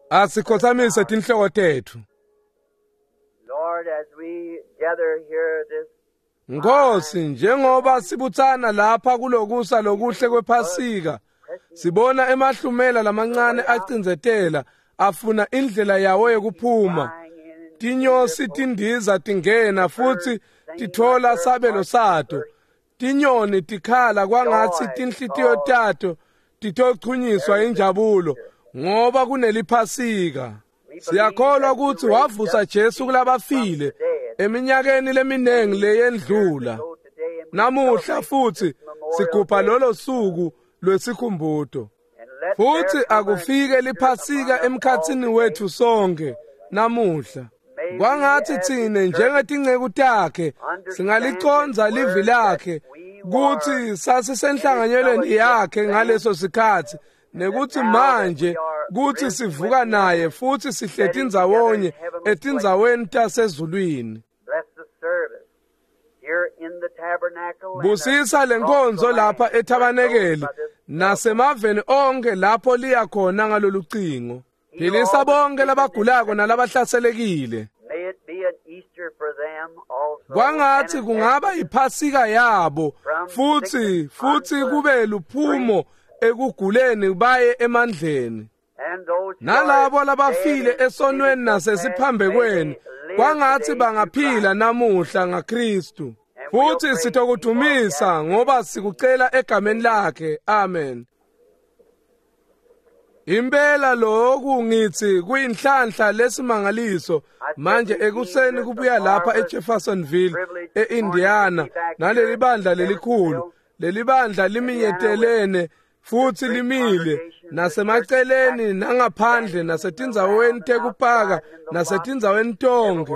Asikhothamise tinhloko tetfu. Lord, as we gather here this Nkosi, njengoba sibutsana lapha kulokusa lokuhle kwePhasika, sibona emahlumela lamancane acindzetela afuna indlela yawo yekuphuma. Tinyosi tindiza tingena futsi titfola sabelo sato. Tinyoni tikhala kwangatsi tinhlitiyo tato titochunyiswa injabulo ngoba kuneliphasika. Siyakholwa kutsi wavusa Jesu kulabafile eminyakeni leminengi leyendlula. Namuhla futsi sigubha lolo suku lwesikhumbuto. Futsi akufike liphasika emkhatsini wetfu sonke namuhla. Kwangatsi tsine njengetinceku takhe singalicondza livi lakhe kutsi sasisenhlanganyelweni yakhe ngaleso sikhatsi nekutsi manje kutsi sivuka naye futsi sihleti ndzawonye etindzaweni tasezulwini. Bless the service here in the tabernacle. and Busisa lenkonzo lapha ethabanekeli nasemaveni onke lapho liya khona ngalolu cingo. Philisa bonke labagulako nalabahlaselekile. May it be an Easter for them also. Kwangatsi and an kungaba yiphasika yabo futsi kube luphumo ekuguleni baye emandleni. And those who Nalabo are labafile dead in esonweni sin nasesiphambekweni may they live kwangatsi today bangaphila through namuhla ngaKristu. Futsi sitokudumisa ngoba sikucela egameni lakhe. Amen. Impela lokhu ngithi kuyinhlanhla lesimangaliso manje ekuseni kubuya lapha eJeffersonville eIndiana naleli bandla lelikhulu. Leli bandla liminyetelene futhi limile nasemaceleni nangaphandle nasetindzaweni tekupaka nasetindzaweni tonke.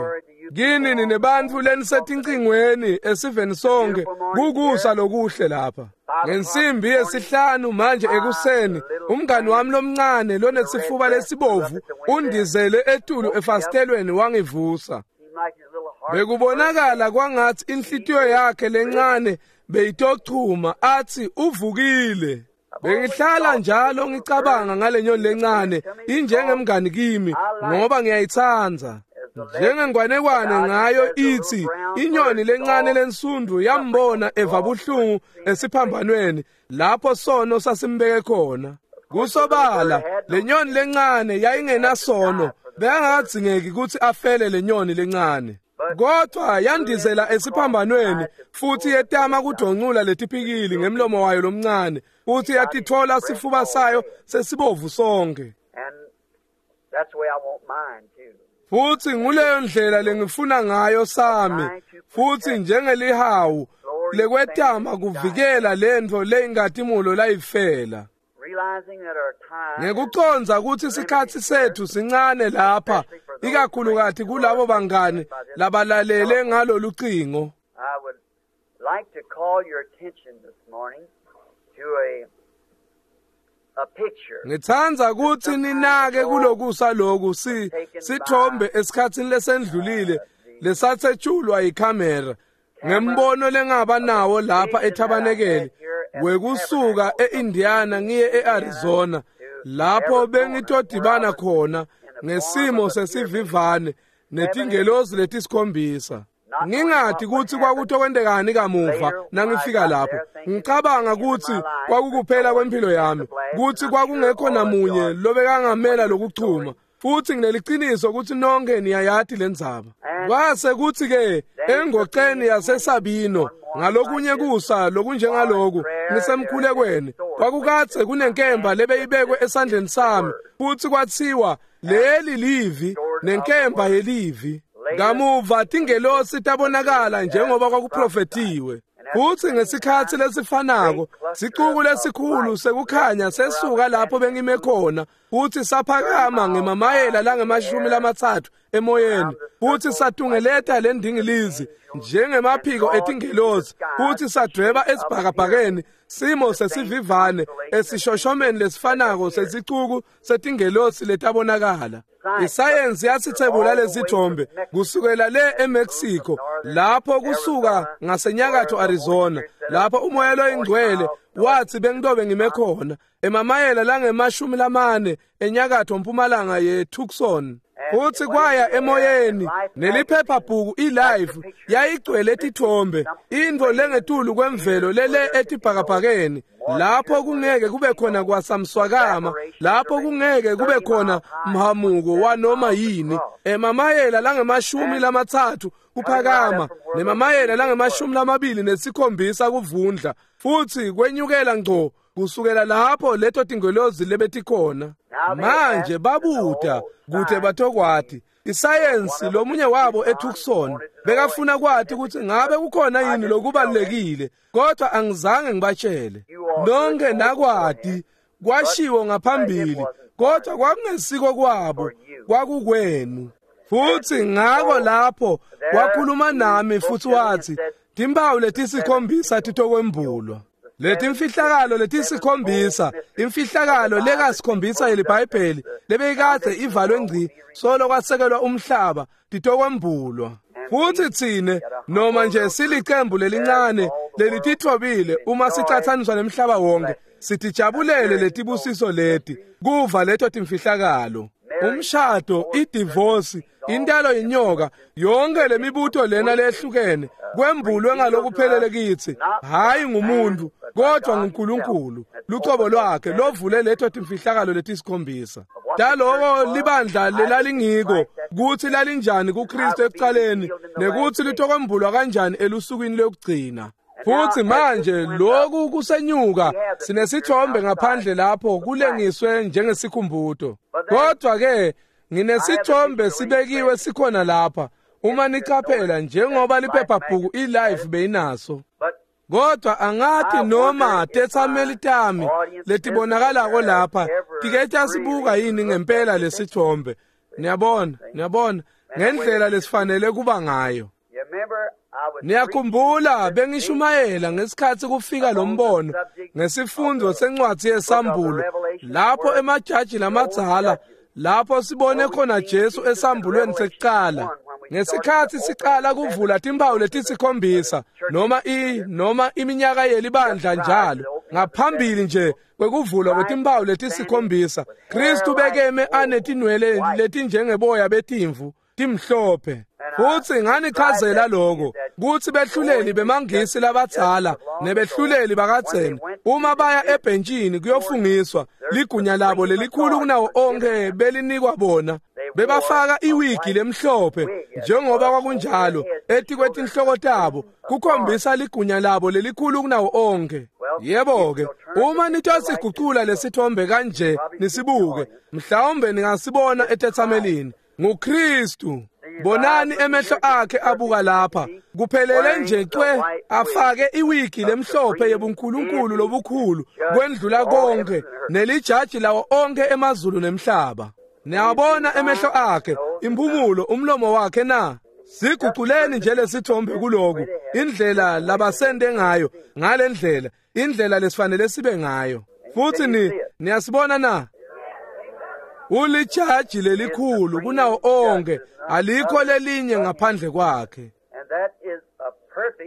Kini ninebantfu lenisetincingweni esiveni sonke kukusa lokuhle lapha. Ngensimbi yesihlanu manje ekuseni umngani wami lomncane lonesifuba lesibovu undizele etulu efasitelweni wangivusa. Seemed like his little heart Bekubonakala kwangatsi inhlitiyo yakhe lencane beyitochuma athi uvukile. Bengihlala njalo ngicabanga ngale nyoni lencane injengemngani kimi ngoba ngiyayitsandza. Njengengwanekwane ngayo ithi inyoni lencane lensundu yambona eva buhlungu esiphambanweni lapho sono sasimbeke khona. Kusobala le nyoni lencane yayingenasono bekangadzingeki kutsi afele le nyoni lencane. Kodwa yandizela esiphambanweni futhi yetama kudoncula letipikili ngemlomo wayo lomncane futhi yatitfola sifuba sayo sesibovu sonke. And that's the way I want mine too. Futhi nguleyo ndlela lengifuna ngayo sami futhi njengelihawu lekwetama kuvikela lentfo leyingatimulo layifela. Realizing that our time is Ngekucondza kutsi sikhatsi setfu sincane lapha ikakhulukati kulabo bangani labalalele ngalolu cingo. I would like to call your attention this morning to a picture. Ngitsandza kutsi ninake kulokusa loku sithombe esikhatsini lesendlulile lesatsetshulwa yikhamera ngembono lengaba nawo lapha ethabanekeli wekusuka eIndiana ngiye eArizona lapho bengitodibana khona ngesimo sesivivane netingelosi letisikhombisa. Ngingati kutsi kwakutokwentekani kamuva nangifika lapho. Ngicabanga kutsi kwakukuphela kwemphilo yami, kutsi kwakungekho namunye lobekangamela lokuchuma. Futsi ngineliciniso kutsi nonke niyayati lendzaba. Kwase kutsi ke engoceni yaseSabino ngalokunye kusa lokunjengaloku ngisemkhulekweni kwakukadze kunenkemba lebeyibekwe esandleni sami futsi kwatsiwa leli livi nenkemba yelivi. Kamuva tingelosi tabonakala njengoba kwakuprofethiwe. Futsi ngesikhatsi lesifanako sicuku lesikhulu sekukhanya sesuka lapho bengime khona futsi saphakama ngemamayela langama-30 emoyeni futsi satungeleta lendingilizi njengemaphiko etingelosi futsi sadweba esibhakabhakeni simo sesivivane esishoshomeni lesifanako sesicuku setingelosi letabonakala. Isayensi yasithebula lesithombe kusukela le eMexico lapho kusuka ngasenyakatho Arizona lapho uMoya loyiNgcwele wathi bengitobe ngime khona emamayela langema-40 enyakatho mpumalanga yeTucson. Futhi kwaya emoyeni neliphephabhuku iLife yayigcwele tithombe, intfo lengetulu kwemvelo lele etibhakabhakeni, lapho kungeke kube khona kwasamswakama, lapho kungeke kube khona mhamuko wanoma yini, emamayela langema-30 kuphakama nemamayela langema-27 kuvundla, futhi kwenyukela ngco kusukela lapho leto tingelozi lebetikhona. Manje babuta kute batokwati isayensi. Lomunye wabo eTucson bekafuna kwati ukuthi ngabe kukhona yini lokubalulekile, kodwa angizange ngibatshele. Nonke nakwati kwashiwo ngaphambili, kodwa kwakungesiko kwabo, kwakukwenu. Futhi ngako lapho wakhuluma nami futhi wathi timpawu letisikhombisa titokwembulwa, letimfihlakalo letisikhombisa, imfihlakalo lekasikhombisa yeliBhayibheli lebeyikade ivalwe ngci solo kwasekelwa umhlaba, titokwembulwa. Futhi tsine noma nje silicembu lelincane lelitithobile uma sicathaniswa nemhlaba wonke, sitijabulele letibusiso leti kuva leto timfihlakalo. Umshado, idivosi, intalo yinyoka, yonke lemibuto lena lehlukene kwembulwe ngalokuphelele kitsi, hayi ngumuntu kodwa nguNkulunkulu lucobo lwakhe lovule leto timfihlakalo letisikhombisa taloko libandla lelalingiko, kutsi lalinjani kuKristu ekucaleni nekutsi litokwembulwa kanjani elusukwini lokugcina. Futhi manje lokhu kusenyuka, sinesithombe ngaphandle lapho kulengiswe njengesikhumbuto, kodwa ke nginesithombe sibekiwe sikhona lapha uma nicaphela, njengoba liphephabhuku iLife beyinaso. Kodwa angathi noma tetsameli tami letibonakalako lapha tike tasibuka yini ngempela lesithombe. Niyabona, niyabona ngendlela lesifanele kuba ngayo. Niyakhumbula bengishumayela ngesikhathi kufika lo mbono ngesifundo sencwadi yeSambulo, lapho emajaji lamadzala, lapho sibone khona Jesu esambulweni sekucala ngesikhathi siqala kuvula timpawu letisikhombisa noma iminyaka yelibandla njalo ngaphambili nje kwekuvulwa kwetimpawu letisikhombisa. Kristu bekeme anetinwele letinjengeboya betimvu timhlophe. Futhi nganichazela lokho kuthi behluleli bemangisi labadzala nebehluleli bakadzeni uma baya ebhentshini kuyofungiswa, ligunya labo lelikhulu kunawo onke belinikwa bona. Bebafaka iwigi lemhlophe njengoba kwakunjalo etikwetinhloko tabo kukhombisa ligunya labo lelikhulu kunawo onke. Yebo-ke, uma nitosigucula lesithombe kanje nisibuke, mhlawumbe ningasibona etetsamelini. NguKristu. Bonani emehlo akhe abuka lapha kuphelele nje cwe, afake iwigi lemhlophe yebunkulunkulu lobukhulu kwendlula konke nelijaji lawo onke emazulu nemhlaba. Niyabona emehlo akhe, impumulo, umlomo wakhe na? Siguculeni nje lesithombe kuloku, indlela labasende ngayo, ngalendlela, indlela lesifanele sibe ngayo. Futhi niyasibona na? Ulijaji lelikhulu kunawo onke, alikho lelinye ngaphandle kwakhe.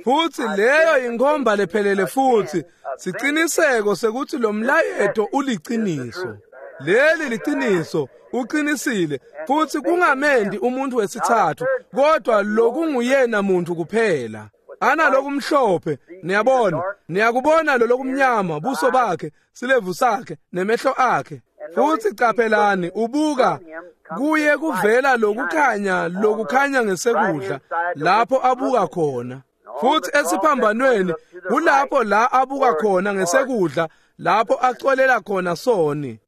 Futhi leyo inkhomba lephelele futhi siciniseko sekuthi lo mlayeto uliciniso. Leli liciniso, uqinisile, futhi kungamendi umuntu wesithathu, kodwa lokunguyena muntu kuphela. Analokumhlophe, niyabona, niyakubona lo lokumnyama, buso bakhe, silevu sakhe, nemehlo akhe. Futhi caphelani, ubuka kuye kuvela lokukhanya, lokukhanya ngesekudla lapho abuka khona. Futhi esiphambanweni kulapho la abuka khona ngesekudla, lapho acolela khona soni.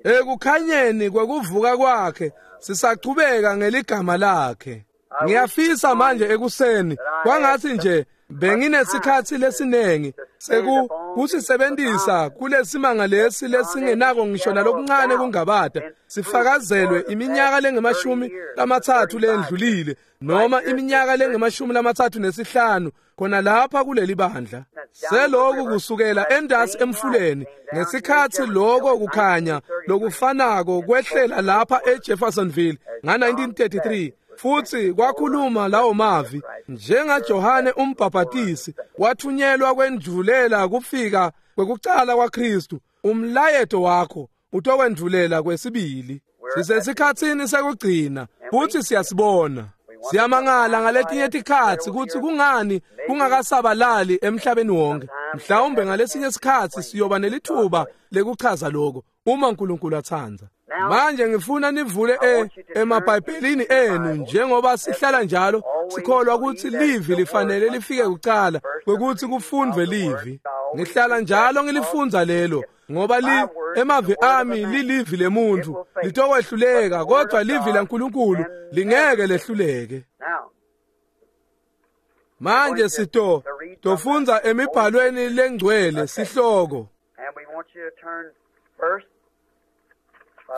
Ekukhanyeni kwekuvuka kwakhe sisachubeka ngeligama lakhe. Ngiyafisa manje ekuseni kwangathi nje benginesikhathi lesinengi sekusisebenzisa kulesimanga lesi lesingenako ngisho nalokuncane kungabada, sifakazelwe iminyaka lengama-30 lendlulile noma iminyaka lengama-35 khona lapha kuleli bandla. Seloku kusukela endasi emfuleni ngesikhathi lokho kukhanya lokufanako kwehlela lapha eJeffersonville nga-1933. Futsi kwakhuluma lawo mavi njengaJohane umbhabhatisi wathunyelwa kwendvulela kufika kwekucala kwaKristu. Umlayeto wakho utokwendvulela kwesibili. Sisesikhatsini sekugcina futsi siyasibona. Siyamangala ngaletinye tikhatsi kutsi kungani kungakasabalali emhlabeni wonke. Mhlawumbe ngalesinye sikhatsi siyoba nelithuba lekuchaza lokho uma uNkulunkulu atsandza. Manje ngifuna nivule emabhayibhelini enu njengoba sihlala njalo sikholwa ukuthi livi lifanele lifike kucala kwekuthi kufundvwe livi. Ngihlala njalo ngilifundza lelo ngoba emavi ami lilivi lemuntu litokwehluleka, kodwa livi laNkulunkulu lingeke lehluleke. Manje sitofundza emibhalweni lengcwele sihloko.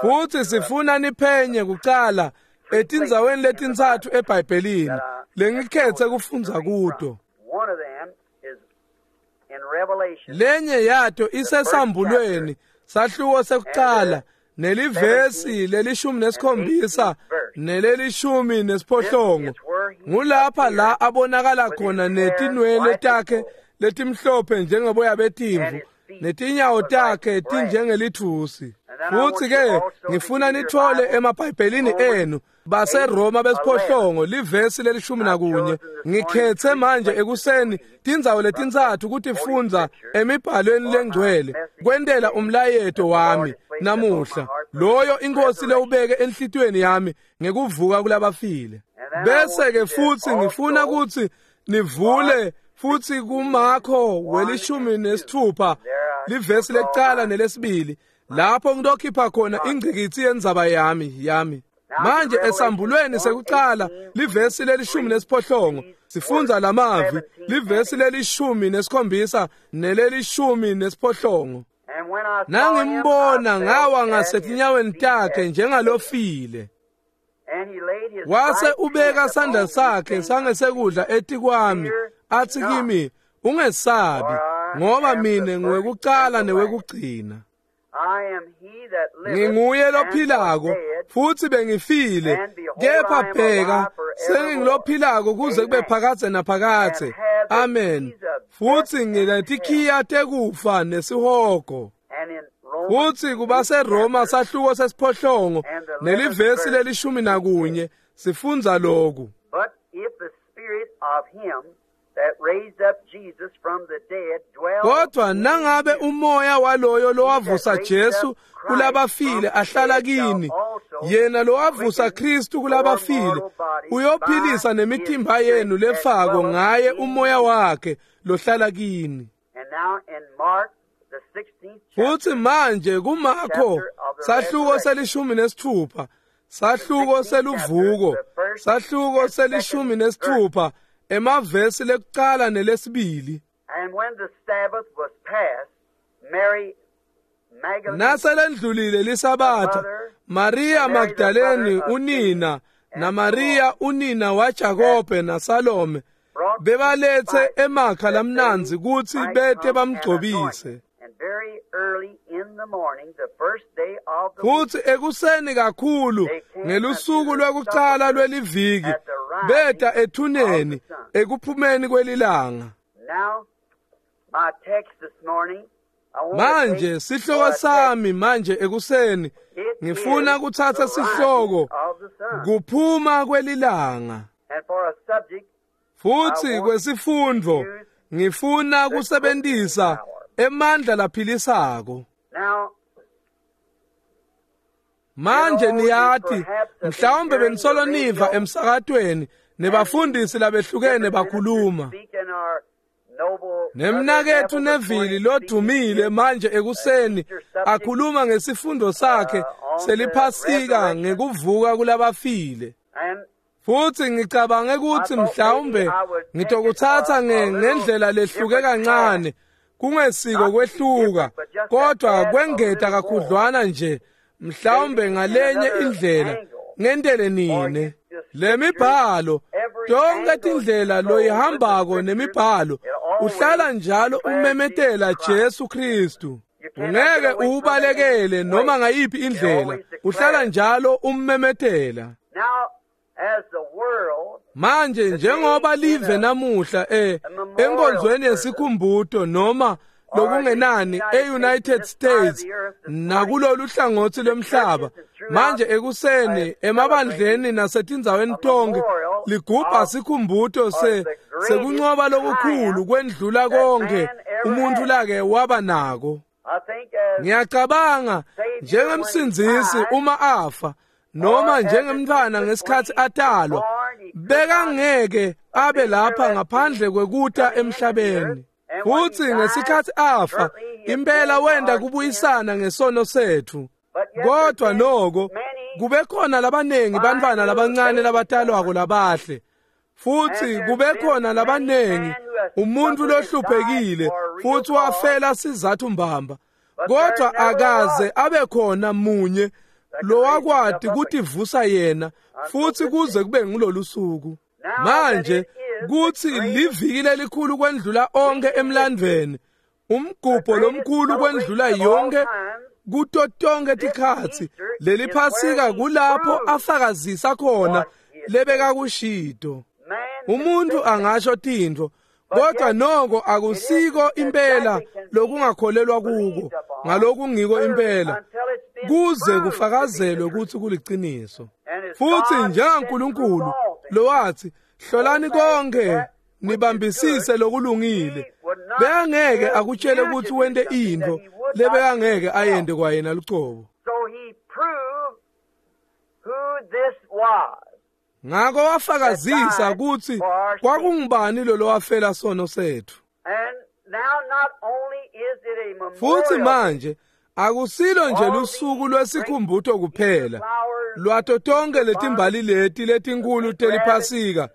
Futsi sifuna niphenye kucala etindzaweni letintsatfu eBhayibhelini lengikhetse kufundza kuto. Lenye yato isesambulweni sahluko sekucala nelivesi leli-17 neleli-18. Ngulapha la abonakala khona netinwele takhe letimhlophe njengeboya betimvu netinyawo takhe tinjengelithusi. Futsi ke ngifuna nithole emabhayibhelini enu baseRoma besiphohlongo livesi leli-11. Ngikhetse manje ekuseni tindzawo letintsatfu kutifundza emibhalweni lengcwele kwentela umlayeto wami namuhla, loyo inkosi lewubeke enhlitiyweni yami ngekuvuka kulabafile. Bese ke futsi ngifuna kutsi nivule futsi kuMakho we-16 livesi lekucala nelesibili, lapho ngitokhipha khona ingcikitsi yendzaba yami. Manje esambulweni sekucala livesi leli-18 sifundza lamavi, livesi leli-17 neleli-18. Nangimbona ngawa ngasetinyaweni takhe njengalofile. Wase ubeka sandla sakhe sangesekudla etikwami athi kimi, ungesabi, ngoba mine ngiwekucala newekugcina. Nginguye lophilako futsi bengifile, kepha bheka sengingulophilako kuze kube phakadze naphakadze. Amen. Futsi nginetikhiya tekufa nesihogo. Futsi kubaseRoma sahluko sesiphohlongo nelivesi leli-11 sifundza lokhu. Kodwa nangabe umoya waloyo lowavusa Jesu kulabafile ahlala kini, yena lowavusa Kristu kulabafile uyophilisa nemitimba yenu lefako ngaye umoya wakhe lohlala kini. Futsi manje kuMakho sahluko seli-16, sahluko seluvuko, sahluko seli-16, emavesi lekucala nelesibili. Naselendlulile lisabatha, Maria Magdalene unina naMaria unina waJakobe naSalome bebalethe emakha lamnandzi kutsi bete bamgcobise. Futsi ekuseni kakhulu ngelusuku lwekucala lweliviki beta ethuneni ekuphumeni kwelilanga. Manje sihloko sami manje ekuseni ngifuna kutsatsa sihloko kuphuma kwelilanga. Futsi kwesifundvo ngifuna kusebentisa emandla laphilisako. Manje niyati mhlawumbe benisolo niva emsakatweni nebafundisi labehlukene bakhuluma. Nemnaketfu Neville lodumile manje ekuseni akhuluma ngesifundo sakhe seliphasika ngekuvuka kulabafile. Futsi ngicabange kutsi mhlawumbe ngitokutsatsa ngendlela lehluke kancane, kungesiko kwehluka, kodwa kwengeta kakhudlwana nje, mhlawumbe ngalenye indlela ngentele nine. Lemibhalo, tonke tindlela loyihambako nemibhalo, uhlala njalo umemetela Jesu Kristu. Ungeke uwubalekele noma ngayiphi indlela, uhlala njalo ummemetela. Manje njengoba live namuhla enkonzweni yesikhumbuto noma lokungenani e-United States nakulolu hlangothi lwemhlaba, manje ekuseni emabandleni nasetindzaweni tonke ligubha sikhumbuto sekuncoba lokukhulu kwendlula konke umuntu lake waba nako. Ngiyacabanga njengemsindzisi uma afa noma njengemntwana ngesikhathi atalwa, bekangeke abe lapha ngaphandle kwekuta emhlabeni. Futhi ngesikhathi afa, impela wenda kubuyisana ngesono sethu. Kodwa noko kube khona labanengi bantwana labancane labatalwako labahle, futhi kube khona labanengi umuntu lohluphekile futhi wafela sizathu mbamba, kodwa akaze abe khona munye lowakwati kutivusa yena futhi kuze kube ngilolu suku. Manje kuthi liviki lelikhulu kwendlula onke emlandweni, umgubho lomkhulu kwendlula yonke kuto tonke tikhatsi, leli Phasika kulapho afakazisa khona lebekakushito. Umuntu angasho tintfo, kodwa noko akusiko impela lokungakholelwa kuko ngalokungiko impela kuze kufakazelwe ukuthi kuliciniso. Futhi njengaNkulunkulu lowathi hlolani konke nibambisise lokulungile, bekangeke akutshele ukuthi wente intfo lebekangeke ayente kwayena lucobo. Ngako wafakazisa ukuthi kwakungubani lo lowafela sono sethu. Futhi manje akusilo nje lusuku lwesikhumbuto kuphela lwato tonke letimbali leti letinkulu teliphasika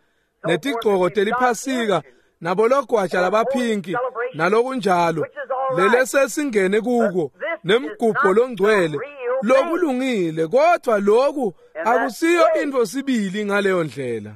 netigcoko teliphasika nabologwaja labaphinki nalokunjalo lelesesingene kuko nemgubho longcwele lokulungile, kodwa lokhu akusiyo intfo sibili ngaleyo ndlela.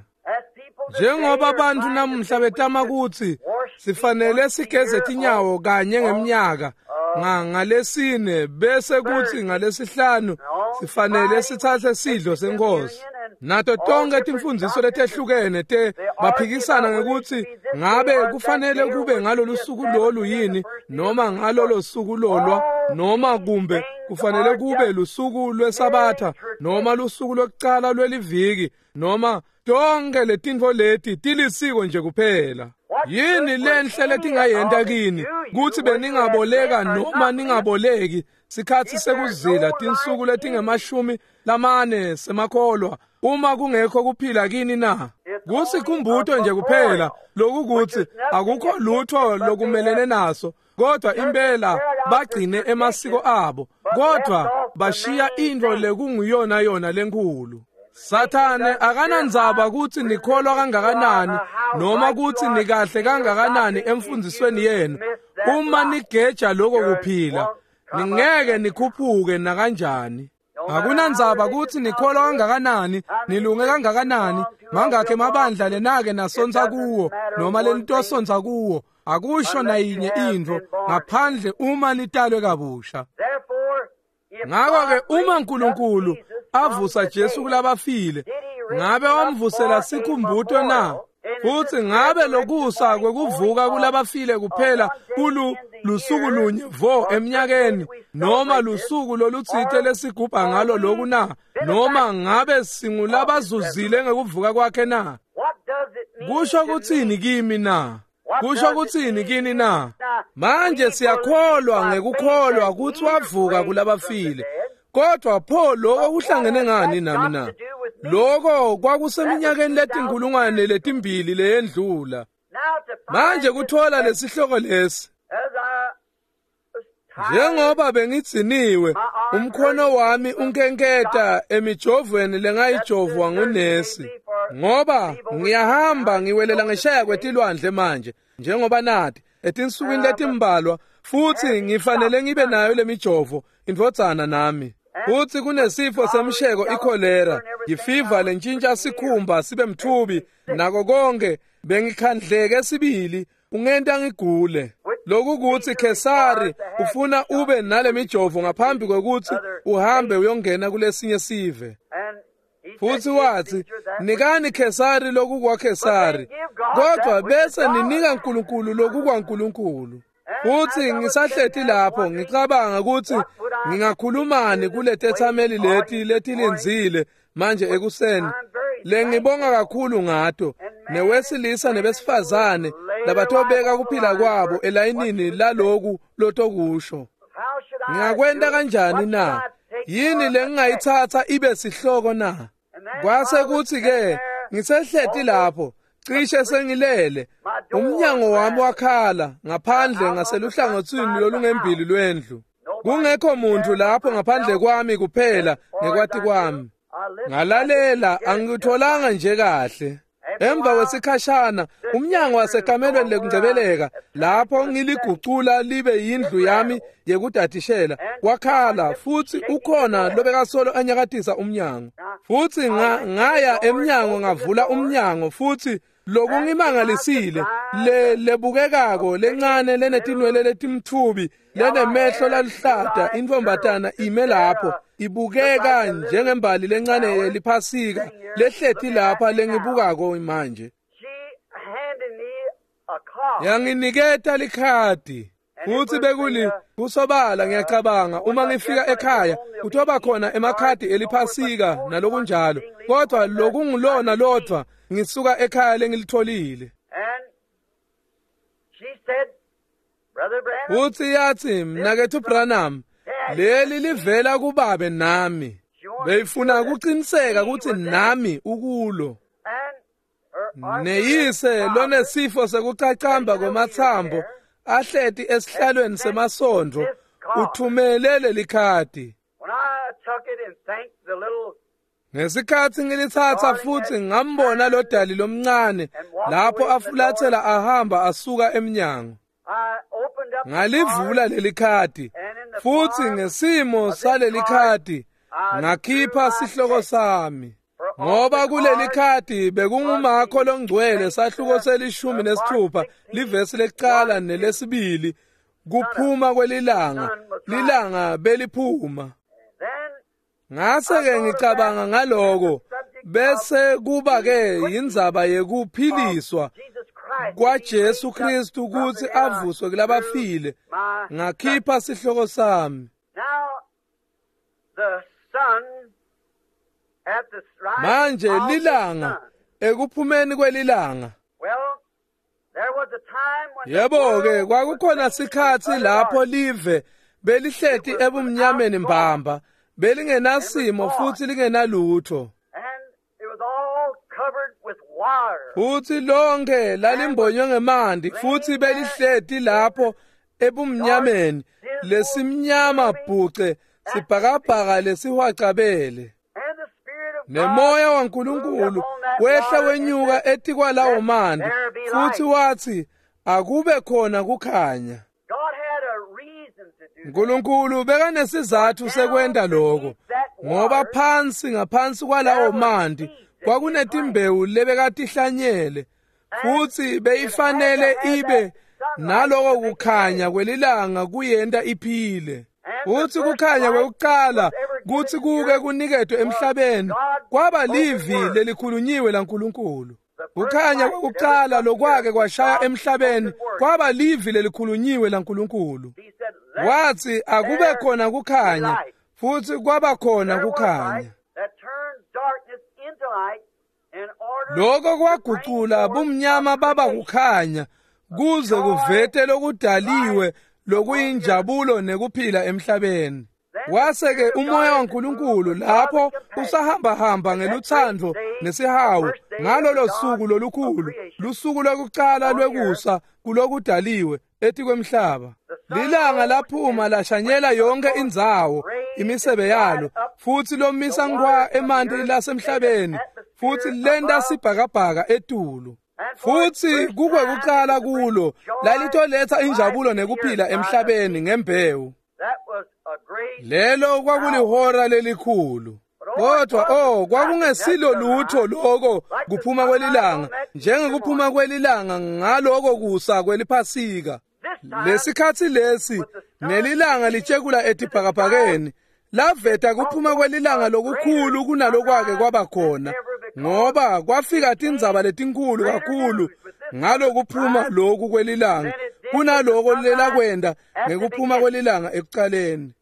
Njengoba abantu namuhla betama kutsi sifanele sigeze tinyawo kanye ngemnyaka ngalesine bese kuthi ngalesihlanu sifanele sithathe sidlo senkosi, nato tonke timfundziso letehlukene te baphikisana ngekuthi ngabe kufanele kube ngalolu suku lolu yini noma ngalolo suku lolwa, noma kumbe kufanele kube lusuku lwesabatha noma lusuku lokucala lweliviki, noma tonke letintfo leti tilisiko nje kuphela. Yini lenhle letingayenta kini kutsi beningaboleka noma ningaboleki sikhatsi sekuzila tinsuku letingemashumi lamane semakholwa uma kungekho kuphila kini na? Kusikhumbuto nje kuphela lokukuthi akukho lutho lokumelene naso, kodwa impela bagcine emasiko abo, kodwa bashiya intfo lekunguyona yona lenkhulu. Sathane akanandzaba kutsi nikholwa kangakanani noma kutsi nikahle kangakanani emfundzisweni yenu. Uma nigeja lokho kuphila, ningeke nikhuphuke nakanjani. Akunandzaba kutsi nikholwa kangakanani, nilunge kangakanani, mangakhe mabandla lenake nasontsa kuwo noma lenitosontsa kuwo, akusho nayinye intfo ngaphandle uma nitalwe kabusha. Ngakho-ke uma uNkulunkulu avusa Jesu kulabafile, ngabe wamvusela sikhumbuto na? Futhi ngabe lokusa kwekuvuka kulabafile kuphela kulu lusuku lunye vo eminyakeni noma lusuku lolutsite lesigubha ngalo loku na? Noma ngabe singulabazuzile ngekuvuka kwakhe na? Kusho kutsini kimi na? Kusho kutsini kini na? Manje siyakholwa ngekukholwa kutsi wavuka kulabafile, kodwa pho lokho kuhlangene ngani nami na? Lokho kwakuseminyakeni letinkulungwane letimbili leyendlula. Manje kuthola lesihloko lesi, njengoba bengidziniwe umkhono wami unkenketa emijovweni lengayijovwa ngunesi, ngoba ngiyahamba ngiwelela ngeshaya kwetilwandle manje njengoba nathi etinsukwini letimbalwa, futhi ngifanele ngibe nayo lemijovo indvodzana nami. Futhi kunesifo semsheko ikholera, yifiva lentshintsha sikhumba sibe mthubi nako konke. Bengikhandleke sibili, ungenta ngigule. Lokhu kuthi Khesari ufuna ube nalemijovo ngaphambi kwekuthi uhambe uyongena kulesinye sive. Futsi watsi, "Nikani Khesari lokukwaKhesari, kodwa bese ninika Nkulunkulu lokukwaNkulunkulu." Futsi ngisahleti lapho ngicabanga kutsi ngingakhulumani kuletetsameli leti letilindzile manje ekuseni, lengibonga kakhulu ngato, newesilisa nebesifazane labatobeka kuphila kwabo elayinini laloku lotokusho. Ngingakwenta kanjani na? Yini lengingayitsatsa ibe sihloko na? Kwase kutsi-ke ngisehleti lapho, cishe sengilele, umnyango wami wakhala ngaphandle ngaseluhlangotsini lolungembili lwendlu. Kungekho muntu lapho ngaphandle kwami kuphela ngekwati kwami. Ngalalela, angikutholanga nje kahle. Emva kwesikhashana, umnyango wasekamelweni lekungcebeleka, lapho ngiligucula libe yindlu yami yekudadishela, wakhala, futsi ukhona lobekasolo anyakatisa umnyango. Futsi ngaya emnyango ngavula umnyango, futsi lokungimangalisile, lebukekako lencane lenetinwele letimtfubi lenemehlo laluhlata, intfombatana ime lapho, ibukeka njengembali lencane yeliphasika lehleti lapha lengibukako manje. Yanginiketa likhadi. Futsi bekuli kusobala ngiyacabanga uma ngifika ekhaya kutoba khona emakhadi eliphasika nalokunjalo, kodwa lokungulona lodvwa ngisuka ekhaya lengilitholile. Futsi yatsi, "Mnaketfu Branham, leli livela kubabe nami." Beyifuna kuqiniseka kutsi nami ukulo. Neyise lonesifo sekucacamba kwematsambo ahleti esihlalweni semasondvo uthumele lelikhadi. Ngesikhatsi ngilitsatsa futsi ngambona lo dali lomncane lapho afulathela ahamba asuka emnyango. Ngalivula lelikhadi, futsi ngesimo salelikhadi ngakhipha sihloko sami. Ngoba kulelikhadi bekungumakho longcwele sahluko se-16 livesi lekucala nelesibili, kuphuma kwelilanga, lilanga beliphuma. Ngase-ke ngicabanga ngaloko, bese kuba-ke yindzaba yekuphiliswa kwaJesu Kristu kutsi avuswe kulabafile. Ngakhipha sihloko sami. Manje lilanga ekuphumeni kwelilanga. Yebo-ke kwakukhona sikhatsi lapho live belihleti ebumnyameni mbamba, belingenasimo futsi lingenalutho. Futsi lonke lalimbonywe ngemanti, futsi belihleti lapho ebumnyameni lesimnyama bhuce, sibhakabhaka lesihwacabele. Nemoya waNkulunkulu wehla wenyuka etikwalawo manti, futsi watsi, "Akube khona kukhanya." Nkulunkulu bekanesizatfu sekwenta lokho, ngoba phansi ngaphansi kwalawo manti kwakunetimbewu lebekatihlanyele, futsi beyifanele ibe naloko kukhanya kwelilanga kuyenta iphile. Futsi kukhanya kwekucala kutsi kuke kuniketwe emhlabeni kwaba livi lelikhulunyiwe laNkulunkulu. Kukhanya kwekucala lokwake kwashaya emhlabeni kwaba livi lelikhulunyiwe laNkulunkulu. Watsi, "Akube khona kukhanya," futsi kwaba khona kukhanya. Lokho kwagucula bumnyama baba kukhanya, kuze kuvete lokudaliwe lokuyinjabulo nekuphila emhlabeni. Wase-ke umoya waNkulunkulu lapho usahambahamba ngelutsandvo nesihawu ngalolo suku lolukhulu, lusuku lwekucala lwekusa kulokudaliwe etikwemhlaba. Lilanga laphuma lashanyela yonke indzawo imisebe yalo, futsi lomisa nkhwa emanti lasemhlabeni, futsi lenta sibhakabhaka etulu. Futsi kukwekucala kulo lalitoletsa injabulo nekuphila emhlabeni ngembewu. Lelo kwakulihora lelikhulu. Kodwa kwakungesilo lutho lokho kuphuma kwelilanga, njengekuphuma kwelilanga ngaloko kusa kweliphasika. Lesikhatsi lesi nelilanga litshekula etibhakabhakeni, laveta kuphuma kwelilanga lokukhulu kunalokwake kwaba khona, ngoba kwafika tindzaba letinkulu kakhulu ngalokuphuma loku kwelilanga kunaloko lelakwenda ngekuphuma kwelilanga ekucaleni.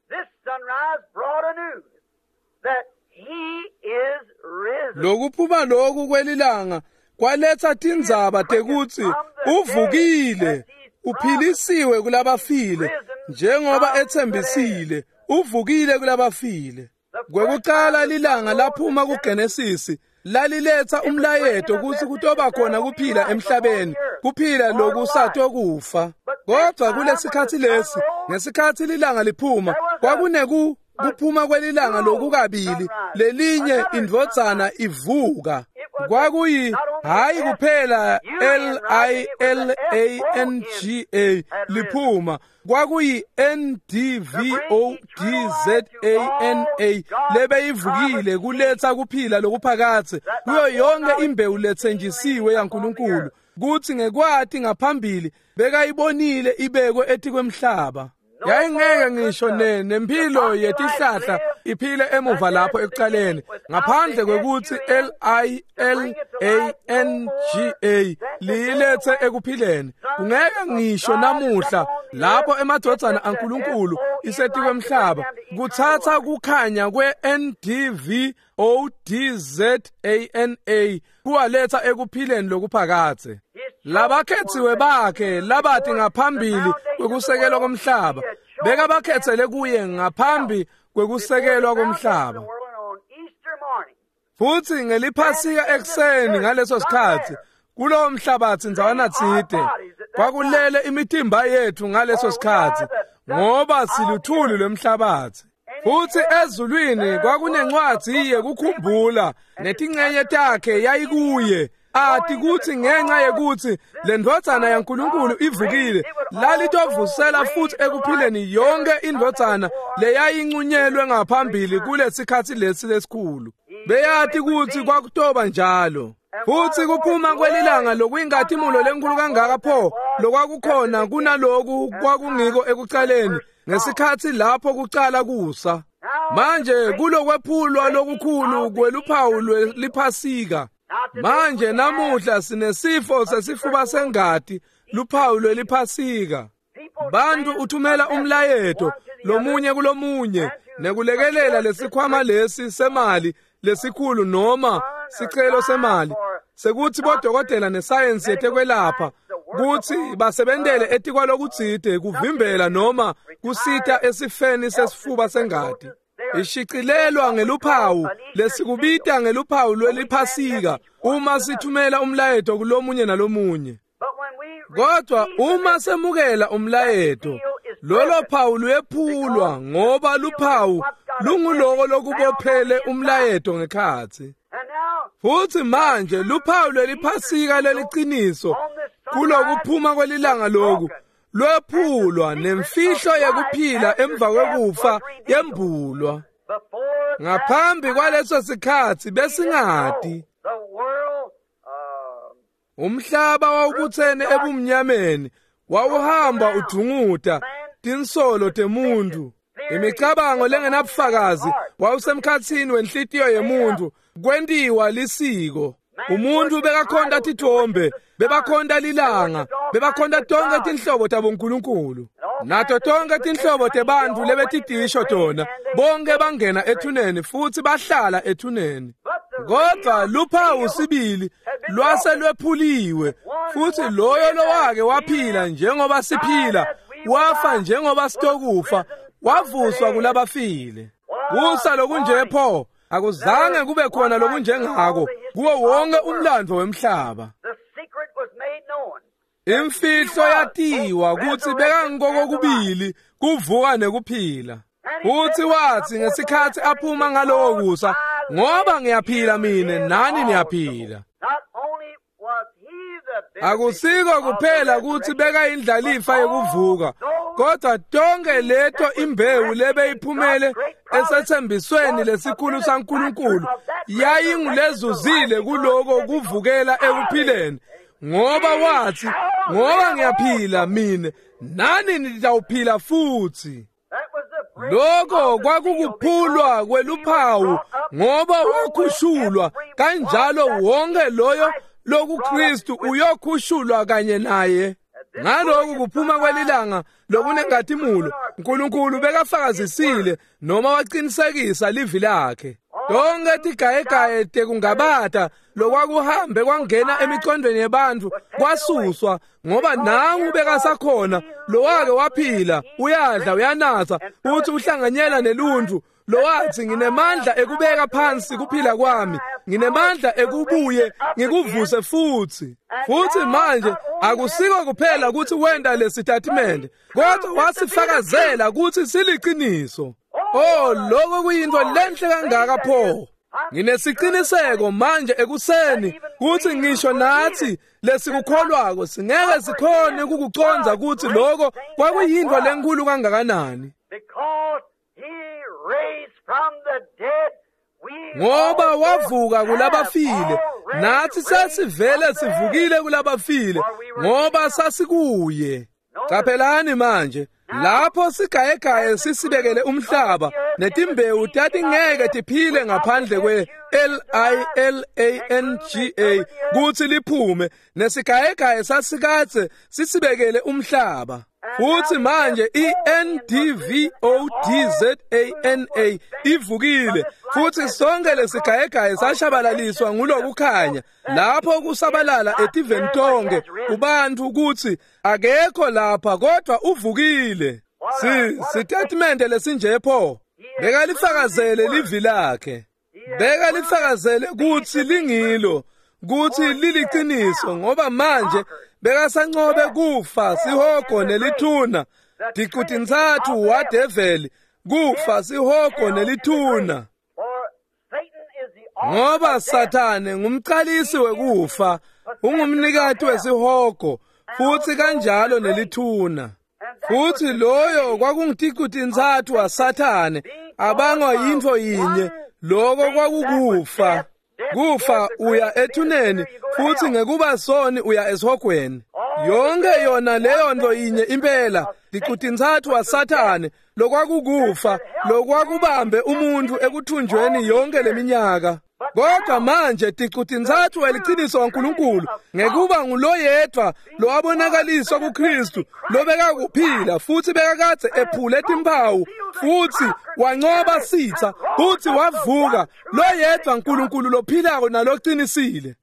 Lokuphuma loku kwelilanga kwaletsa tindzaba tekutsi uvukile, uphilisiwe kulabafile, njengoba etsembisile, uvukile kulabafile. Kwekucala lilanga laphuma kuGenesisi laliletsa umlayeto kutsi kutoba khona kuphila emhlabeni, kuphila lokusatokufa. Kodwa kulesikhatsi lesi, ngesikhatsi lilanga liphuma, kwakuneku kuphuma kwelilanga lokukabili, lelinye indvodzana ivuka. Kwakuyi hayi kuphela L-I-L-A-N-G-A liphuma, kwakuyi N-D-V-O-D-Z-A-N-A lebeyivukile kuletsa kuphila lokuphakadze kuyo yonke imbewu letsenjisiwe yaNkulunkulu, kutsi ngekwati ngaphambili bekayibonile ibekwe etikwemhlaba. Yayingeke ngisho nempilo yetihlahla iphile emuva lapho ekucaleni ngaphandle kwekutsi L-I-L-A-N-G-A liyilethe ekuphileni. Kungeke ngisho namuhla lapho emadvodzana aNkulunkulu isetikwemhlaba kutsatsa kukhanya kwe-N-D-V-O-D-Z-A-N-A kuwaletsa ekuphileni lokuphakadze. Labakhetsiwe bakhe labati ngaphambili kwekusekelwa komhlaba bekabakhetsele kuye ngaphambi kwekusekelwa komhlaba. Futsi ngeliphasika ekuseni ngaleso sikhatsi kulowo mhlabatsi ndzawana tsite kwakulele imitimba yethu ngaleso sikhatsi, ngoba siluthuli lwemhlabatsi. Futsi ezulwini kwakunencwadzi yekukhumbula netincenye takhe yayikuye, ati kutsi ngenxa yekutsi lendvodzana yaNkulunkulu ivukile, lalitovusela futsi ekuphileni yonke indvodzana leyayincunyelwe ngaphambili kulesikhatsi lesi lesikhulu. Beyati kutsi kwakutoba njalo. Futsi kuphuma kwelilanga lokuyinkhatimulo lenkulu kangaka pho lokwakukhona kunaloku kwakungiko ekucaleni ngesikhatsi lapho kucala kusa. Manje kulokwephulwa lokukhulu kweluphawu lweliphasika. Manje namuhla sinesifo sesifuba sengati, luphawu lweliphasika. Bantu uthumela umlayeto lomunye kulomunye nekulekelela lesikhwama lesi semali lesikhulu noma sicelo semali sekuthi bodokotela nesayensi yetekwelapha kutsi basebentele etikwalokutsite kuvimbela noma kusita esifeni sesifuba sengati. Ishicilelwa ngeluphawu lesikubita ngeluphawu lweliphasika uma sithumela umlayeto kulomunye nalomunye. Kodwa uma semukela umlayeto, lolo phawu luyephulwa ngoba luphawu lunguloko lokubophele umlayeto ngekhatsi. Futsi manje luphawu lweliphasika leliciniso kulokuphuma kwelilanga loku lwephulwa nemfihlo yekuphila emva kwekufa yembulwa. Ngaphambi kwaleso sikhatsi besingati. Umhlaba wawubutsene ebumnyameni, wawuhamba udunguta tinsolo temuntu, imicabango lengenabufakazi wawusemkhatsini wenhlitiyo yemuntu, kwentiwa lisiko. Umuntu bekakhonta tithombe, bebakhonta lilanga, bebakhonta tonke tinhlobo tabonkulunkulu. Nato tonke tinhlobo tebantfu lebetitisho tona, bonke bangena ethuneni futhi bahlala ethuneni. Kodwa luphawu sibili lwase lwephuliwe, futhi loyo lowake waphila njengoba siphila, wafa njengoba sitokufa, wavuswa kulabafile. Kusa lokunje pho akuzange kube khona lokunjengako kuwo wonke umlandvo wemhlaba. Imfihlo yatiwa kutsi bekangikokubili kuvuka nekuphila. Futhi wathi ngesikhatsi aphuma ngalowo kusa, ngoba ngiyaphila mine nani niyaphila. Akusiko kuphela kutsi bekayindlalifa yekuvuka, kodwa tonke leto imbewu lebeyiphumele esethembisweni lesikhulu saNkulunkulu yayingulezuzile kuloko kuvukela ekuphileni, ngoba wathi, ngoba ngiyaphila mine nani nitawuphila futhi. Lokho kwakukuphulwa kweluphawu ngoba wakhushulwa kanjalo wonke loyo lokuKristu uyokhushulwa kanye naye. Ngalokhu kuphuma kwelilanga lokunenkazimulo uNkulunkulu bekafakazisile noma waqinisekisa livi lakhe. Tonke tigayegaye tekungabata lokwakuhambe kwangena emicondweni yebantu kwasuswa ngoba nangu bekasakhona lowake waphila uyadla uyanatha futhi uhlanganyela neluntu lowathi nginemandla ekubeka phansi kuphila kwami, nginemandla ekubuye ngikuvuse futhi. Futhi manje akusiko kuphela ukuthi wenda lesitatimende kodwa wasifakazela ukuthi siliqiniso. Oh, lokho kuyinto lenhle kangaka pho. Nginesiqiniseko manje ekuseni kuthi ngisho nathi lesikukholwako singeke sikhone ukukuconza ukuthi lokho kwakuyinto lenkulu kangakanani. Ngoba wavuka kulabafile, nathi sesivele sivukile kulabafile ngoba sasikuye. Qaphelani manje lapho sigayegaye sisibekele umhlaba netimbewu tatingeke tiphile ngaphandle kwe LILANGA kuthi liphume nesigayegaye sasikadze sisibekele umhlaba. Futhi manje iNDVODZANA ivukile futhi sonke lesigayegaye sashabalaliswa ngulokukhanya lapho kusabalala etiveni tonke kubantu ukuthi akekho lapha kodwa uvukile. Sitatimende lesinje pho. Bekalifakazele livi lakhe, bekalifakazele kuthi lingilo, kuthi liliqiniso ngoba manje bekasanqobe kufa sihogo nelithuna. Ticutintsatfu wadeveli, kufa sihogo nelithuna. Ngoba Sathane ngumqalisi wekufa, ungumnikati wesihogo futhi kanjalo nelithuna. Futhi loyo kwakunguticutintsatfu waSathane abangwa yintfo yinye, lokho kwakukufa. Kufa uya ethuneni futhi ngekuba soni uya esihogweni. Yonke yona leyo nto yinye impela ticutintsatfu waSathane lokwakukufa lokwakubambe umuntu ekuthunjweni yonke leminyaka. Kodwa manje ticutintsatfu weliciniso waNkulunkulu ngekuba nguloyedwa lowabonakaliswa kuKristu lobekakuphila futhi bekakadze ephule timphawu futhi wanqoba sitha futhi wavuka, loyedwa uNkulunkulu lophilako naloqinisile.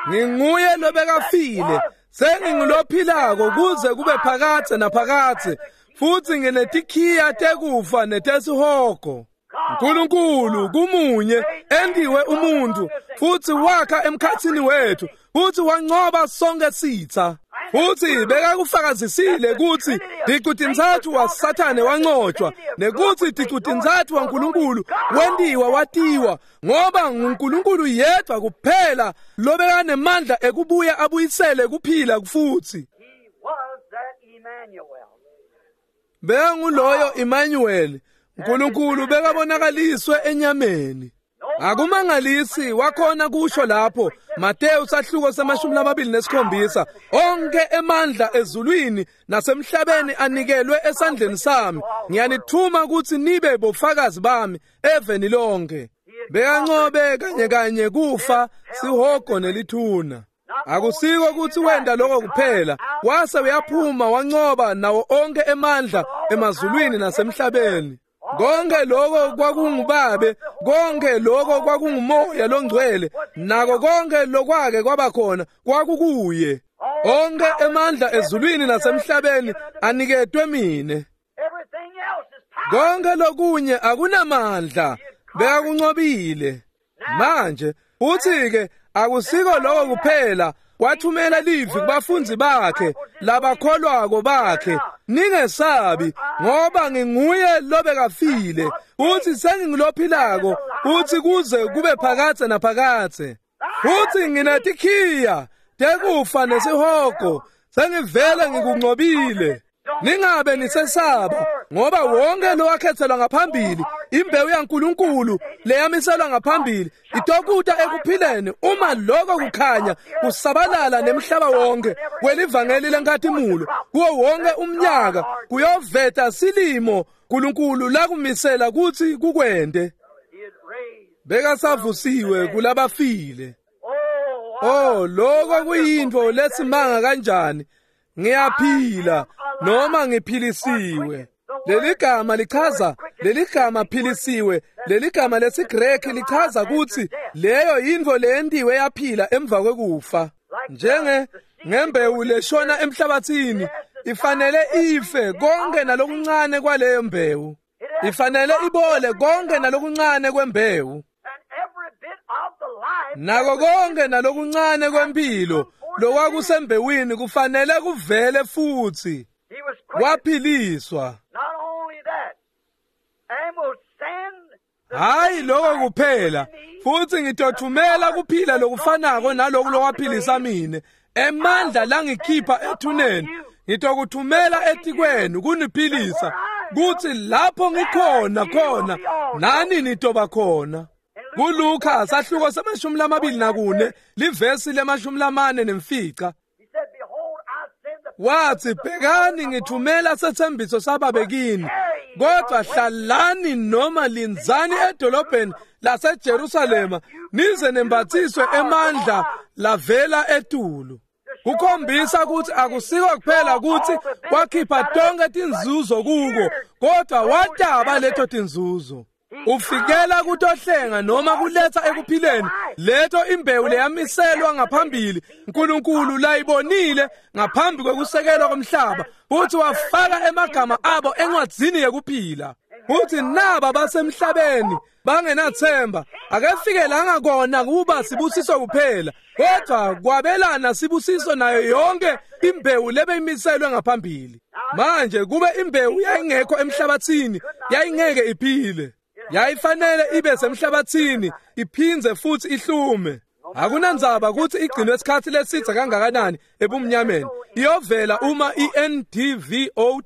Nginguye lobekafile, sengingulophilako kuze kube phakadze naphakadze futhi nginetikhiya tekufa netesihogo. uNkulunkulu kumunye endiwe umuntu futhi wakha emkhathini wethu futhi wanqoba sonke sitha. Futhi bekakufakazisile ukuthi ticutintsatfu waSathane wanqotshwa nekuthi ticutintsatfu waNkulunkulu wendiwa watiwa ngoba nguNkulunkulu yedwa kuphela lobekanemandla ekubuya abuyisele kuphila futhi. Bekanguloyo Emmanuel, uNkulunkulu bekabonakaliswe enyameni. Akumangalisi wakhona kusho lapho Mateyu sahluko se-27 onke emandla ezulwini nasemhlabeni anikelwe esandleni sami, ngiyanithuma ukuthi nibe bofakazi bami eveni lonke. Bekanqobe kanye kanye kufa sihogo nelithuna. Akusiko ukuthi wenda lokho kuphela, wase uyaphuma wanqoba nawo onke emandla emazulwini nasemhlabeni. Konke lokho kwakungubabe, konke lokho kwakungumoya longcwele, nako konke lokwake kwabakhona kwakukuye. Onke emandla ezulwini nasemhlabeni aniketwe mine. Konke lokunye akunamandla, bekakunqobile. Manje uthi-ke akusiko lokho kuphela, wathumela livi kubafundi bakhe labakholwako bakhe, ningesabi ngoba nginguye lobekafile uthi sengingulophilako uthi kuze kube phakadze naphakadze. Futhi nginetikhiya tekufa nesihogo, sengivele ngikunqobile. Ningabe nisesaba, ngoba wonke lowakhethelwa ngaphambili, imbewu yaNkulunkulu leyamiselwa ngaphambili, itokuta ekuphileni uma lokho kukhanya kusabalala nemhlaba wonke kwelivangeli lenkhatimulo kuwo wonke umnyaka, kuyoveta silimo uNkulunkulu lakumisela kutsi kukwente. Bekasavusiwe kulabafile. Oh, lokho kuyintfo lesimanga kanjani. Ngiyaphila noma ngiphilisiwe. Leligama lichaza, leligama philisiwe, leligama lesiGreki lichaza kutsi leyo yintfo leyentiwe yaphila emva kwekufa. Njenge ngembewu leshona emhlabathini, ifanele ife konke nalokuncane kwaleyo mbewu. Ifanele ibole konke nalokuncane kwembewu. Nako konke nalokuncane kwempilo lokwakusembewini kufanele kuvele futsi. Waphiliswa. Hayi lokho kuphela, futhi ngitothumela kuphila lokufanako naloku lokwaphilisa mine, emandla langikhipha ethuneni, ngitokuthumela etikwenu kuniphilisa, kuthi lapho ngikhona khona nani nitoba khona. KuLuka sahluko se-24 livesi le-45, wathi, bhekani ngithumela sethembiso sababe kini, kodwa hlalani noma linzani edolobheni laseJerusalema nize nembathiswe emandla lavela etulu. Kukhombisa ukuthi akusiko kuphela ukuthi wakhipha tonke tinzuzo kuko, kodwa wataba leto tinzuzo. Ufikela kutohlenga noma kuletha ekuphileni leto imbewu leyamiselwa ngaphambili uNkulunkulu layibonile ngaphambi kwekusekelwa komhlaba, futhi wafaka emagama abo encwadzini yekuphila. Futhi naba basemhlabeni bangenathemba, akefikelanga kona kuba sibusiso kuphela, kodwa kwabelana sibusiso nayo yonke imbewu lebeyimiselwe ngaphambili. Manje kube imbewu yayingekho emhlabathini, yayingeke iphile. Yayifanele ibe semhlabathini iphindze futhi ihlume. Akunandzaba ukuthi igcinwe isikhathi lesitha kangakanani ebumnyameni, iyovela uma iNDVODZANA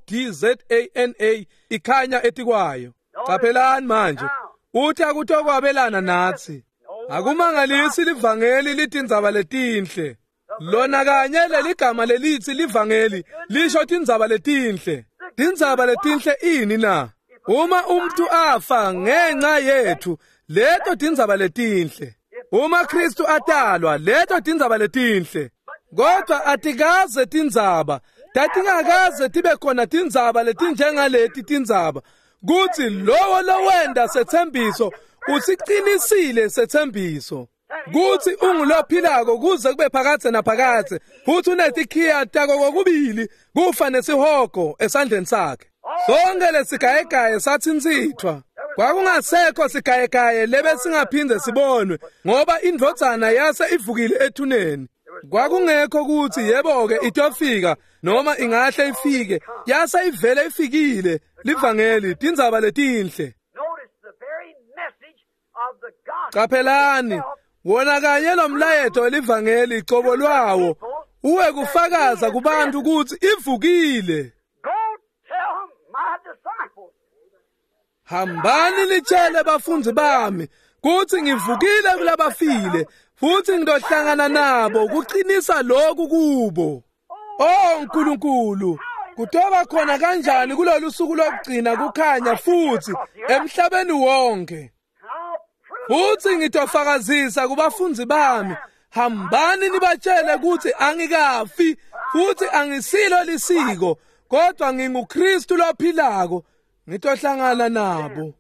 ikhanya etikwayo. Qaphelani manje, uthi akutokwabelana nathi. Akumangalisi livangeli litindzaba letinhle. Lona kanye leligama lelithi livangeli lisho tindzaba letinhle. Tindzaba letinhle ini na? Uma umuntu afa ngenxa yethu, leto tindzaba letinhle. Uma Kristu atalwa, leto tindzaba letinhle. Kodwa atikaze tindzaba, tatingakaze tibe khona tindzaba letinjengaleti tindzaba, kutsi lowo lowenda sethembiso usiqinisile sethembiso, kutsi ungulophilako kuze kube phakadze naphakadze, futhi unetikhiya tako kokubili kufa nesihogo esandleni sakhe. Sonke lesigayegaye sathintsithwa. Kwakungasekho sigayegaye lebesingaphinde sibonwe, ngoba indvodzana yase ivukile ethuneni. Kwakungekho ukuthi yebo-ke itofika noma ingahle ifike, yase ivele ifikile. Livangeli tindzaba letinhle. Qaphelani, wona kanye lo mlayeto welivangeli cobo lwawo uwe kufakaza kubantu ukuthi ivukile. Hambani litshele bafundzi bami kuthi ngivukile kulabafile, futhi ngidohlangana nabo kuqinisa lokhu kubo. Oh Nkulunkulu, kutoba khona kanjani kulolu suku lokugcina kukhanya futhi emhlabeni wonke. Futhi ngitofakazisa kubafundzi bami, hambani nibatshele ukuthi angikafi futhi angisilo lisiko, kodwa nginguKristu lophilako. Ngitohlangana nabo.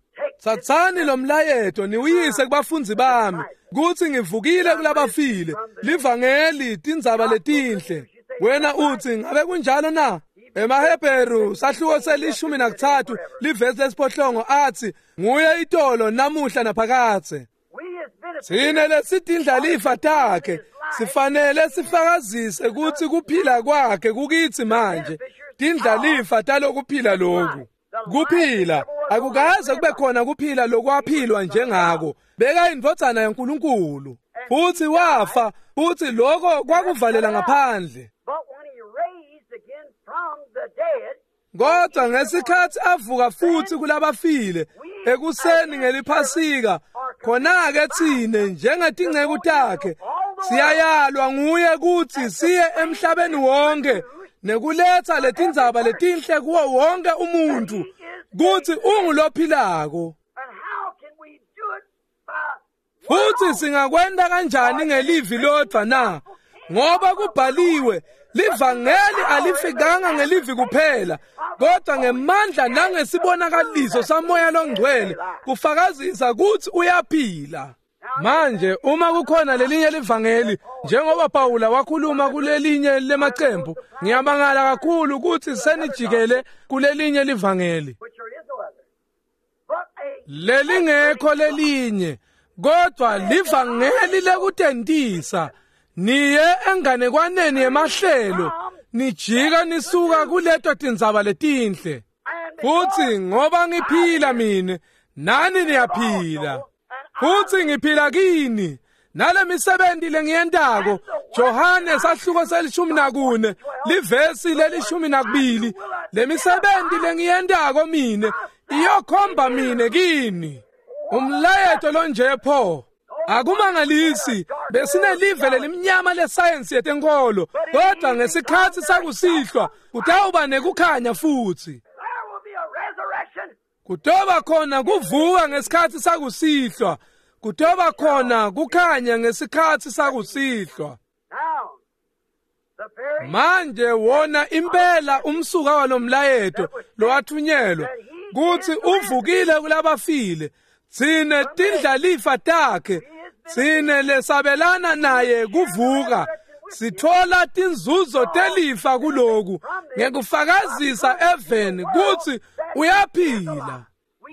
Thathani lo mlayeto niwuyise kubafundzi bami kuthi ngivukile kulabafile. Livangeli tindzaba letinhle. Wena uthi ngabe kunjalo na? EmaHebheru sahluko se-13 livesi lesiphohlongo athi nguye itolo namuhla naphakadze. Thina lesitindlalifa takhe sifanele sifakazise ukuthi kuphila kwakhe kukithi manje, tindlalifa talokuphila lokhu. Kuphila akukaze kube khona kuphila lokwaphilwa njengako. Beka indvodzana yaNkulunkulu futhi wafa, futhi lokho kwakuvalela ngaphandle. Kodwa ngesikhathi avuka futhi kulabafile ekuseni ngeliphasika, khona-ke thine njengetinceku takhe siyayalwa nguye kutsi siye emhlabeni wonke nekuletha letindzaba letinhle kuwo wonke umuntu kutsi ungulophilako. Futhi singakwenta kanjani ngelivi lodwa na? Ngoba kubhaliwe, livangeli alifikanga ngelivi kuphela, kodwa ngemandla nangesibonakaliso saMoya loNgcwele kufakazisa kutsi uyaphila. Manje uma kukhona lelinye livangeli, njengoba Pawula wakhuluma kulelinye lemacembu, ngiyamangala kakhulu kutsi senijikele kulelinye livangeli. Lelingekho lelinye, kodwa livangeli lekutentisa. Niye enganekwaneni yemahlelo, nijika nisuka kuleto tindzaba letinhle. Futhi ngoba ngiphila mine, nani niyaphila. Futhi ngiphila kini. Nale misebenti lengiyentako, Johane sahluko se-14, livesi le-12, lemisebenti lengiyentako mine iyokhomba mine kini. Umlayeto lonje pho. Akumangalisi besinelive lelimnyama lesayensi yetenkolo, kodwa ngesikhathi sakusihlwa kutawuba nekukhanya futhi. Kutoba khona kuvuka ngesikhathi sakusihlwa, kutoba khona kukhanya ngesikhathi sakusihlwa. Manje wona impela umsuka walomlayeto lowathunyelwa kutsi uvukile kulabafile, tsine tindlalifa takhe, tsine lesabelana naye kuvuka, sithola tinzuzo telifa kuloku ngekufakazisa eveni kutsi uyaphila.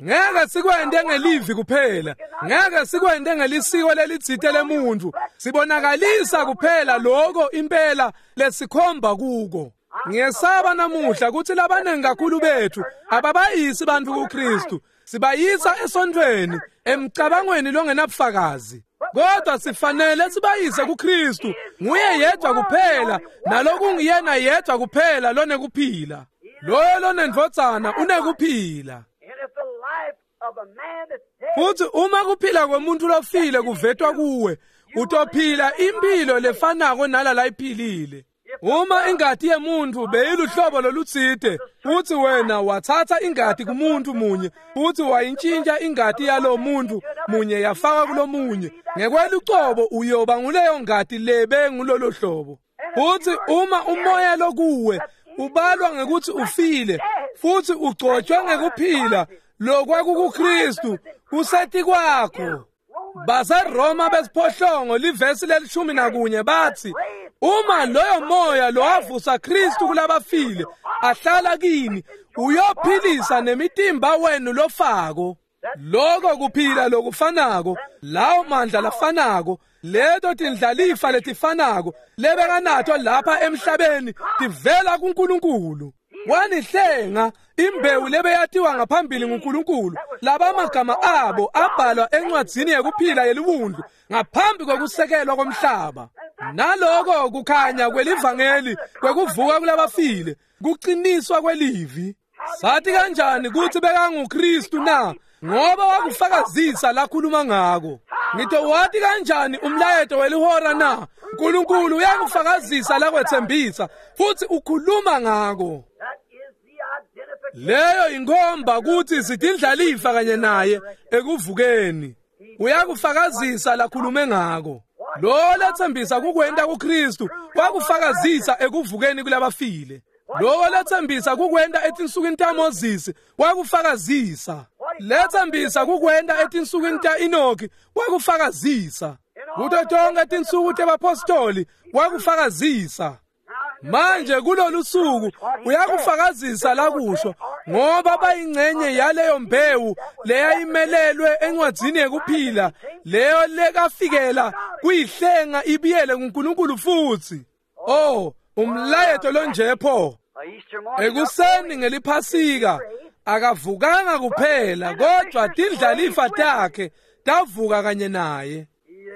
Ngeke sikwente ngelivi kuphela, ngeke sikwente ngelisiko lelitsite lemuntu, sibonakalisa kuphela lokho impela lesikhomba kuko. Ngiyesaba namuhla kutsi labanengi kakhulu bethu ababayisi bantfu kuKristu, sibayisa esontfweni emcabangweni longenabufakazi. Kodwa sifanele sibayise kuKristu, nguye yedwa kuphela, nalokunguyena yedwa kuphela lonekuphila. Loyo lonendvodzana unekuphila. Futhi uma kuphila kwemuntu lofile kuvetwa kuwe, utophila impilo lefanako nalala iphilile. Uma ingati yemuntu beyiluhlobo lolutsite, futhi wena wathatha ingati kumuntu munye, futhi wayintshintsha ingati yalo muntu munye yafaka kulomunye, ngekwelucobo uyoba nguleyo ngati lebe ngulolo hlobo. Futhi uma umoya lokuwe ubalwa ngekuthi ufile, futhi ugcotshwe ngekuphila lokwakukuKristu kusetikwakho. BaseRoma besiphohlongo livesi le-11 bathi, uma loyo moya lowavusa Kristu kulabafile ahlala kini, uyophilisa nemitimba wenu lofako. Lokho kuphila lokufanako, lawo mandla lafanako, leto tindlalifa letifanako lebekanato lapha emhlabeni tivela kuNkulunkulu. Wanihlenga imbewu lebeyatiwa ngaphambili nguNkulunkulu, labamagama abo abhalwa encwadzini yekuphila yeliwundlu ngaphambi kokusekelwa komhlaba. Naloko kukhanya kwelivangeli kwekuvuka kulabafile, kuqiniswa kwelivi. Sathi kanjani kutsi bekanguKristu na? Ngoba wakufakazisa lakhuluma ngako. Ngitowati kanjani umlayeto welihora na? uNkulunkulu uyakufakazisa lakwethembisa futhi ukhuluma ngako. Leyo inkhomba kutsi sitindlalifa kanye naye ekuvukeni. Uyakufakazisa lakhulume ngako. Lo lethembisa kukwenta kuKristu wakufakazisa ekuvukeni kulabafile. Lo lethembisa kukwenta etinsukwini taMoses wakufakazisa. Lethembisa kukwenta etinsukwini ta-Enoki wakufakazisa. Kuto tonke tinsuku tebapostoli wakufakazisa. Manje kulolu suku uyakufakazisa lakusho, ngoba bayingcenye yaleyo mbewu leyayimelelwe encwadzini yekuphila, leyo lekafikela kuyihlenga ibiyele kuNkulunkulu futhi. Oh, umlayeto lonje pho. Ekuseni ngeliphasika akavukanga kuphela, kodwa tindlalifa takhe tavuka kanye naye.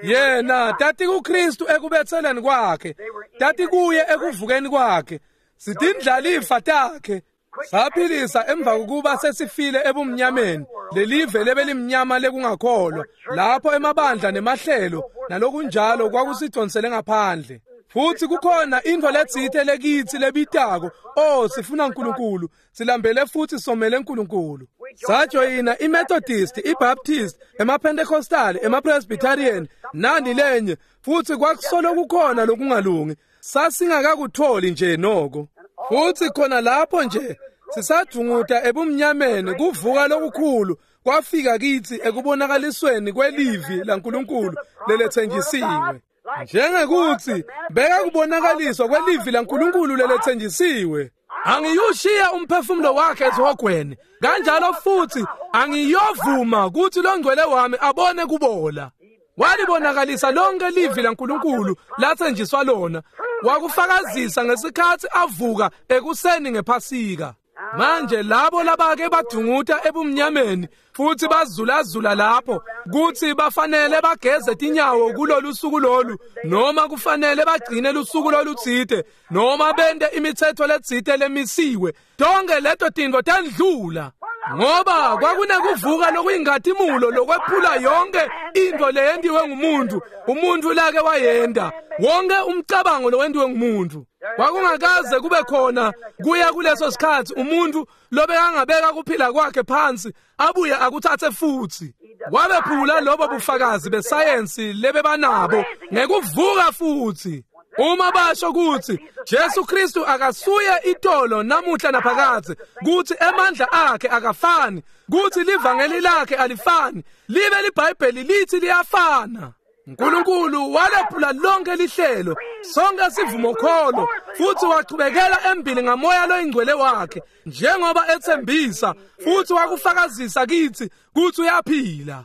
Yena tati kuKristu ekubetheleni kwakhe, tati kuye ekuvukeni kwakhe, sitindlalifa takhe. Saphilisa emva kokuba sesifile ebumnyameni, lelive lebelimnyama lekungakholwa, lapho emabandla nemahlelo nalokunjalo kwakusidonsele ngaphandle. Futhi kukhona intfo letsite lekitsi lebitako, oh, sifuna uNkulunkulu, silambele futhi somele uNkulunkulu. Sajoyina iMethodist, iBaptist, emaPentecostal, emaPresbyterian, nani lenye, futhi kwakusolo kukhona lokungalungi. Sasingakakutholi nje noko. Futhi khona lapho nje sisadvunguta ebumnyameni, kuvuka lokukhulu kwafika kitsi ekubonakalisweni kwelivi laNkulunkulu leletsenjisiwe. Njengekuthi beka kubonakaliswa kwelivi laNkulunkulu leletsenjisiwe. Angiyushiya umphefumulo wakhe esihogweni, kanjalo futhi angiyovuma kuthi longcwele wami abone kubola. Walibonakalisa lonke livi laNkulunkulu latsenjiswa lona, wakufakazisa ngesikhathi avuka ekuseni ngePhasika. Manje labo labake badunguta ebumnyameni futhi bazulazula lapho kuthi bafanele bageze tinyawo kulolu suku lolu, noma kufanele bagcine lusuku lolutsite, noma bente imithetho letsite lemisiwe, tonke leto tintfo tendlula, ngoba kwakunekuvuka lokuyinkhatimulo lokwephula yonke intfo leyentiwe ngumuntu, umuntu lake wayenta, wonke umcabango lowentiwe ngumuntu. Kwakungakaze kube khona kuya kuleso sikhathi umuntu lobekangabeka kuphila kwakhe phansi abuye akuthathe futhi. Wabephula lobo bufakazi besayensi lebebanabo ngekuvuka futhi. Uma basho ukuthi Jesu Kristu akasuye itolo namuhla naphakadze, kuthi emandla akhe akafani, kuthi livangeli lakhe alifani, libe liBhayibheli lithi liyafana. uNkulunkulu walephula lonke lihlelo, sonke sivumokholo, futhi wachubekela embili ngamoya loyingcwele wakhe njengoba ethembisa, futhi wakufakazisa kithi kuthi uyaphila.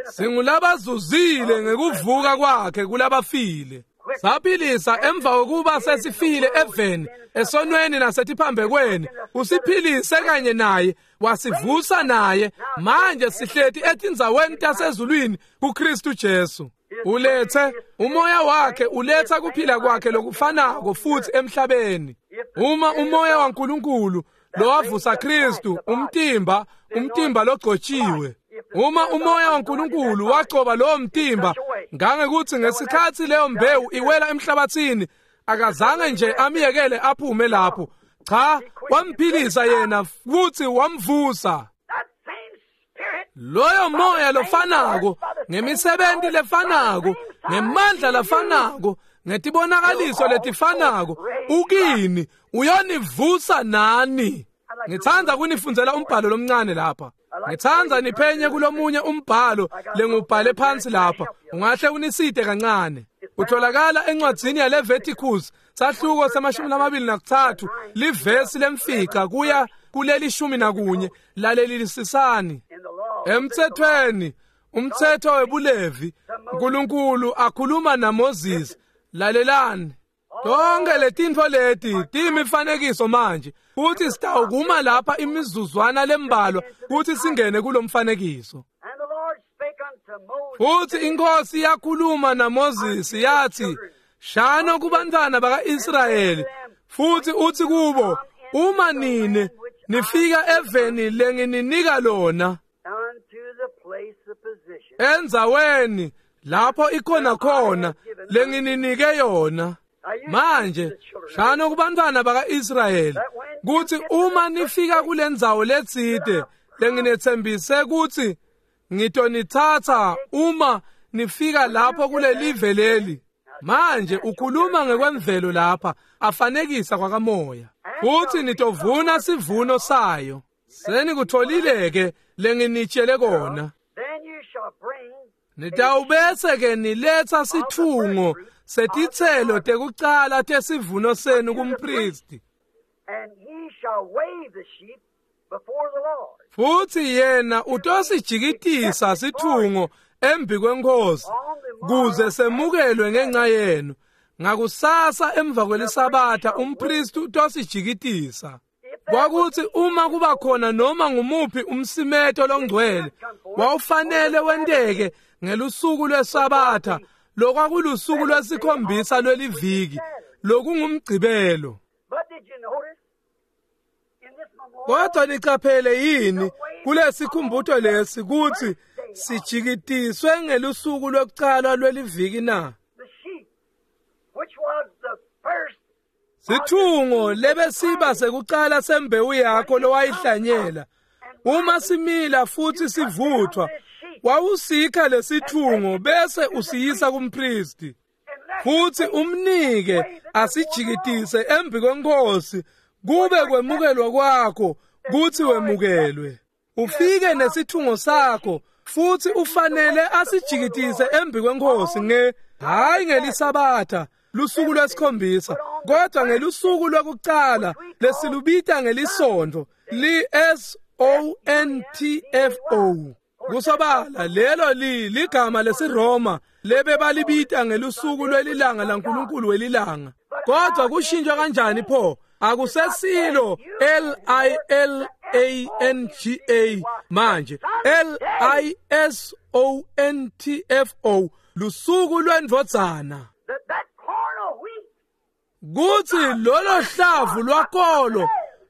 Singulabazuzile ngekuvuka kwakhe kulabafile. Saphilisa emva kokuba sesifile eveni, esonweni nasetiphambekweni, usiphilise kanye naye, wasivusa naye, manje sihleti etindzaweni tasezulwini kuKristu Jesu. Ulethe umoya wakhe, uletha kuphila kwakhe lokufanako futhi emhlabeni. Uma umoya waNkulunkulu lowavusa Kristu, umtimba logcotshiwe, uma umoya waNkulunkulu wagcoba lowo mtimba ngangekuthi ngesikhathi leyo mbewu iwela emhlabathini, akazange nje amyekele aphume lapho, cha, wamphilisa yena futhi wamvusa. Loyo moya lofanako, ngemisebenzi lefanako, ngemandla lafanako, ngetibonakaliso letifanako, ukini uyonivusa nani. Ngithanda kunifundzela umbhalo lomncane lapha. Ngithanda niphenye kulomunye umbhalo lengubhale phansi lapha, ungahle uniside kancane. Utholakala encwadzini yaLeviticus, sahluko se-23, livesi lemfica kuya kuleli 11. Lalelisisani. Emthethweni, umthetho webulevi, uNkulunkulu akhuluma naMoses. Lalelani. Tonke letintfo leti tiyimifanekiso manje, futhi sitawukuma lapha imizuzwana lembalwa kuthi singene kulomfanekiso. Futhi inkosi yakhuluma naMoses yathi, shano kubantwana baka-Israyeli futhi uthi kubo, uma nine nifika eveni lengininika lona, endzaweni lapho ikhona khona lengininike yona. Manje shano kubantwana baka-Israyeli kuthi uma nifika kulendzawo letsite lenginethembise kuthi ngitonithatha uma nifika lapho kulelive leli. Manje ukhuluma ngekwemvelo lapha, afanekisa kwakamoya. Futhi nitovuna sivuno sayo. Senikutholile ke lenginitshele kona. Nitawubese ke niletha sithungo setitselo tekucala tesivuno senu kumpristi. Futhi yena utosijikitisa sithungo embi kwenkosi kuze semukelwe ngenxa yenu. Ngakusasa emva kwelisabatha umpristi utosijikitisa. Kwakuthi uma kuba khona noma ngumuphi umsimeto longcwele wawufanele wenteke ngelusuku lwesabatha, lokwakulusuku lwesikhombisa lweliviki, lokungumgcibelo. Kodwa nicaphele yini kulesikhumbuto lesi kutsi sijikitiswe ngelusuku lwekucala lweliviki na? Sithungo lebesiba sekucala sembewu yakho lowayihlanyela uma simila futhi sivuthwa, wawusikha lesithungo bese usiyisa kumpristi futhi umnike asijikitise embi kwenkosi kube kwemukelwa kwakho kuthi wemukelwe. Ufike nesithungo sakho futhi ufanele asijikitise embi kwenkosi nge hayi ngelisabatha lusuku lwesikhombisa, kodwa ngelusuku lwekucala lesilubita ngelisonto li S-O-N-T-F-O. Kusobala lelo ligama lesiRoma lebebalibita ngelusuku lwelilanga laNkulunkulu welilanga. Kodwa kushintshwa kanjani pho? Akusesilo L-I-L-A-N-G-A manje, L-I-S-O-N-T-F-O, lusuku lwendvodzana. Kuthi lolo hlavu lwakolo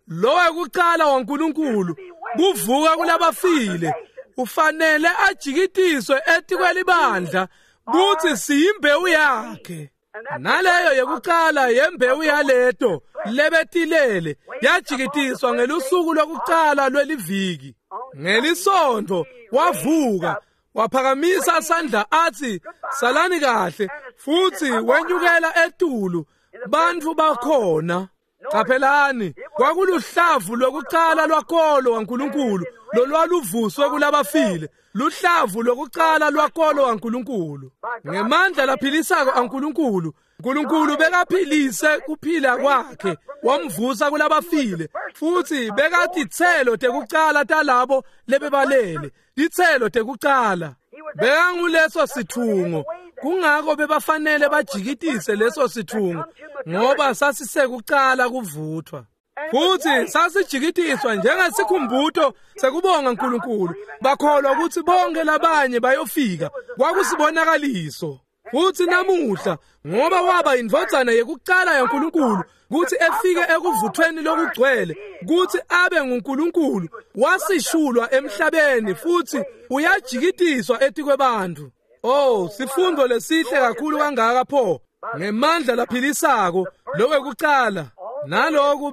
lowekucala waNkulunkulu kuvuka kulabafile ufanele ajikitiswe etikwelibandla kuthi siyimbewu yakhe. Naleyo yekucala yembewu yaleto lebetilele yajikitiswa ngelusuku lwekucala lweliviki. Ngelisonto wavuka waphakamisa sandla athi salani kahle, futhi wenyukela etulu bantfu bakhona. Qaphelani, kwakuluhlavu lwekucala lwakolo waNkulunkulu lolwaluvuswe kulabafile, luhlavu lwekucala lwakolo waNkulunkulu ngemandla laphilisako aNkulunkulu. Nkulunkulu bekaphilise kuphila kwakhe wamvusa kulabafile, futhi bekatitselo tekucala talabo lebebalele, titselo tekucala. Bekanguleso sithungo, kungako bebafanele bajikitise leso sithungo ngoba sasisekucala kuvuthwa. Futhi sasijikitiswa njengesikhumbuto sekubonga uNkulunkulu. Bakholwa ukuthi bonke labanye bayofika, kwakusibonakaliso. Futhi namuhla ngoba waba indvodzana yekucala yaNkulunkulu kuthi efike ekuvuthweni lokugcwele kuthi abe nguNkulunkulu, wasishulwa emhlabeni futhi uyajikitiswa etikwebantu. Oh, sifundo lesihle kakhulu kangaka pho ngemandla laphilisako lokwekucala. Naloku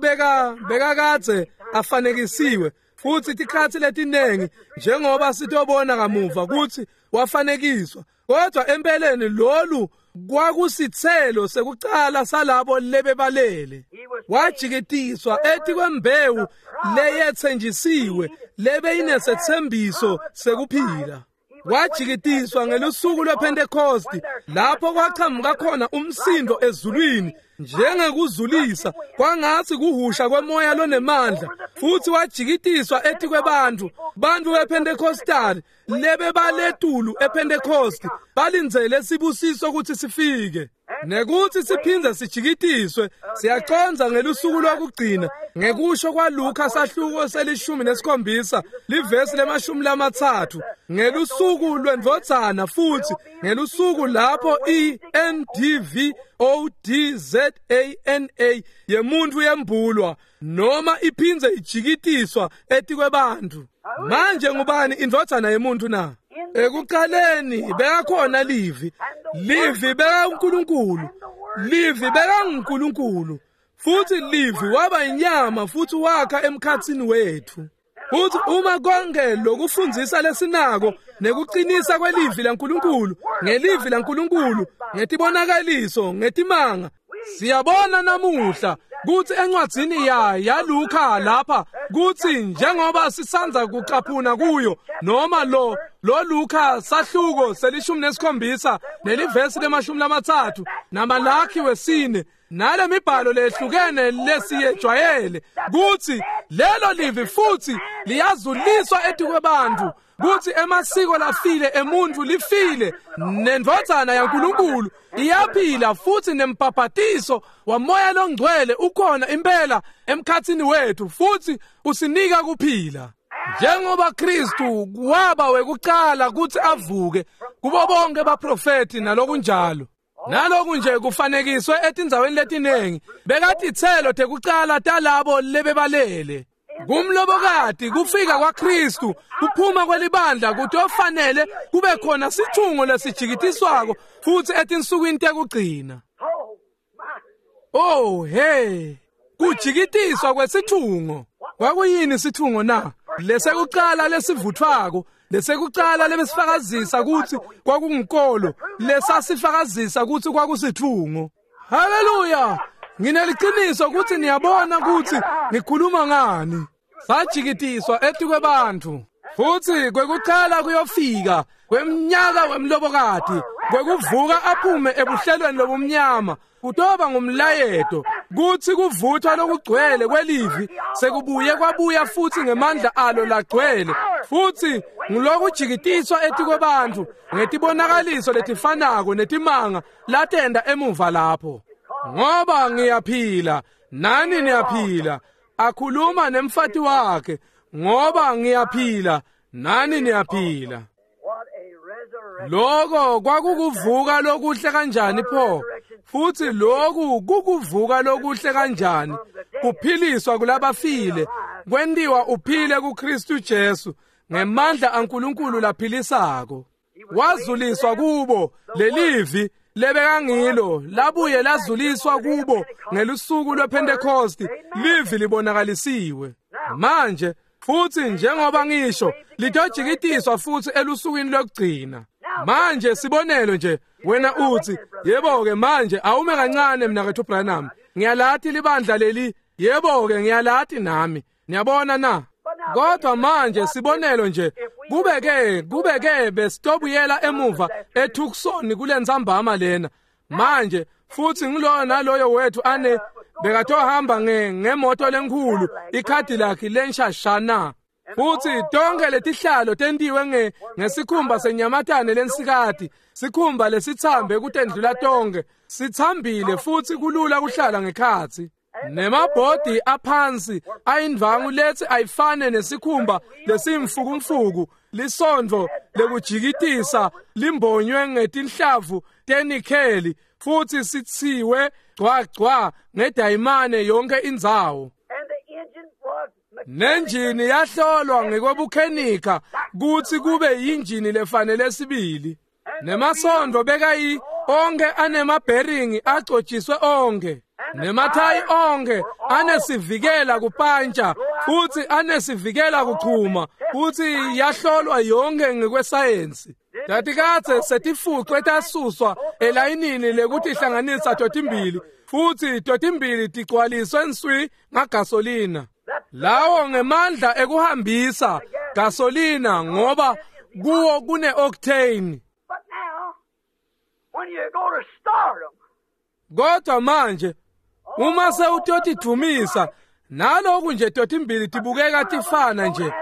bekakadze afanekisiwe futhi tikhatsi letinengi njengoba sitobona kamuva kuthi wafanekiswa, kodwa empeleni lolu kwakusitselo sekucala salabo lebebalele. Wajikitiswa etikwembewu leyetsenjisiwe lebeyinesethembiso sekuphila. Wajikitiswa ngelusuku lwePhentekosti lapho kwachamuka khona umsindo ezulwini njengekuzulisa kwangathi kuhusha kwemoya lonemandla, futhi wajikitiswa etikwebantfu. Bantfu bePhentekostali lebebaletulu ePhentekosti balindzele sibusiso ukuthi sifike nekuthi siphindze sijikitiswe. Siyaconza ngelusuku lwokugcina ngekusho kwaLuka sahluko se-17 livesi le-30 ngelusuku lwendvodzana, futhi ngelusuku lapho i-NDVODZANA yemuntu yembulwa noma iphindze ijikitiswa etikwebantfu. Manje ngubani indvodzana yemuntu na? Ekuqaleni bekakhona Livi, Livi bekaNkulunkulu, Livi bekanguNkulunkulu, futhi Livi waba inyama futhi wakha emkhatsini wethu. Futhi uma konke lokufundzisa lesinako nekuqinisa kwelivi laNkulunkulu ngelivi laNkulunkulu ngetibonakaliso ngetimanga, siyabona namuhla kuthi encwadzini yaLuka lapha kuthi njengoba sisanza kucaphuna kuyo noma lo Luka sahluko se-17 nelivesi le-30 naMalaki 4 nale mibhalo lehlukene lesiyejwayele kuthi lelo livi futhi liyazuliswa etikwebantu kuthi emasiko lafile emuntu lifile nendvodzana yaNkulunkulu iyaphila futhi nembhabhatiso wamoya longcwele ukhona impela emkhatsini wethu futhi usinika kuphila. Njengoba Kristu waba wekucala kuthi avuke kubo bonke baprofeti nalokunjalo. Naloku nje kufanekiswe etindzaweni letinengi bekatitselo tekucala talabo lebebalele. Kumlobokati kufika kwaKristu, kuphuma kwelibandla kutofanele kube khona sithungo lesijikitiswako futhi etinsukwini tekugcina. Oh hey, kujikitiswa kwesithungo. Kwakuyini isithungo na? Lesekuqala lesivuthwako, lesekuqala lebesifakazisa ukuthi kwakungunkolo, lesasifakazisa ukuthi kwakusithungo. Haleluya! Ngineliqiniso ukuthi niyabona ukuthi ngikhuluma ngani. Sajikitiswa etikwebantu. Futhi kwekuqala kuyofika kweminyaka wemlobokati, kwekuvuka aphume ebuhlelweni lobumnyama, kutoba ngumlayeto kuthi kuvuthwa lokugcwele kwelivi sekubuye kwabuya futhi ngemandla alo lagcwele, futhi ngulokujikitiswa etikwebantu ngetibonakaliso letifanako netimanga latenda emuva lapho. Ngoba ngiyaphila nani niyaphila, akhuluma nemfati wakhe, ngoba ngiyaphila nani niyaphila. Lokho kwakukuvuka lokuhle kanjani pho? Futhi lokhu kukuvuka lokuhle kanjani? Kuphiliswa kulabafile, kwentiwa uphile kuKristu Jesu ngemandla aNkulunkulu laphilisako. Wazuliswa kubo lelivi lebekangilo, labuye lazuliswa kubo ngelusuku lwePentecost, livi libonakalisiwe. Manje futhi njengoba ngisho, litojikitiswa futhi elusukwini lokugcina. Manje sibonelo nje, wena uthi, yebo-ke manje awume kancane mnakethu Branham, ngiyalathi libandla leli, yebo-ke ngiyalathi nami, niyabona na? Kodwa manje sibonelo nje, kubeke besitobuyela emuva eTucson kulentsambama lena. Manje futhi ngiloyo naloyo wethu ane bekatohamba ngemoto lenkhulu, ikhadi lakhe lenshashana. Futhi tonke letihlalo tentiwe ngesikhumba senyamatane lensikati, sikhumba lesithambe kutendlula tonke, sithambile futhi kulula kuhlala ngekhatsi. Nemabhodi aphansi ayindvangu lethi ayifane nesikhumba lesimfukumfuku, lisondvo lekujikitisa limbonywe ngetinhlavu tenikheli futhi sitsiwe gcwa ngedayimane yonke indzawo. Nenjini yahlolwa ngekwebukhenika kutsi kube yinjini lefanele sibili. Nemasondvo bekayi onke anemabheringi agcotshiswe onke, nemathayi onke anesivikela kupantsha futhi anesivikela kuchuma, futhi yahlolwa yonke ngekwesayensi. Tatikadze setifucwe tasuswa elayinini lekutihlanganisa totimbili, futhi totimbili tigcwaliswe nswi ngagasolina. Lawo ngemandla ekuhambisa gasolina ngoba kuwo kune-octane. Kodwa manje uma sewutotidvumisa naloku nje totimbili tibukeka tifana nje,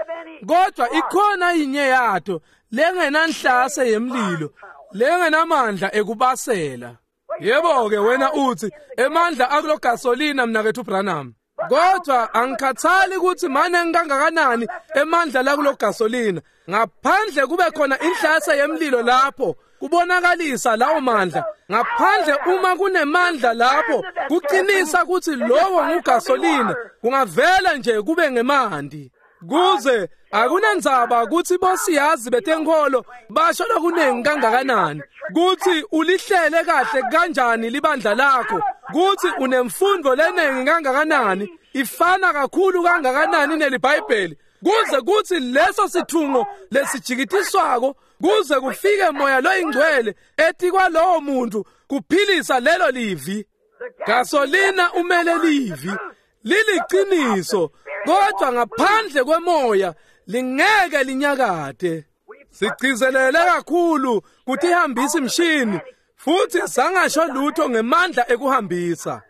kodwa ikhona inye yato lengenanhlase yemlilo, lengenamandla ekubasela. Yebo-ke wena uthi emandla akulo gasolina mnakethu Branham, kodwa angikhathali ukuthi mane kangakanani emandla lakulo gasolina, ngaphandle kube khona inhlase yemlilo lapho kubonakalisa lawo mandla. Ngaphandle uma kunemandla lapho kuqinisa ukuthi lowo ngugasolina, kungavela nje kube ngemandi. Kuze akunandzaba ukuthi bosiyazi betenkholo basho lokunengi kangakanani, kuthi ulihlele kahle kanjani libandla lakho, kuthi unemfundo lenengi kangakanani, ifana kakhulu kangakanani neliBhayibheli, kuze kuthi leso sithungo lesijikitiswako kuze kufike moya loyingcwele etikwalowo muntu kuphilisa lelo livi. Gasolina umele livi, liliqiniso, kodwa ngaphandle kwemoya lingeke linyakade. Sigcizelele kakhulu kutihambisa imshini futhi sangasho lutho ngemandla ekuhambisa.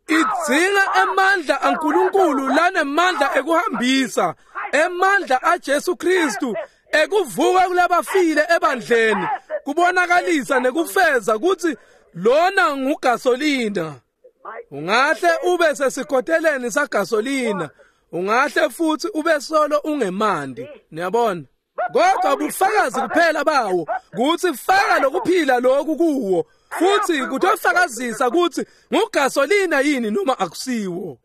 Idzinga emandla aNkulunkulu lanemandla ekuhambisa, emandla aJesu Kristu ekuvuka kulabafile ebandleni, kubonakalisa nekufeza ukuthi lona ngugasolina. Ungahle ube sesikoteleni sagasolina, ungahle futhi ube solo ungemandi, niyabona. Kodwa bufakazi kuphela bawo kuthi faka lokuphila lokhu kuwo, futhi kutofakazisa ukuthi ngugasolina yini noma akusiwo.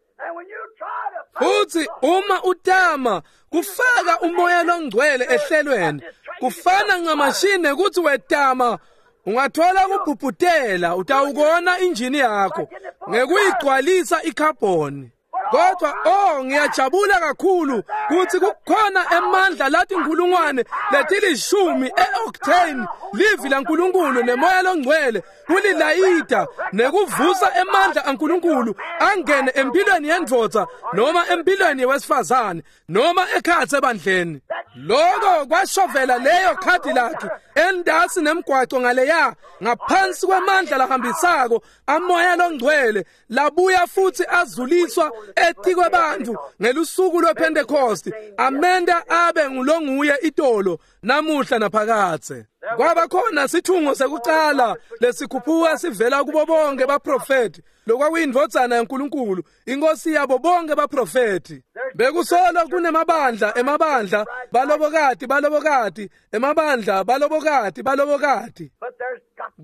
Futhi uma utama kufaka umoya longcwele ehlelweni, kufana ncamashine ukuthi wetama ungathola kubhubhutela, utawukona injini yakho ngekuyigcwalisa ikhabhoni. Kodwa oh, ngiyajabula kakhulu ukuthi kukhona emandla lathi inkulungwane letilishumi e-octane livi laNkulunkulu nemoya longcwele kulilayida nekuvusa emandla aNkulunkulu angene empilweni yendvodza noma empilweni yewesifazane noma ekhatsi ebandleni. Lokho kwashovela leyo Cadillac endasi nemgwaco ngaleya ngaphansi kwemandla lahambisako amoya longcwele labuya futhi azuliswa etikwe bantu ngelusuku lwePentecost, amenda abe ngulonguye itolo namuhla naphakathe. Kwaba khona sithungo sekucala lesikhuphuka sivela kubo bonke baprofeti, lokwakuyindvodzana yaNkulunkulu, inkosi yabo bonke baprofeti. Bekusolo kunemabandla emabandla, balobokati balobokati, emabandla balobokati balobokati.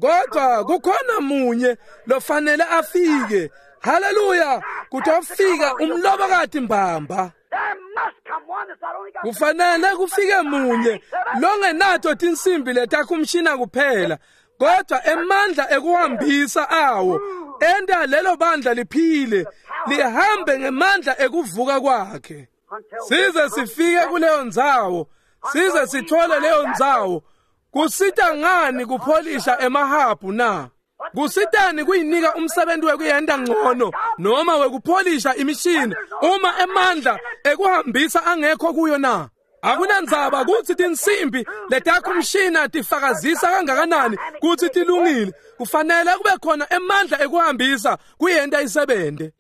Kodwa kukhona munye lofanele afike. Haleluya, kutofika umlobokati mbamba. Kufanele kufike munye longenato tinsimbi letakhumshina kuphela, kodwa emandla ekuhambisa awo enta lelo bandla liphile, lihambe ngemandla ekuvuka kwakhe. Size sifike kuleyo ndzawo, size sithole leyo ndzawo. Kusita ngani kupholisha emahabhu na? Kusitani kuyinika umsebenzi wekuyenta ngcono noma wekupholisha imishini uma emandla ekuhambisa angekho kuyo na? Akunandzaba kutsi tinsimbi letakhumshina tifakazisa kangakanani kutsi tilungile, kufanele kube khona emandla ekuhambisa kuyenta isebente.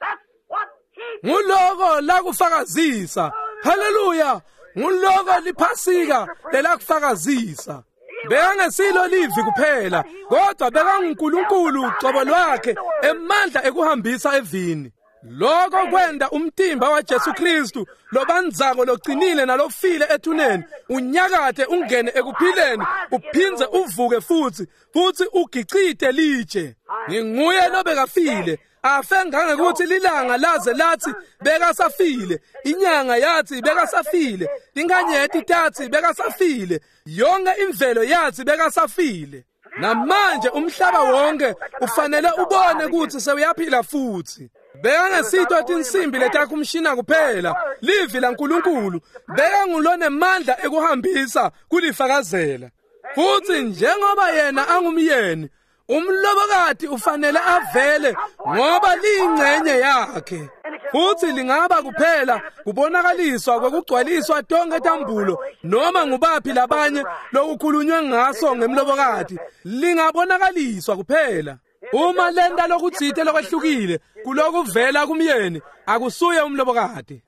Nguloko lakufakazisa. Haleluya! Nguloko liphasika lelakufakazisa. Bekangesilo livi kuphela, kodwa bekanguNkulunkulu cobo lwakhe emandla ekuhambisa evini. Lokho kwenda umtimba waJesu Kristu lobandzako loqinile nalofile ethuneni unyakathe ungene ekuphileni uphindze uvuke futhi futhi ugicite litshe. Nginguye lobekafile afe ngangekuthi lilanga laze lathi bekasafile, inyanga yathi bekasafile, inkanyeti tathi bekasafile, yonke imvelo yathi bekasafile. Namanje umhlaba wonke ufanele ubone ukuthi sewuyaphila futhi. Bekangesito tinsimbi letakhumshina kuphela, livi laNkulunkulu bekangulonemandla ekuhambisa kulifakazela. Futhi njengoba yena angumyeni, umlobokati ufanele avele ngoba liyingcenye yakhe. Futhi lingaba kuphela kubonakaliswa kwekugcwaliswa tonke tambulo noma ngubaphi labanye lokukhulunywe ngaso ngemlobokati, lingabonakaliswa kuphela. Uma lenta lokutsite lokwehlukile kulokuvela kumyeni, akusuye umlobokati,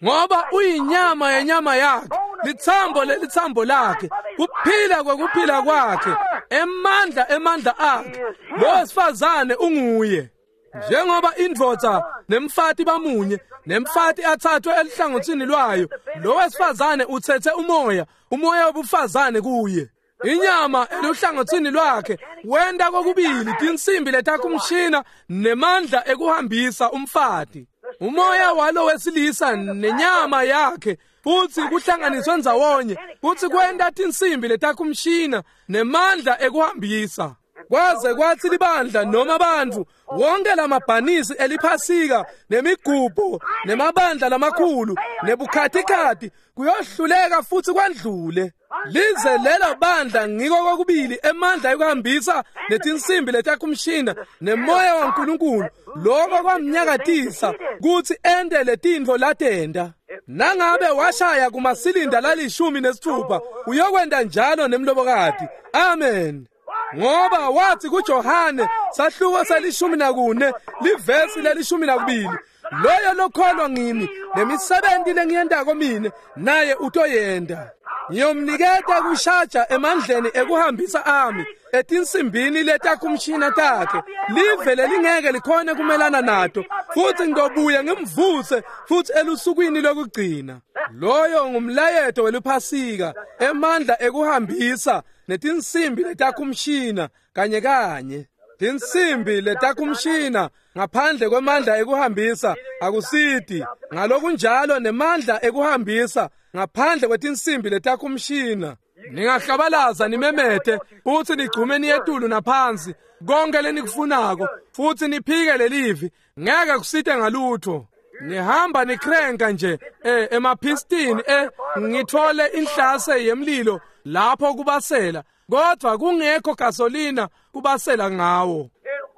ngoba uyinyama yenyama yakhe, lithambo lelithambo lakhe, kuphila kwekuphila kwakhe, emandla emandla akhe. Lo wesifazane unguye. Njengoba indvodza nemfati bamunye, nemfati athathwe elihlangothini lwayo, lo wesifazane uthethe umoya, umoya wobufazane kuye. Inyama eluhlangothini lwakhe wenta kokubili tinsimbi letakhumshina nemandla ekuhambisa umfati. Umoya walo wesilisa nenyama yakhe futhi kuhlanganiswe ndzawonye futhi kwenta tinsimbi letakhumshina nemandla ekuhambisa. Kwaze kwathi libandla noma abantu wonke lamabhanisi eliphasika nemigubho nemabandla lamakhulu nebukhatikhathi kuyohluleka futhi kwandlule. Lize lelo bandla ngiko kokubili emandla ekuhambisa netinsimbi letakhumshina nemoya waNkulunkulu, lokho kwamnyakatisa kutsi ente letintfo latenta. Nangabe washaya kumasilinda lalishumi nesithupha, uyokwenta njalo nemlobokati. Amen. Ngoba wathi kuJohane sahluko se-14 livesi le-12, loyo lokholwa ngimi nemisebenzi lengiyentako mine naye utoyenta. Ngiyomniketa kushaja emandleni ekuhambisa ami etinsimbini letakhumshina takhe, live lelingeke likhone kumelana nato, futhi ngizobuya ngimvuse futhi elusukwini lokugcina. Loyo ngumlayeto weliphasika, emandla ekuhambisa netinsimbi letakhumshina kanye kanye. Tinsimbi letakumshina ngaphandle kwemandla ekuhambisa akusiti, ngalokunjalo nemandla ekuhambisa ngaphandle kwetinsimbi letakumshina. Ningahlabalaza nimemete futsi nigcume niyetulu naphansi konke lenikufunako futsi niphike lelivi, ngeke kusite ngalutho. Nihamba nikrenka nje emapistini ngithole inhlase yemlilo lapho kubasela, kodwa kungekho gasolina kubasela ngawo.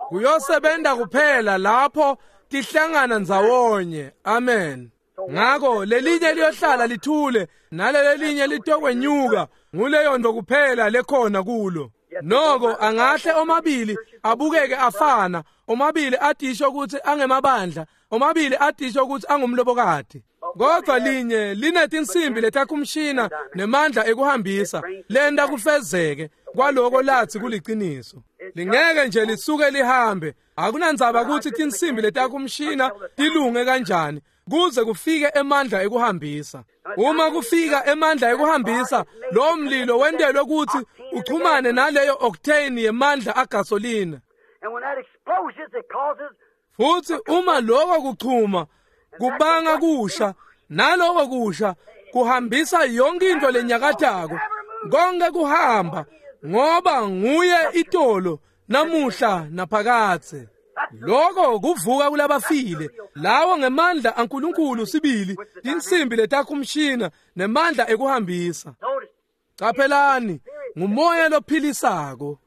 Kuyosebenza kuphela lapho tihlangana ndzawonye. Amen. Ngako lelinye liyohlala lithule nalelelinye litokwenyuka, nguleyo nto kuphela lekhona kulo. Noko angahle omabili abukeke afana, omabili atisho ukuthi angemabandla, omabili atisho ukuthi angumlobokati, kodwa linye linetinsimbi letakumshina nemandla ekuhambisa lenta kufezeke kwaloko lathi kuliciniso. Lingeke nje lisuke lihambe, akunandzaba ukuthi tinsimbi letakumshina tilunge kanjani, kuze kufike emandla ekuhambisa. Uma kufika emandla ekuhambisa, lo mlilo wentelwe ukuthi uchumane naleyo octane yemandla agasolina. Futhi uma lokho kuchuma kubanga kusha, naloko kusha kuhambisa yonke into lenyakatako, konke kuhamba, ngoba nguye itolo namuhla naphakadze. Lokho kuvuka kulabafile, lawo ngemandla aNkulunkulu sibili, tinsimbi letakumshina nemandla ekuhambisa. Caphelani, ngumoya lophilisako,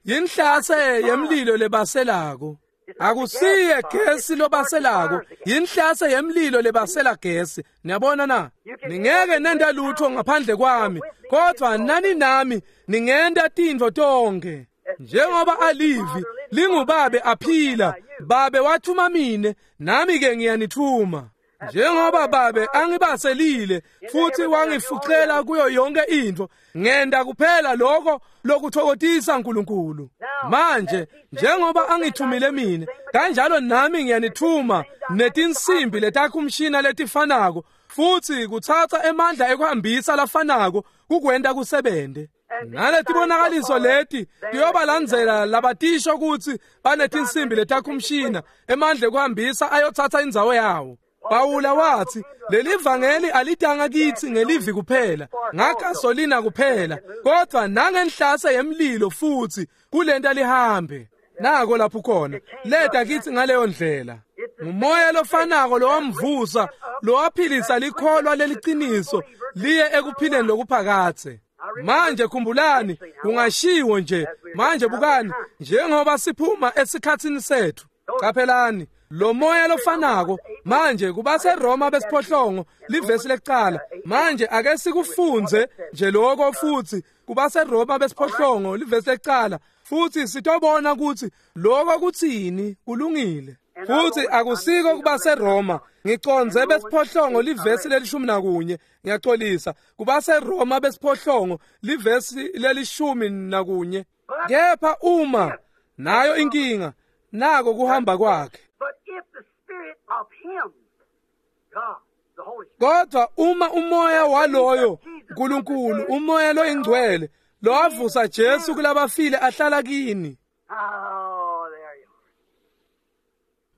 yinhlase yemlilo lebaselako. Akusiye gesi lobaselako, yinhlase yemlilo lebasela gesi. Niyabona na? Ningeke nenta lutho ngaphandle kwami, kodwa nani nami ningenta tintfo tonke. Njengoba alivi lingubabe aphila, babe wathuma mine, nami ke ngiyanithuma. Njengoba babe angibaselile futhi wangifucela kuyo yonke into, ngenda kuphela lokho lokuthokozisa uNkulunkulu. Manje njengoba angithumile mine, kanjalo nami ngiyanithuma netinsimbi letakumshina letifanako, futhi kuthatha emandla ekuhambisa lafanako kukwenta kusebente. Naletibonakaliso leti tiyobalandzela labatisho kutsi banetinsimbi letakumshina, emandla ekuhambisa ayothatha indzawo yawo. Pawula wathi leli vangeli alitanga kithi ngelivi kuphela, ngagasolina kuphela, kodwa nangenhlase yemlilo futhi kulenta lihambe. Nako lapho khona leta kithi ngaleyo ndlela. Ngumoya lofanako lowamvusa, lowaphilisa likholwa leliciniso liye ekuphileni lokuphakathe. Manje khumbulani, kungashiwo nje manje, bukani njengoba siphuma esikhatsini sethu. Caphelani lo moya lofanako manje kubaseRoma besiphohlongo livesi lekucala. Manje ake sikufunze nje lokho futhi kubaseRoma besiphohlongo livesi lekucala, futhi sitobona ukuthi lokho kuthini. Kulungile. Futhi akusiko kubaseRoma, ngiconze besiphohlongo livesi leli-11, ngiyaxolisa, kubaseRoma besiphohlongo livesi leli-11. Kepha uma nayo inkinga, nako kuhamba kwakhe. Kodwa uma umoya waloyo uNkulunkulu, umoya loyingcwele lowavusa Jesu kulabafile ahlala kini.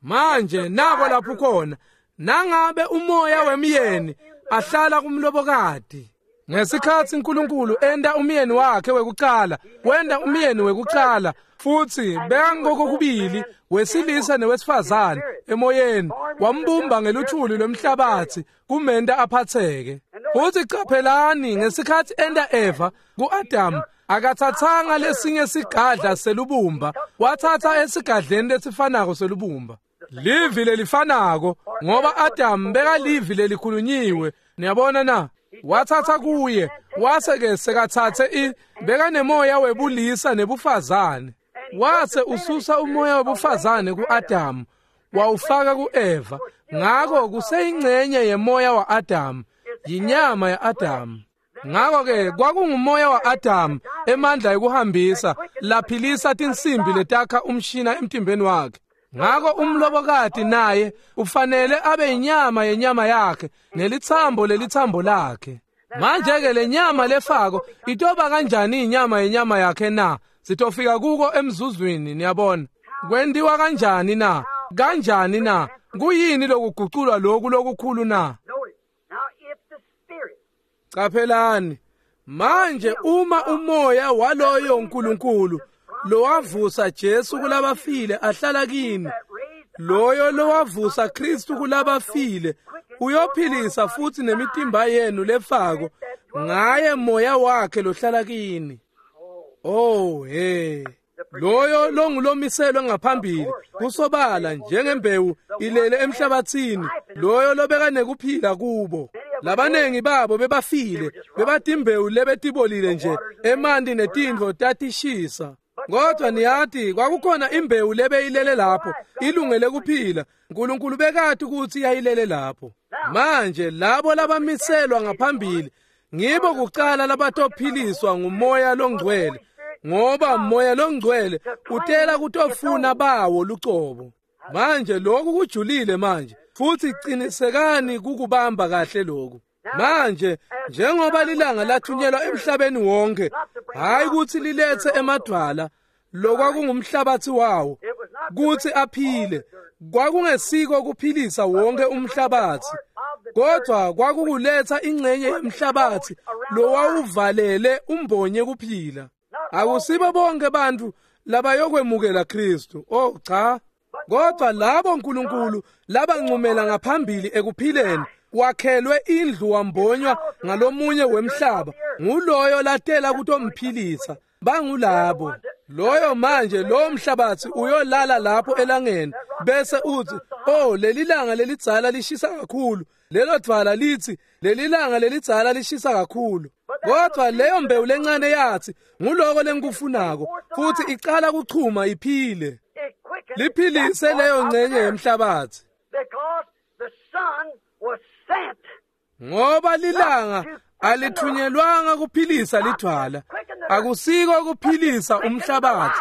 Manje nako lapho khona, nangabe umoya wemyeni ahlala kumlobokati. Ngesikhathi uNkulunkulu enda umyeni wakhe wekucala, wenda umyeni wekucala futhi bekangokubili wesilisa newesifazane emoyeni, wambumba ngeluthuli lwemhlabathi kumenta aphatheke. Futhi caphelani, ngesikhathi enda Eva kuAdam, akathathanga lesinye sigadla selubumba, wathatha esigadleni lesifanako selubumba, livi lelifanako, ngoba Adam bekalivi lelikhulunyiwe. Niyabona na? Wathatha kuye, wase ke sekathathe bekanemoya webulisa nebufazane, wase ususa umoya webufazane kuAdam wawufaka kuEva. Ngako kuseyingcenye yemoya waAdam, yinyama yaAdam. Ngako ke kwakungumoya waAdam, emandla ekuhambisa laphilisa tinsimbi letakha umshina emtimbeni wakhe. Ngako umlobokati naye ufanele abe inyama yenyama yakhe nelithambo lelithambo lakhe. Manje ke lenyama lefako itoba kanjani inyama yenyama yakhe na? Sitofika kuko emzuzwini, niyabona. Kwentiwa kanjani na? Kanjani na? Kuyini lokuguculwa lokhu lokukhulu na? Qaphelani. Manje uma umoya waloyo uNkulunkulu lowavusa Jesu kulabafile ahlala kini, loyo lowavusa Kristu kulabafile uyophilisa futhi nemitimba yenu lefako ngaye moya wakhe lohlala kini. Oh hey, loyo longulomiselwe ngaphambili kusobala njengembewu ilele emhlabathini, loyo lobeka nekuphila kubo. Labanengi babo bebafile, bebatimbewu lebetibolile nje, emanti netintfo tatishisa. Kodwa niyati kwakukhona imbewu lebeyilele lapho ilungele kuphila. uNkulunkulu bekati ukuthi yayilele lapho. Manje labo labamiselwa ngaphambili ngibo kucala labatophiliswa ngumoya longcwele, ngoba moya longcwele utela kutofuna bawo lucobo. Manje lokhu kujulile manje, futhi qinisekani kukubamba kahle lokhu. Manje njengoba lilanga lathunyelwa emhlabeni wonke, hayi ukuthi lilethe emadwala lokwakungumhlabathi wawo kuthi aphile, kwakungesiko kuphilisa wonke umhlabathi, kodwa kwakukuletha ingxenye yemhlabathi lowawuvalele umbonye kuphila. Akusibo bonke bantu labayokwemukela Kristu, oh cha, kodwa labo uNkulunkulu labancumela ngaphambili ekuphileni wakhelwe indlu wambonywa ngalomunye wemhlaba, nguloyo latela kutomphilisa. Bangulabo loyo manje lo mhlabathi uyolala lapho elangeni bese uthi, oh leli langa lelidzala lishisa kakhulu, lelo dvwala lithi leli langa lelidzala lishisa kakhulu. Kodwa leyo mbewu lencane yathi nguloko lengikufunako, futhi icala kuchuma iphile, liphilise leyo ngcenye yemhlabathi. Ngoba lilanga alithunyelwanga kuphilisa lidwala, akusiko kuphilisa umhlabathi,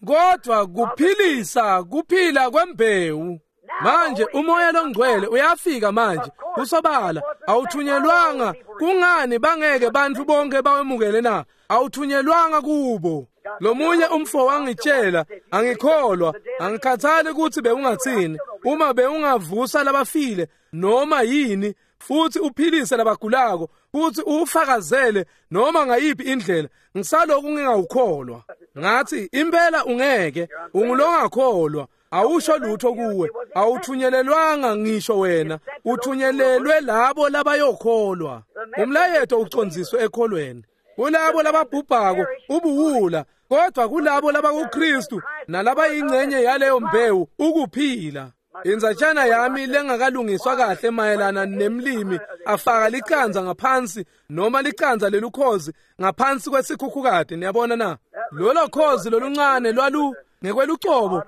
kodwa kuphilisa kuphila kwembewu. Manje umoya longcwele uyafika manje kusobala, awuthunyelwanga. Kungani bangeke bantu bonke bawemukele na? Awuthunyelwanga kubo. Lomunye umfo wangitshela, angikholwa, angikhathali ukuthi bewungathini, uma bewungavusa labafile noma yini, futhi uphilise labagulako, futhi ufakazele noma ngayiphi indlela, ngisaloku ngingawukholwa. Ngathi impela ungeke, ungulongakholwa, awusho lutho kuwe, awuthunyelelwanga ngisho wena, uthunyelelwe labo labayokholwa. Umlayeto ucondziswe ekholweni. Kulabo lababhubhako ubuwula, kodwa kulabo labakuKristu nalabayingcenye yaleyo mbewu ukuphila. Inzatshana yami lengakalungiswa kahle mayelana nemlimi afaka licanza ngaphansi noma licanza lelukhozi ngaphansi kwesikhukhukati, niyabona na? Lolo khozi loluncane lwalu ngekwelucobo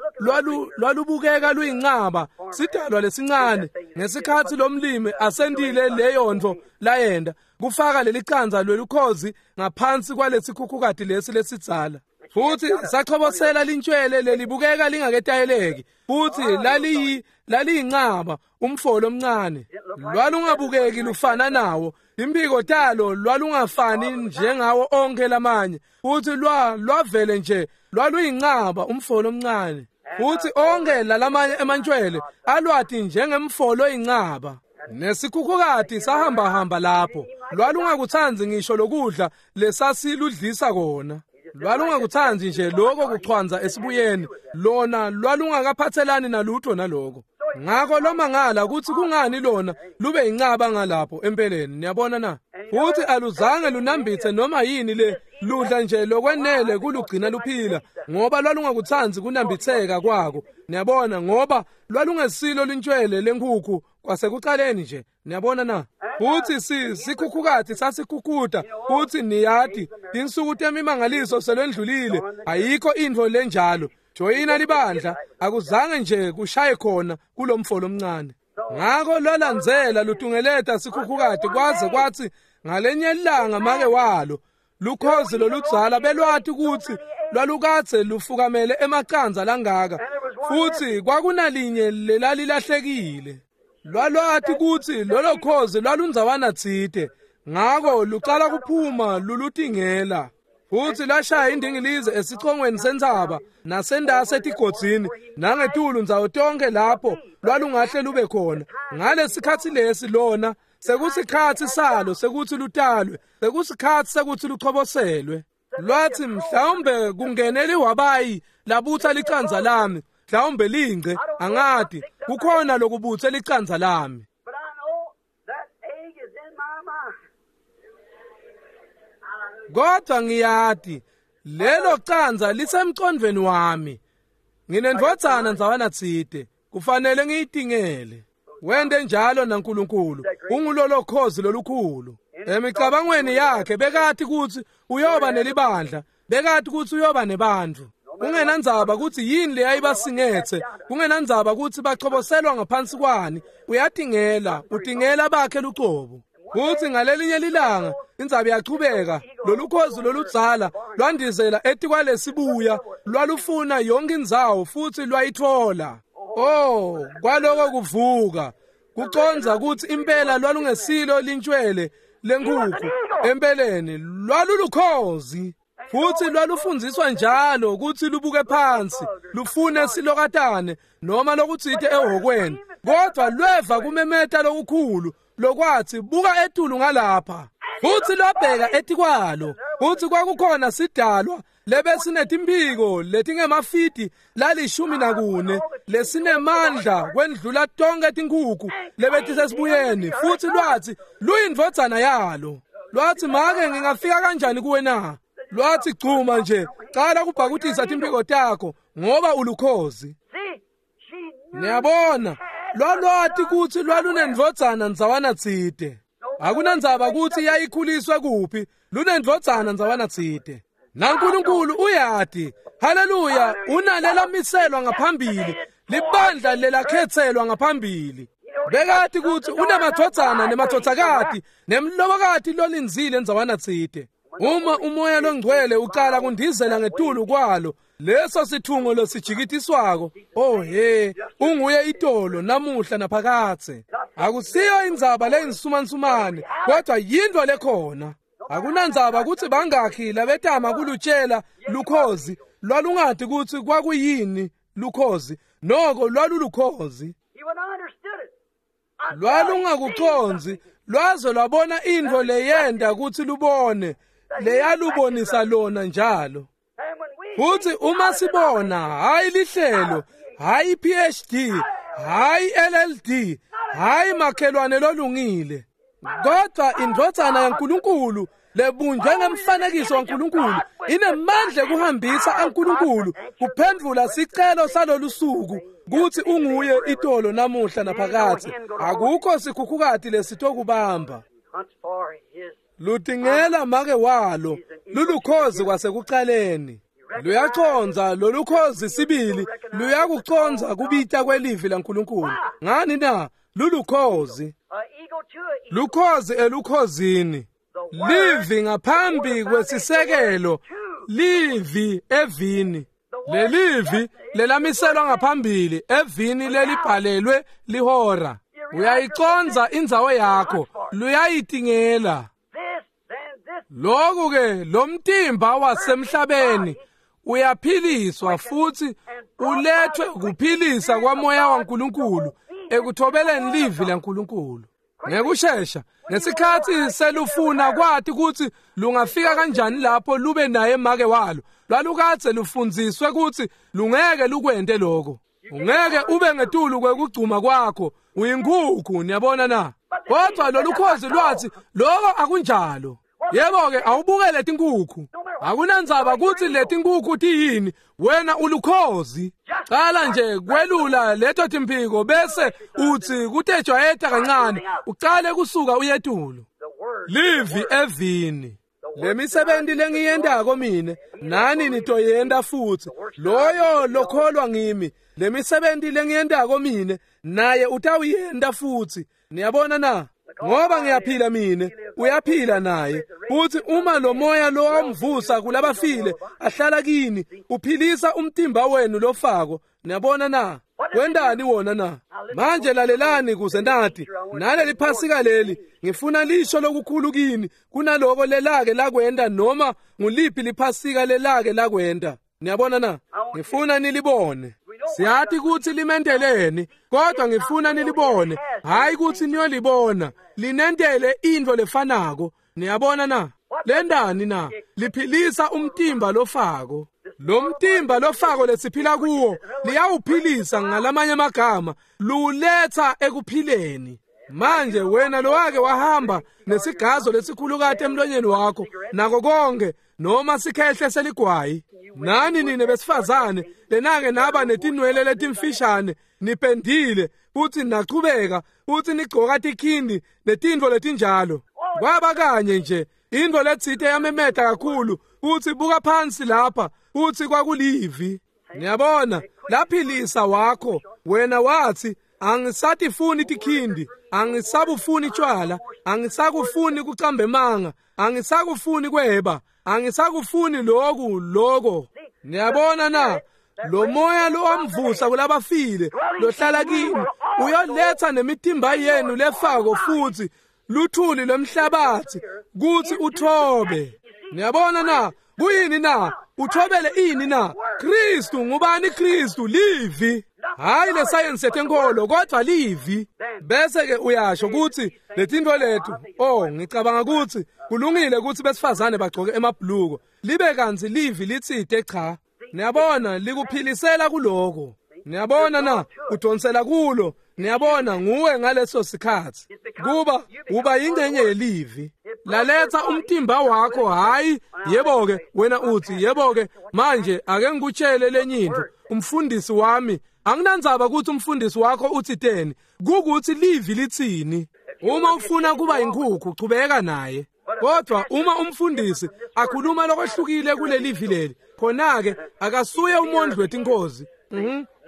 lwalubukeka luyincaba, sidalwa lesincane. Ngesikhathi lomlimi asendile leyo nto layenda kufaka lelicanza lwelukhozi ngaphansi kwalesikhukhukati lesi lesidzala, futhi sachobosela lintshwele lelibukeka lingaketayeleki, futhi laliyincaba umfolo omncane, lwalungabukeki lufana nawo, impiko talo lwalungafani njengawo onke lamanye, futhi lwavele nje lwaluyincaba umfolo omncane, futhi onke lalamanye emantshwele alwati njengemfolo oyincaba. Nesikhukhukati sahamba hamba lapho, lwalungakuthanzi ngisho lokudla lesasiludlisa kona, lwalungakuthanzi nje lokho kuchwanza esibuyeni, lona lwalungakaphathelani nalutho naloko. Ngakho lomangala ukuthi kungani lona lube incaba ngalapho empeleni, niyabona na? Futhi aluzange lunambithe noma yini le, ludla nje lokwenele kulugcina luphila, ngoba lwalungakuthanzi kunambitheka kwako, niyabona, ngoba lwalungesilo lintshwele lenkukhu kwasekuqaleni nje, niyabona na? Futhi sikhukhukati sasikhukhuta, futhi niyati tinsuku temimangaliso selwendlulile, ayikho intfo lenjalo. Joyina libandla, akuzange nje kushaye khona kulomfolo omncane. Ngakho lwalandzela lutungeleta sikhukhukati kwaze kwathi ngalenye ilanga make walo lukhozi loludzala belwati ukuthi lwalukatse lufukamele emaqanza langaka, futhi kwakunalinye lelalilahlekile. Lwalwati ukuthi lolo khozi lwalundzawana tsite, ngakho lucala kuphuma lulutingela. Futhi lashaya indingilizi esicongweni sentsaba nasendase etigodzini nangetulu ndzawo tonke lapho lwalungahle lube khona. Ngalesikhatsi lesi lona sekusikhatsi salo sekuthi lutalwe, sekusikhatsi sekuthi luchoboselwe. Lwathi mhlawumbe kungene liwabayi labutsa licandza lami, mhlawumbe lingce, angati, kukhona lokubutse licandza lami. But I know that egg is in my mind. Kodwa ngiyati lelo candza lisemcondvweni wami. Nginendvodzana ndzawana tsite, kufanele ngiyitingele. Wente njalo naNkulunkulu, ungulolo khozi lolukhulu. Emicabangweni yakhe bekati kutsi uyoba nelibandla, bekati kutsi uyoba nebantfu. Kungenandzaba kutsi yini leyayibasingetse, kungenandzaba kutsi bachoboselwa ngaphansi kwani, uyatingela, utingela bakhe lucobo. Futsi ngalelinye lilanga indzaba iyachubeka, lolukhozi loludzala lwandizela etikwalesibuya, lwalufuna yonke indzawo futsi lwayitfola. Oh, kwaloko kuvuka, kucondza kutsi impela lwalungesilo lintshwele lenkhukhu, empeleni lwalulukhozi. Futsi lwalufundziswa njalo kutsi lubuke phansi, lufune silokatane noma lokutsite ehhokweni, kodvwa lweva kumemeta lokukhulu lokwathi buka etulu ngalapha. Futsi lwabheka etikwalo, futsi kwakukhona sidalwa lebesinetimphiko letingemafidi la14 lesinemandla kwendlula tonke tinkhukhu lebetisesibuyeni. Futsi lwathi luyindvodzana yalo. Lwathi make ngingafika kanjani kuwe na? Lwathi gcuma nje, cala kubhakutisa timphiko takho ngoba ulukhozi. See, she knew Niyabona, lwalwati kutsi lwalunendvodzana ndzawana tsite. Akunandzaba kutsi yayikhuliswe kuphi, lunendvodzana ndzawana tsite. NaNkulunkulu uyati, haleluya, unalelamiselwa ngaphambili, libandla lelakhetselwa ngaphambili. Bekati kutsi unemadvodzana nemadvodzakati nemlobokati lolindzile ndzawana tsite. Uma umoya longcwele ucala kundizela ngetulu kwalo, leso sithungo lesijikitiswako, oh he, unguye itolo namuhla naphakadze. Akusiyo indzaba leyinsumansumane, kodwa yintfo lekhona. Akunandzaba kutsi bangakhi labetama kulutshela lukhozi, lwalungati kutsi kwakuyini lukhozi, noko lwalulukhozi. He would not understood it. Until he Lwalungakucondzi, seen something. lwaze lwabona intfo leyenta kutsi lubone, leyalubonisa lona njalo. And when we Futsi think uma out of sibona, hayi lihlelo, hayi PhD, hayi LLD, hayi makhelwane lolungile, kodwa indvodzana yaNkulunkulu lebunjwe ngemfanekiso waNkulunkulu inemandla ekuhambisa aNkulunkulu kuphendvula sicelo salolu suku kutsi unguye itolo namuhla naphakadze. Akukho sikhukhukati lesitokubamba. Hunts for his Lutingela make walo, lulukhozi kwasekucaleni. Luyacondza lolukhozi sibili, luyakucondza kubita kwelivi laNkulunkulu. Ngani na? Lulukhozi. a eagle to a eagle. Lukhozi elukhozini. Livi ngaphambi kwesisekelo, livi evini. Lelivi lelamiselwa ngaphambili evini lelibhalelwe lihora. Uyayicondza indzawo yakho, luyayitingela. This, then this Lokhu ke lo mtimba wasemhlabeni uyaphiliswa futhi ulethwe kuphilisa kwamoya waNkulunkulu ekuthobeleni livi laNkulunkulu. Ngekushesha, ngesikhatsi selufuna kwati kutsi lungafika kanjani lapho lube naye make walo, lwalukadze lufundziswe kutsi lungeke lukwente lokho. Ungeke ube ngetulu kwekugcuma kwakho, uyinkhukhu, niyabona na? Kodwa lolukhozi lwathi lokho akunjalo. Yebo-ke awubukele tinkhukhu. Akunandzaba kutsi letinkhukhu tiyini, wena ulukhozi. Cala nje kwelula leto timphiko bese utsi kutejwayeta kancane, ucale kusuka uyetulu. the word. Livi evini. Lemisebenti lengiyentako mine, nani nitoyenta futsi. Loyo lokholwa ngimi, lemisebenti lengiyentako mine, naye utawuyenta futsi. Niyabona na? Ngoba ngiyaphila mine, uyaphila naye. Futsi uma lo moya lowamvusa kulabafile ahlala kini, uphilisa umtimba wenu lofako. Niyabona na? Wentani wona na? Manje lalelani kuze nati naleli Phasika leli ngifuna lisho lokukhulu kini kunaloko lelake lakwenda noma nguliphi liphasika lelake lakwenda. Niyabona na? Ngifuna nilibone. Siyathi kutsi limenteleni, kodwa ngifuna nilibone, hayi kutsi niyolibona. Linentele intfo lefanako. Niyabona na? Lendani na? Liphilisa umtimba lofako. Lo mtimba lofako lesiphila kuwo liyawuphilisa, ngalamanye amagama luletha ekuphileni. Manje wena lowake wahamba nesigazo lesikhulukati emlonyeni wakho nako konke noma sikhehle seligwayi, nani nine besifazane lenake naba netinwele letimfishane nipendile futhi nachubeka futhi nigcoka tikhindi netintfo letinjalo, kwaba kanye nje intfo letsite yamemeta kakhulu futhi buka phansi lapha futhi kwakulivi. Niyabona, laphilisa wakho wena wathi angisatifuni tikhindi, angisabufuni tshwala, angisakufuni kucamba emanga, angisakufuni kweba, angisakufuni loku loko. Niyabona na? Lo moya lowamvusa kulabafile lohlala kini uyoletha nemitimba yenu lefako futhi luthuli lwemhlabathi kuthi uthobe. Niyabona na? Kuyini na? Uthobele ini na? Kristu. Ngubani Kristu? Livi. Hayi le science yetenkolo, kodwa livi. Bese ke uyasho ukuthi letintfo lethu, oh ngicabanga ukuthi kulungile ukuthi besifazane bagcoke emabhuluko, libe kantsi livi litsite cha. Niyabona, likuphilisela kuloko. Niyabona na? Udonsela kulo. Niyabona, nguwe ngaleso sikhathi kuba uba yingcenye yelivi. Laletha umtimba wakho. Hayi yebo-ke wena uthi yebo-ke manje ake ngikutshele lenye intfo, umfundisi wami anginandzaba ukuthi umfundisi wakho uthiteni, kukuthi livi litsini. Uma ufuna kuba inkhukhu chubeka naye, kodwa uma umfundisi akhuluma lokwehlukile kulelivi leli, khona-ke akasuye umondli wetinkozi.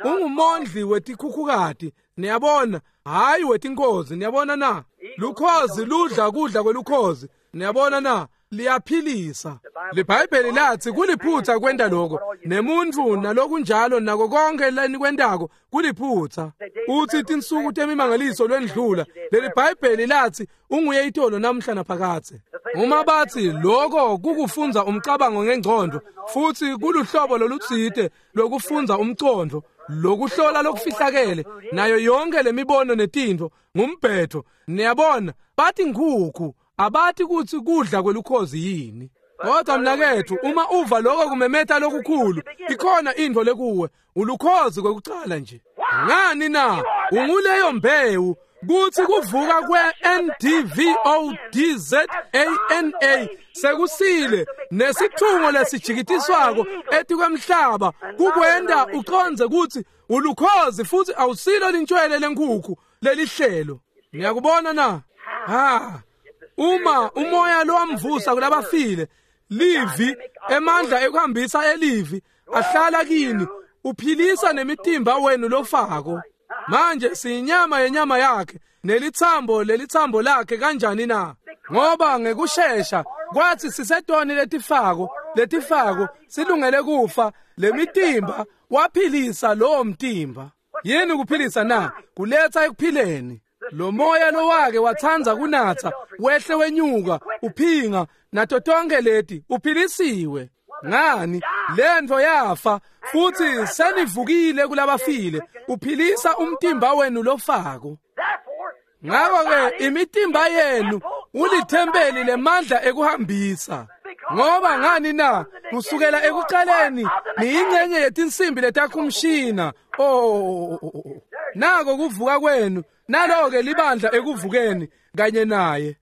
Ungumondli wetikhukhukati. Niyabona, hayi wetinkozi. Niyabona na? Lukhozi ludla kudla kwelukhozi. Niyabona na? Liyaphilisa. LiBhayibheli lathi kuliphutha kwenta lokho, nemuntfu nalokunjalo nako konke lenikwentako kuliphutha. Uthi tinsuku temimangaliso lwendlula. Leli Bhayibheli lathi unguye itolo namhla naphakadze. Uma bathi lokho kukufunza umcabango ngengcondo futhi kuluhlobo lolutsite lokufunza umcondo, lokuhlola lokufihlakele nayo yonke lemibono netintfo ngumbhetho. Niyabona, bathi nkhukhu, abathi kutsi kudla kwelukhozi yini. Kodwa mnaketfu, uma uva lokho kumemeta lokukhulu, ikhona intfo lekuwe, ulukhozi kwekucala nje. Ngani na? Unguleyo mbewu kuthi kuvuka kwe-NDVODZANA sekusile nesithungo lesijikitiswako etikwemhlaba kukwenta ucondze kutsi ulukhozi futhi awusilo lintshwele lenkhukhu lelihlelo. Niyakubona na? Ha, uma umoya lowamvusa kulabafile, livi, emandla ekuhambisa elivi ahlala kini, uphilisa nemitimba wenu lofako. Manje siyinyama yenyama yakhe nelithambo lelithambo lakhe. Kanjani na? Ngoba ngekushesha kwathi sisetoni letifako silungele kufa, lemitimba waphilisa lowo mtimba. Yini kuphilisa na? Kuletha ekuphileni. Lo moya lowake watsandza kunatsa wehle wenyuka uphinga nato tonke leti uphilisiwe. Ngani? Lentfo yafa futhi senivukile kulabafile. Uphilisa umtimba wenu lofako. Ngakho-ke imitimba yenu ulithempeli lemandla ekuhambisa. Ngoba ngani na? Kusukela ekuqaleni niyingcenye yetinsimbi letakhumshina. Oh, nako kuvuka kwenu, nalo-ke libandla ekuvukeni kanye naye.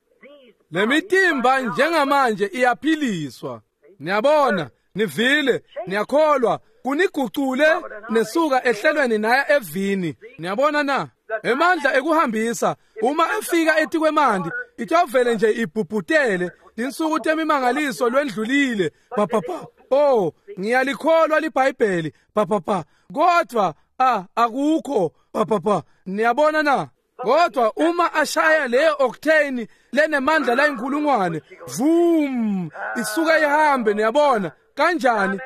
Lemitimba njengamanje iyaphiliswa. Niyabona, nivile, niyakholwa, kunigucule nesuka ehlelweni naya evini. Niyabona na? Emandla ekuhambisa uma efika etikwemandi itovele nje ibhubhutele. Tinsuku temimangaliso lwendlulile. Papapa. Oh, ngiyalikholwa liBhayibheli. Papapa. Kodwa akukho. Papapa. Niyabona na? Kodwa uma ashaya leyo octane lenemandla la inkulungwane, vum, isuka ihambe. Niyabona kanjani?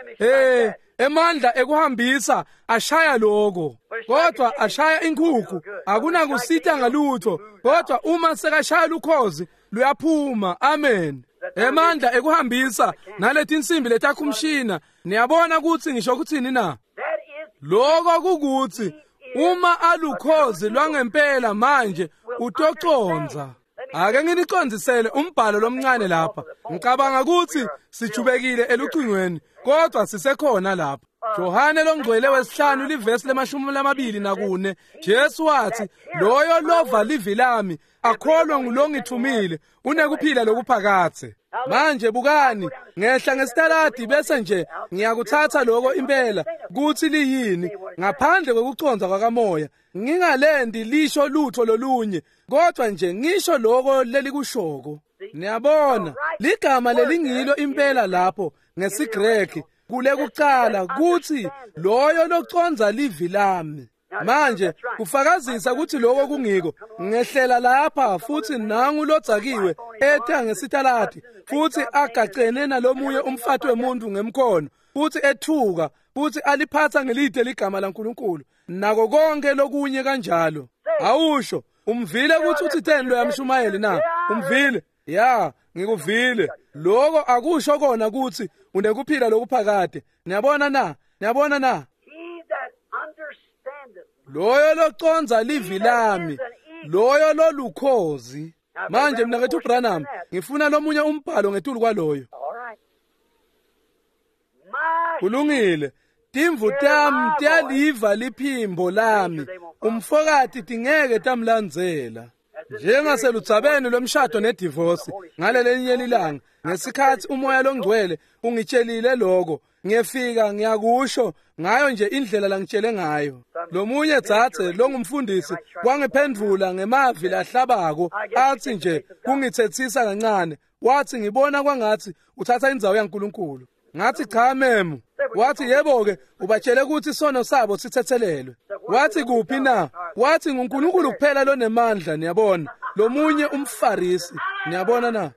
Emandla ekuhambisa ashaya lokho, kodwa ashaya inkukhu akunakusita ngalutho, kodwa uma sekashaya lukhozi luyaphuma. Amen. Emandla ekuhambisa naletinsimbi letakhumshina, niyabona ukuthi ngisho kuthini na? Lokho kukuthi uma alukhozi lwangempela manje utoconza. Ake nginicondzisele umbhalo lomncane lapha. Ngicabanga ukuthi sijubekile elucingweni, kodwa sisekhona lapha. Johane longcwele wesihlanu livesi le-24, Jesu wathi, loyo lova livi lami akholwa ngulongithumile unekuphila lokuphakathe. Manje bukani, ngehla ngesitaladi bese nje ngiyakuthatha lokho impela kuthi liyini ngaphandle kwekuconza kwakamoya. Ngingalendi lisho lutho lolunye, kodwa nje ngisho lokho lelikushoko. Niyabona, ligama lelingilo impela lapho ngesiGreki kule kucala kuthi loyo loconza livi lami. Manje kufakazisa ukuthi lokho kungiko. Ngehlela lapha futhi nangu lodzakiwe etha ngesitaladi futhi agacene nalomunye umfati wemuntu ngemkhono, futhi ethuka futhi aliphatha ngelide ligama laNkulunkulu nako konke lokunye kanjalo. Awusho, umvile ukuthi uthitheni lo yamshumayeli na? Umvile? Ya, ngikuvile. Lokho akusho kona ukuthi unekuphila lokuphakade. Niyabona na? Niyabona na? Loyo loconza livi lami, loyo lolukhozi. Manje mnakethu Branham, ngifuna lomunye umbhalo ngetulu kwaloyo. Kulungile. Timvu tami tiyaliva liphimbo lami, umfokati tingeke tamlandzela. Njengaseludzabeni lwemshado nedivosi ngalelinye lilanga, ngesikhathi umoya longcwele ungitshelile lokho, ngiyefika ngiyakusho ngayo nje indlela langitshele ngayo. Lomunye dzadze longumfundisi wangiphendvula ngemavi lahlabako, athi nje kungithethisa kancane, wathi ngibona kwangathi uthatha indzawo yaNkulunkulu. Ngathi cha memu. Wathi yebo-ke, ubatshele ukuthi isono sabo sithethelelwe. Wathi kuphi na? Wathi nguNkulunkulu kuphela lonemandla, niyabona. Lomunye umFarisi, niyabona na?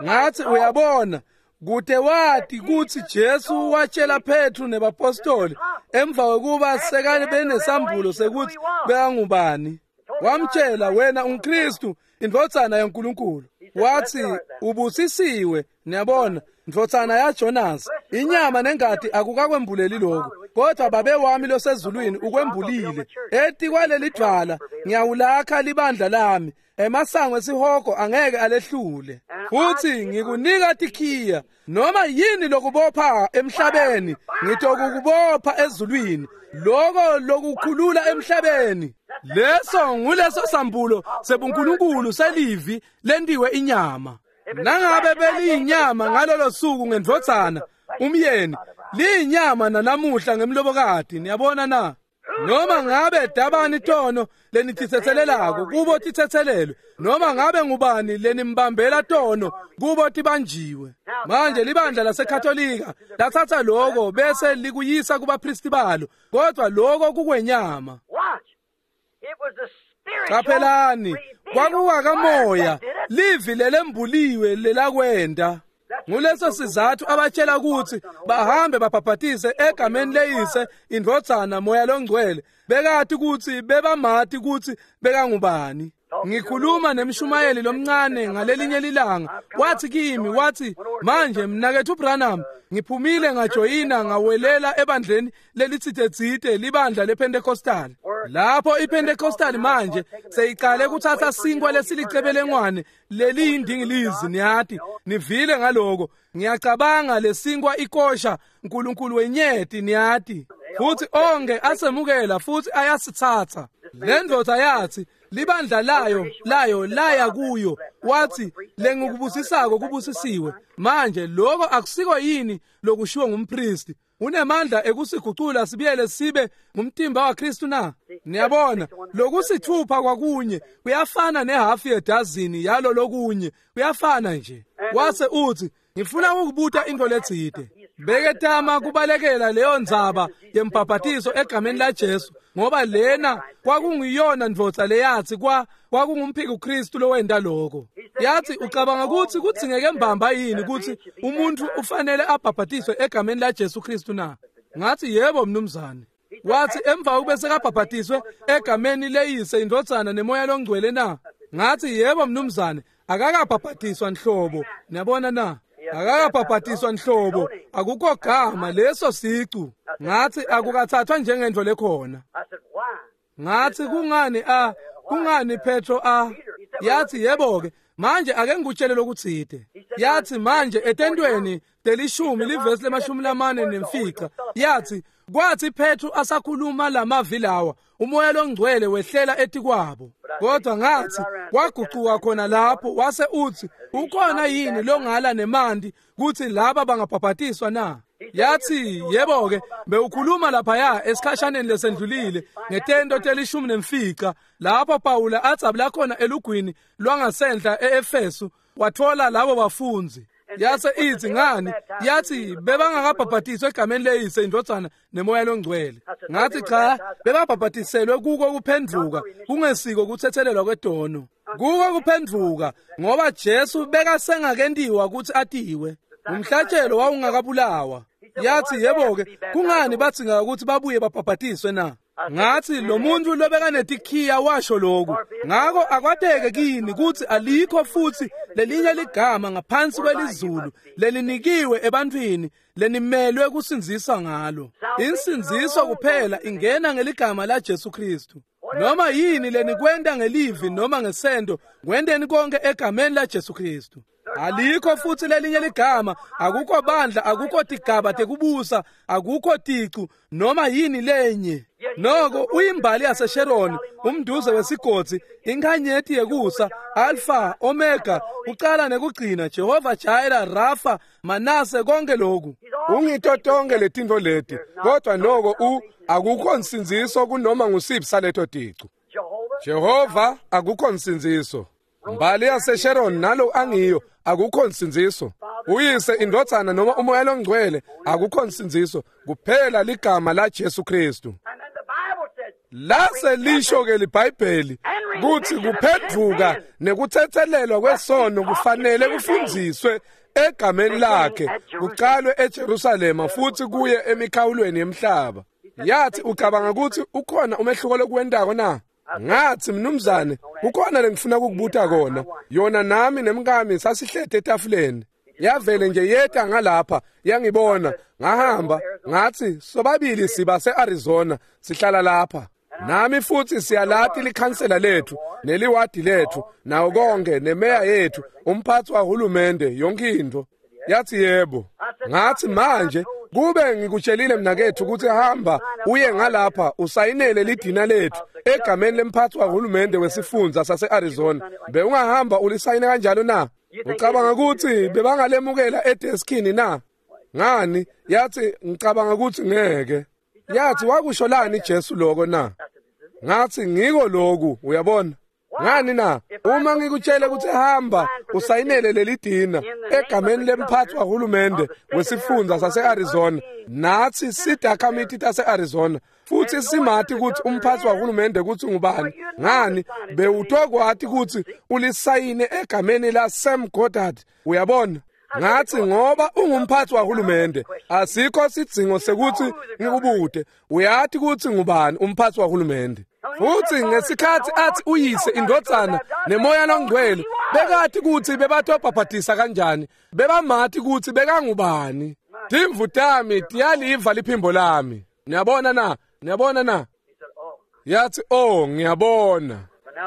Ngathi uyabona, kude wati kutsi Jesu watshela Petru nebapostoli emva kwekuba sekane benesambulo sekuthi bekangubani. Wamtshela, wena unguKristu, indvodzana yaNkulunkulu. Wathi ubusisiwe, niyabona, ndvodzana yaJonas. Inyama nengati akukakwembuleli lokhu, kodwa babe wami losezulwini ukwembulile. Eti kwaleli dvwala ngiyawulakha libandla lami, emasango esihogo angeke alehlule. Futhi ngikunika tikhiya, noma yini lokubopha emhlabeni ngitokukubopha ezulwini, lokho lokukhulula emhlabeni. Leso nguleso sambulo sebuNkulunkulu selivi lentiwe inyama. Nangabe beliyinyama ngalolo suku ngendvodzana umyeni, liyinyama nanamuhla ngemlobokati. Niyabona na? Noma ngabe dabani tono lenititsetselelako kubo titsetselelwe, noma ngabe ngubani lenimbambela tono kubo tibanjiwe. Manje libandla laseKatolika lathatha lokho bese likuyisa kubapristi balo, kodwa lokho kukwenyama. Qaphelani, kwakuwakamoya, livi lelembuliwe lelakwenda. Nguleso sizathu abatshela ukuthi bahambe babhabhatise egameni leyise, indvodzana, moya longcwele. Bekati ukuthi bebamati ukuthi bekangubani. Ngikhuluma nemshumayeli lomncane ngalelinye lilanga, wathi kimi, wathi manje mnakethu Branham, ngiphumile ngajoyina ngawelela ebandleni lelitsitetsite, libandla lePentecostal. Lapho iPentecostal manje seyiqale kuthatha sinkwa lesilicebelengwane leliyindingilizi, niyati, nivile ngaloko. Ngiyacabanga lesinkwa ikosha uNkulunkulu wenyeti, niyati. Futhi onke asemukela futhi ayasithatha. Le ndoda yathi libandla layo laya kuyo, wathi lengikubusisako kubusisiwe. Manje lokho akusiko yini lokushiwo ngumpristi? Unemandla ekusigucula sibiyele sibe ngumtimba waKristu na? Niyabona, lokusithupha kwakunye kuyafana nehafu yedazini yalo lokunye, kuyafana nje. Wase uthi ngifuna ukubuta into letsite. Beketama kubalekela leyo ndzaba yembhabhatiso egameni laJesu, ngoba lena kwakungiyona ndvodza leyathi kwakungumphiki Kristu lowenta lokho. Yathi, ucabanga ukuthi kudzingeke mbamba yini ukuthi umuntu ufanele abhabhatiswe egameni laJesu Kristu na? Ngathi, yebo mnumzane. Wathi, emva kube sekabhabhatiswe egameni leyise, indvodzana nemoya longcwele na? Ngathi, yebo mnumzane, akakabhabhatiswa nhlobo. Niyabona na? Akakabhabhatiswa nhlobo, akukho gama leso sicu. Ngathi, akukathathwa njengento lekhona. Ngathi, kungani kungani Petro Yathi, yebo ke, manje ake ngikutshele lokutsite. Yathi, manje etentweni telishumi livesi le-45, yathi, kwathi Petro asakhuluma lamavi lawa, umoya longcwele wehlela etikwabo. Kodwa ngathi, kwagucuka khona lapho, wase uthi, ukhona yini longala nemanti kuthi laba bangabhabhatiswa na? Yathi, yebo ke, bewukhuluma laphaya esikhashaneni lesendlulile ngetento te-15, lapho Pawula adzabula khona elugwini lwangasenhla e-Efesu, wathola labo bafundzi. Yase ithi, ngani? Yathi, bebangakabhabhatiswa egameni leyise, indvodzana nemoya longcwele. Ngathi, cha, bebabhabhatiselwe kuko kuphendvuka, kungesiko kuthethelelwa kwetono. Kuko kuphendvuka, ngoba Jesu bekasengakentiwa ukuthi atiwe. Umhlatshelo wawungakabulawa. Yathi, yebo ke, kungani badzinga ukuthi babuye babhabhatiswe na? Ngathi, lo muntu lobekanetikiya washo lokhu. Ngako akwateke kini ukuthi alikho futhi lelinye ligama ngaphansi kwelizulu lelinikiwe ebantwini lenimelwe kusindziswa ngalo. Insindziso kuphela ingena ngeligama laJesu Kristu. Noma yini lenikwenta ngelivi noma ngesento, kwenteni konke egameni laJesu Kristu. Alikho futhi lelinye ligama, akukho bandla, akukho tigaba tekubusa, akukho ticu noma yini lenye. Noko uyimbali yaseSharon, umduze wesigodzi, inkhanyeti yekusa, Alpha, Omega, kucala nekugcina, Jehova Jireh, Rafa, Manase, konke lokhu. Ungito tonke letintfo leti, kodwa noko akukho nsindziso kunoma ngusiphi saleto ticu. Jehova akukho nsindziso. Mbali yaseSharon nalo angiyo, akukho nsindziso. Uyise, indvodzana noma umoya longcwele, akukho nsindziso, kuphela ligama laJesu Kristu. Lase lisho ke liBhayibheli kuthi kuphendvuka nekuthethelelwa kwesono kufanele kufundziswe egameni lakhe, kucalwe eJerusalema futhi kuye emikhawulweni yemhlaba. Yathi, ucabanga ukuthi ukhona umehluko lokuwentako na? Ngathi, mnumzane, kukhona lengifuna ukukubuta kona. Yona nami nemkami sasihlete etafuleni. Yavele nje yeta ngalapha, yangibona, ngahamba, ngathi, sobabili siba se-Arizona, sihlala lapha. Nami futhi siyalati likhansela lethu, neliwadi lethu, nawo konke, nemeya yethu, umphathi wahulumende, yonke into. Yathi, yebo. Ngathi, manje kube ngikutshelile mnakethu ukuthi hamba uye ngalapha usayinele lidina lethu egameni lemphathi wahulumende wesifundza sase-Arizona, bewungahamba ulisayine kanjalo na? Ucabanga ukuthi bebangalemukela edeskini na? Ngani? Yathi, ngicabanga ukuthi ngeke. Yathi, wakusho lani Jesu lokho na? Ngathi, ngiko lokhu, uyabona. Ngani na? Uma ngikutshele ukuthi hamba usayinele leli dina egameni lemphathi wahulumende wesifundza sase-Arizona, nathi sidakamiti tase-Arizona futhi simati ukuthi umphathi wahulumende ukuthi ngubani. Ngani? Bewutokwati ukuthi ulisayine egameni la Sam Goddard, uyabona. Ngathi, ngoba ungumphathi wahulumende, asikho sidzingo sekuthi ngikubude, uyati ukuthi ngubani umphathi wahulumende. Futhi ngesikhathi athi uyise, indvodzana nemoya longcwele, bekati ukuthi bebatobhabhatisa kanjani, bebamati ukuthi bekangubani. Timvu tami tiyaliva liphimbo lami. Niyabona na? Niyabona na? Yathi, oh, ngiyabona.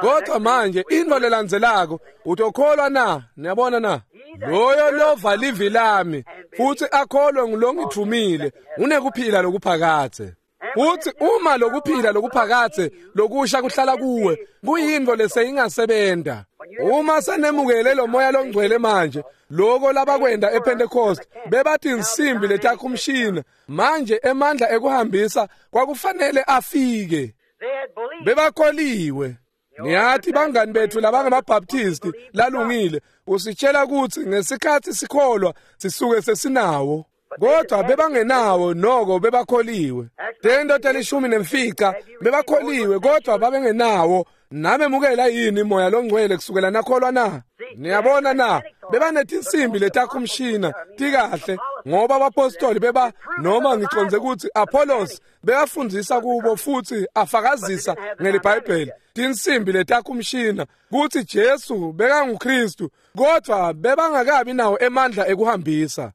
Kodwa manje into lelandzelako, utokholwa na? Niyabona na? Loyo lova livi lami futhi akholwe ngulongithumile unekuphila lokuphakadze. Futhi uma lokuphila lokuphakadze lokusha kuhlala kuwe, kuyintfo leseyingasebenta. Uma senemukele lo moya longcwele manje, loko labakwenda ePentecost bebathi insimbi letakhumshina, manje emandla ekuhambisa kwakufanele afike. Bebakholiwe. Niyathi bangani bethu labangamabaptisti lalungile, usitshela ukuthi ngesikhathi sikholwa sisuke sesinawo. Kodwa bebangenawo noko bebakholiwe. Tento 15 bebakholiwe kodwa babengenawo. Namemukela yini moya longcwele kusukela nakholwa na? Niyabona na? Bebanetinsimbi letakhumshina tikahle ngoba abapostoli beba noma ngiconze ukuthi Apollos bekafundzisa kubo futhi afakazisa ngeliBhayibheli tinsimbi letakhumshina kuthi Jesu bekanguKristu kodwa bebangakabi nawo emandla ekuhambisa.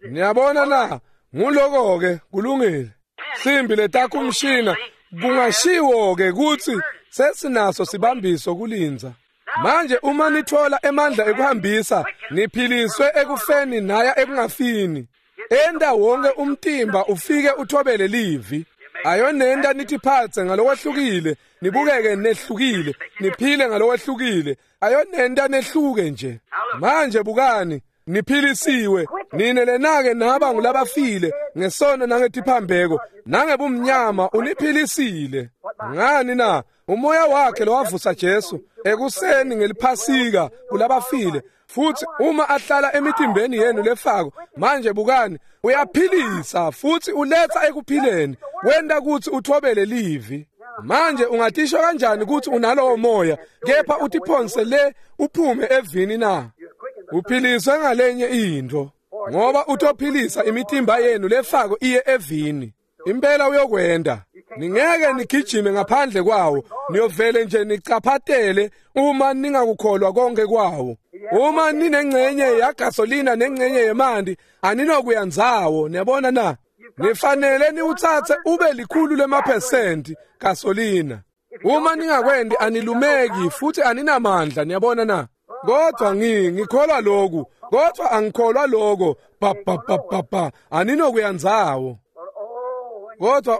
Niyabona na? Nguloko ke kulungile. Simbi letakhumshina kungashiwo ke kuthi sesinaso sibambiso kulindza. Manje uma nithola emandla ekuhambisa niphiliswe ekufeni naya ekungafini. Enda wonke umtimba ufike uthobele livi. Ayonenda nithiphatse ngalokwehlukile, nibukeke nehlukile, niphile ngalokwehlukile. Ayonenda nehluke nje. Manje bukani, niphilisiwe nine lenake naba ngulabafile ngesono nangetiphambeko nangebumnyama uniphilisile. Ngani na? Umoya wakhe lowavusa Jesu ekuseni ngeliphasika kulabafile futhi uma ahlala emitimbeni yenu lefako manje bukani uyaphilisa futhi uletha ekuphileni wenda kuthi uthobele livi. Manje ungatisho kanjani ukuthi unalowo moya kepha utiphonse le uphume evini na? Uphiliswe ngalenye into ngoba utophilisa imitimba yenu lefako iye evini. Impela uyokwenda. Ningeke nigijime ngaphandle kwawo, niyovele nje nicaphatele uma ningakukholwa konke kwawo. Uma ninengcenye yagasolina nengcenye yemanti aninokuya ndzawo. Niyabona na? Nifanele niwutsatse ube 100% gasolina. Uma ningakwendi anilumeki futhi aninamandla. Niyabona na? Kodwa ngikholwa lokhu, kodwa angikholwa lokho. Pa pa pa pa pa aninokuya ndzawo. Kodwa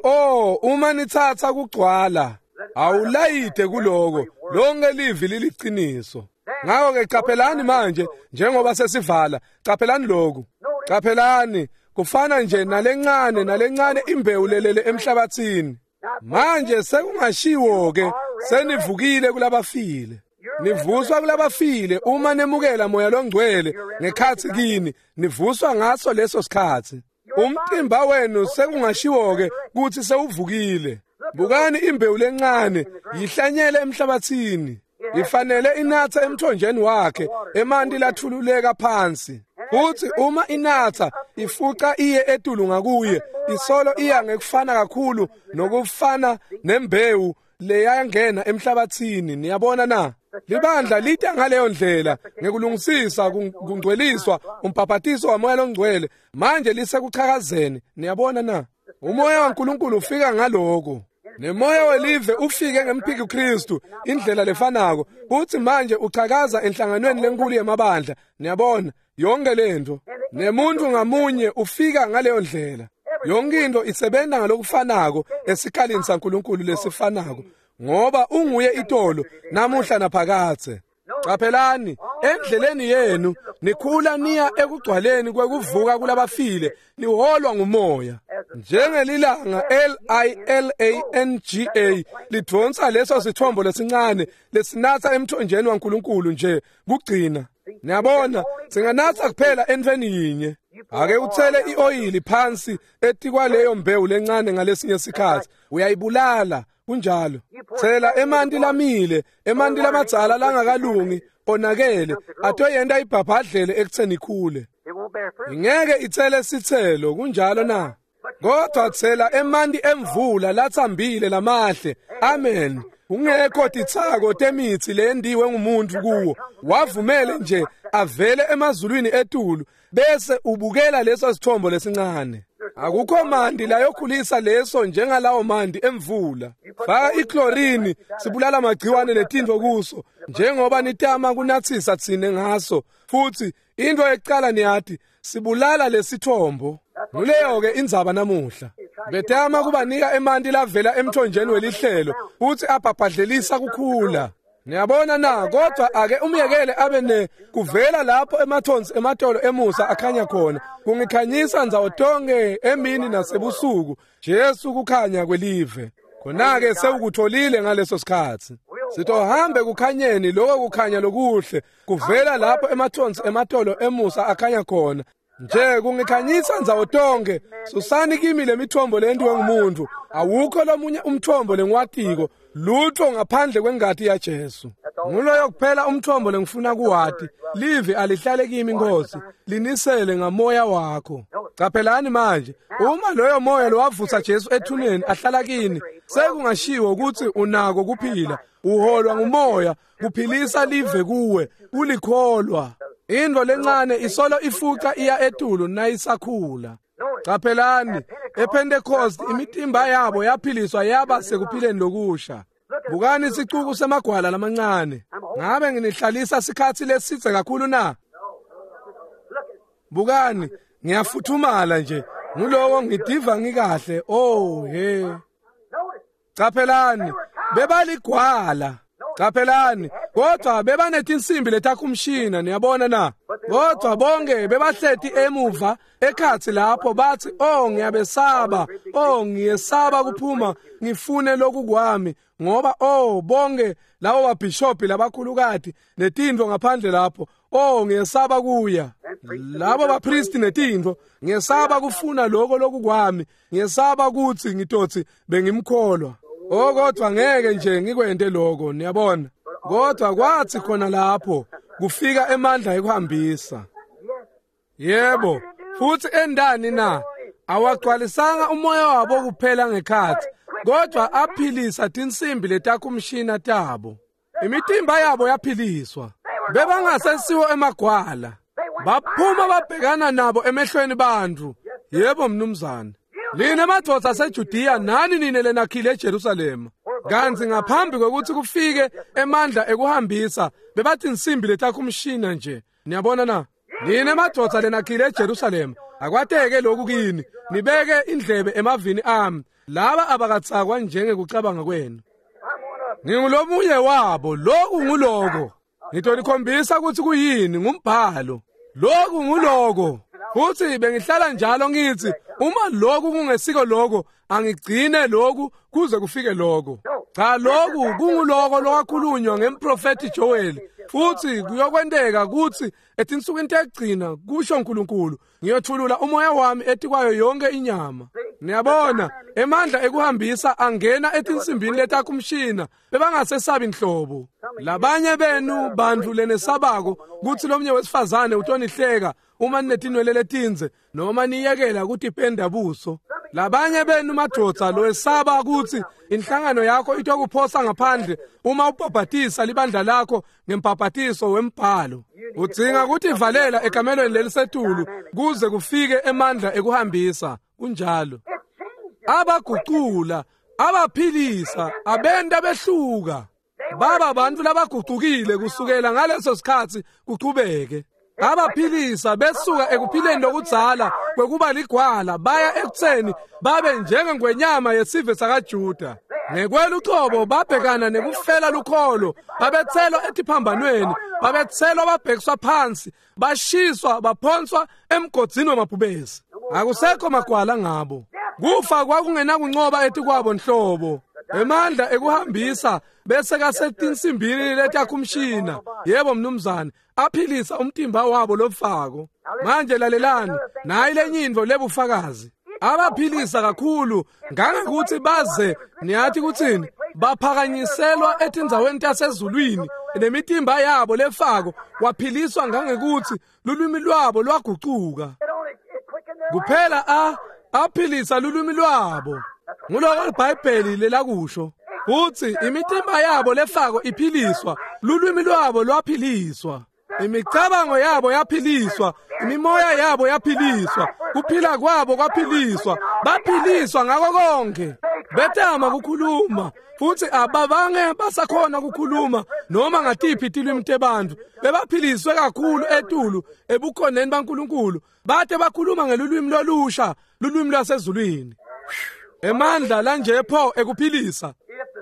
uma nithatha kugcwala awulayide kuloko, lonke livi liliqiniso. Ngakho ke qaphelani manje njengoba sesivala, qaphelani lokhu. Qaphelani kufana nje nalencane nalencane imbewu lelele emhlabathini. Manje sekungashiwo ke senivukile kulabafile. Nivuswa kulabafile uma nemukela moya longcwele ngekhathi kini, nivuswa ngaso leso sikhathi. Umtimba wenu sekungashiwo ke kuthi sewuvukile. Bukani imbewu lencane yihlanyele emhlabathini. Ifanele inatha emthonjeni wakhe emanti lathululeka phansi. Futhi uma inatha ifuca iye etulu ngakuye, isolo iya ngekufana kakhulu nokufana nembewu leyangena emhlabathini. Niyabona na? Libandla lita ngaleyo ndlela ngekulungisisa kungcweliswa umbhaphatiso wamoya longcwele. Manje lisekuchakazeni. Niyabona na? Umoya waNkulunkulu ufika ngaloko. Nemoya welive ufike ngemphiki Kristu indlela lefanako. Uthi manje uchakaza enhlanganweni lenkulu yemabandla. Niyabona yonke lento. Nemuntu ngamunye ufika ngaleyo ndlela. Yonke into isebenza ngalokufanako esikalini saNkulunkulu lesifanako, ngoba unguye itolo namuhla naphakathe. Qaphelani endleleni yenu nikhula niya ekugcwaleni kwekuvuka kulabafile, niholwa ngumoya. Njengelilanga LILANGA lidonsa leso sithombo lesincane lesinatha emthonjeni waNkulunkulu nje kugcina. Niyabona singanatha kuphela entweni yinye. Ake uthele ioyili phansi etikwaleyo mbewu lencane ngalesinye sikhathi uyayibulala. Kunjalo. Thela emanti lamile, emanti lamadzala langakalungi onakele atoyenda ibhabhadlele ekutheni ikhule. Ingeke ithele sithelo. Kunjalo na? Kodwa thela emanti emvula lathambile lamahle. Amen. Ungekho titsako temithi lendiwe ngumuntu kuwo. Wavumele nje avele emazulwini etulu bese ubukela leso sithombo lesincane. Akukho mandi layokhulisa leso njengalawo mandi emvula. Faka iklorini sibulala amagciwane netintfo kuso njengoba nitama kunathisa tsine ngaso. Futhi into ekucala niyati sibulala lesithombo. Nguleyo ke indzaba namuhla. Betama kubanika emanti lavela emthonjeni welihlelo futhi abhabhadlelisa kukhula. Niyabona na? Kodwa ake umyekele abe ne kuvela lapho emathonsi ematolo emusa akhanya khona. Kungikhanyisa ndzawo tonke emini nasebusuku. Jesu kukhanya kwelive. Khona-ke sewukutholile ngaleso sikhathi. Sitohambe kukhanyeni, lokho kukhanya lokuhle kuvela lapho emathonsi ematolo emusa akhanya khona. Nje kungikhanyisa ndzawo tonke. Susani kimi lemithombo lentiwe ngumuntu. Awukho lomunye umthombo lengiwatiko, lutho ngaphandle kwengati yaJesu. Nguloyo kuphela umthombo lengifuna kuwati. Livi alihlale kimi Nkosi, linisele ngamoya wakho. Caphelani manje, uma loyo moya lowavusa Jesu ethuneni ahlala kini, sekungashiwo ukuthi unako kuphila. Uholwa ngumoya, kuphilisa live kuwe, ulikholwa. Into lencane isolo ifuca iya etulu nayisakhula. Caphelani, ePentecost imitimba yabo yaphiliswa yaba sekuphileni lokusha. Bukani sicuku semagwala lamancane. Ngabe nginihlalisa sikhatsi lesidze kakhulu na? Bukani, ngiyafuthumala nje. Ngulowo ngidiva ngikahle. Oh he. Caphelani, bebaligwala. Caphelani, kodwa bebanetinsimbi letakumshina, niyabona na? Kodwa bonke bebahleti emuva ekhatsi lapho bathi, "Oh ngiyabesaba, oh ngiyesaba kuphuma ngifune lokhu kwami ngoba oh bonke labo babhishophi labakhulukati netintfo ngaphandle lapho, oh ngiyesaba kuya. Labo bapristi netintfo, ngiyesaba kufuna lokho lokukwami, ngiyesaba ukuthi ngitotsi bengimkholwa. Oh kodwa ngeke nje ngikwente lokho, niyabona." Kodwa kwathi khona lapho kufika emandla ekuhambisa. Yebo, futhi endani na? Awagcwalisanga umoya wabo kuphela ngekhathi, kodwa aphilisa tinsimbi letakumshina tabo. Imitimba yabo yaphiliswa. Bebangasesiwo emagwala. Baphuma babhekana nabo emehlweni bantu. Yebo mnumzane. Nina madvodza aseJudiya nani nine lenakhile eJerusalema. Kanti ngaphambi kwekuthi kufike emandla ekuhambisa bebathi insimbi letakumshina nje. Niyabona na? Nina madvodza lenakhile eJerusalema, akwateke lokhu kini, nibeke indlebe emavini ami. Laba abakatsakwa njengekucabanga kwenu. Ngingulomunye wabo, lokhu nguloko. Ngitonikhombisa ukuthi kuyini ngumbhalo. Lokhu nguloko. Futhi bengihlala njalo ngithi uma lokhu kungesiko lokho, angigcine lokhu kuze kufike lokho. Cha, lokhu kunguloko lokwakhulunywa ngemprofeti Joel. Futhi kuyokwenteka ukuthi etinsukwini tekugcina, kusho uNkulunkulu, ngiyothulula umoya wami etikwayo yonke inyama. Niyabona, emandla ekuhambisa angena etinsimbini letakumshina, bebangasesabi nhlobo. Labanye benu bantu lenesabako kuthi lomnye wesifazane utonihleka uma ninetinwele letinze noma niyekela kutipenda buso. Labanye benu madvodza loyesaba ukuthi inhlangano yakho itokuphosa ngaphandle uma ubhabhatisa libandla lakho ngembhabhatiso wembhalo. Udzinga kutivalela ekamelweni lelisetulu kuze kufike emandla ekuhambisa. Kunjalo. Abagucula, abaphilisa, abenta behluka. Baba bantu labagucukile kusukela ngaleso sikhatsi kuchubeke. Abaphilisa besuka ekuphileni lokudzala kwekuba ligwala baya ekutseni babe njengengwenyama yesive sakaJuda. Ngekwelucobo babhekana nekufela lukholo, babetselwa etiphambanweni, babetselwa babhekiswa phansi, bashiswa baphonswa emgodzini wamabhubesi. Akusekho magwala ngabo. Kufa kwakungenakuncoba etikwabo nhlobo. Emandla ekuhambisa bese kasetinsimbini letakumshina. Yebo mnumzane, aphilisa umtimba wabo lofako. Manje lalelani, nayi lenye intfo lebufakazi. Abaphilisa kakhulu ngangokuthi baze, niyathi kuthini, baphakanyiselwa etindzaweni tasezulwini nemitimba yabo lefako waphiliswa ngangekuthi lulwimi lwabo lwagucuka. Kuphela aphilisa lulwimi lwabo. Nguloko iBhayibheli lelakusho. Uthi imitimba yabo lefako iphiliswa, lulwimi lwabo lwaphiliswa, imicabango yabo yaphiliswa, imimoya yabo yaphiliswa, kuphila kwabo kwaphiliswa, baphiliswa ngako konke. Betama kukhuluma futhi ababange basakhona kukhuluma noma ngatiphi tilwimi tebantfu. Bebaphiliswe kakhulu etulu ebukhoneni baNkulunkulu, bate bakhuluma ngelulwimi lolusha, lulwimi lwasezulwini. Emandla lanje pho ekuphilisa.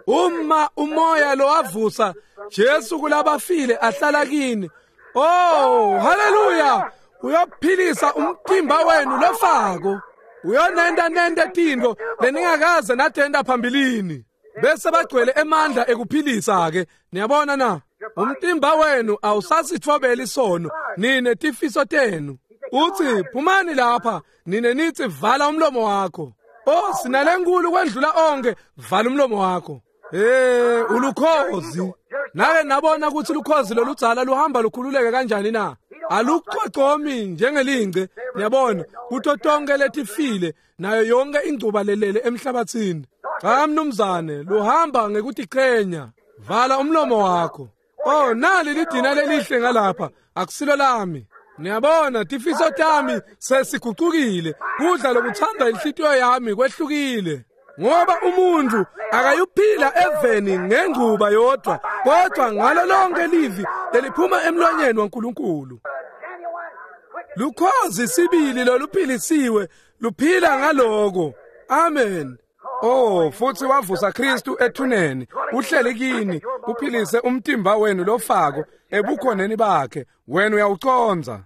Uma umoya lowavusa Jesu kulabafile ahlala kini, oh haleluya, uyophilisa umtimba wenu lofako. Uyonenta nente tintfo leningakaze natenta phambilini. Bese bagcwele emandla ekuphilisa ke. Niyabona na? Umtimba wenu awusasithobeli isono, nine tifiso tenu. Uthi phumani lapha, nine nithi vala umlomo wakho. Oh, sinalenkulu kwendlula onke, vala umlomo wakho. Ulukhozi. Nake nabona ukuthi lukhozi loludzala luhamba lukhululeke kanjani na? Alucocomi njengelingce, niyabona, kuto tonke letifile nayo yonke ingcuba lelele emhlabathini. Cha mnumzane, luhamba ngekutichenya. Vala umlomo wakho. Oh, nali lidina lelihle ngalapha, akusilo lami. Niyabona, tifiso tami sesigucukile, kudla lokuthanda inhlitiyo yami kwehlukile. Ngoba umuntu akayuphila eveni ngenguba yodwa, kodwa ngalo lonke livi leliphuma emlonyeni waNkulunkulu. Lukhozi sibili loluphilisiwe luphila ngaloko. Amen. Oh, futhi wavusa Kristu ethuneni, uhleli kini, uphilise umtimba wenu lofako ebukhoneni bakhe, wena uyawuconza.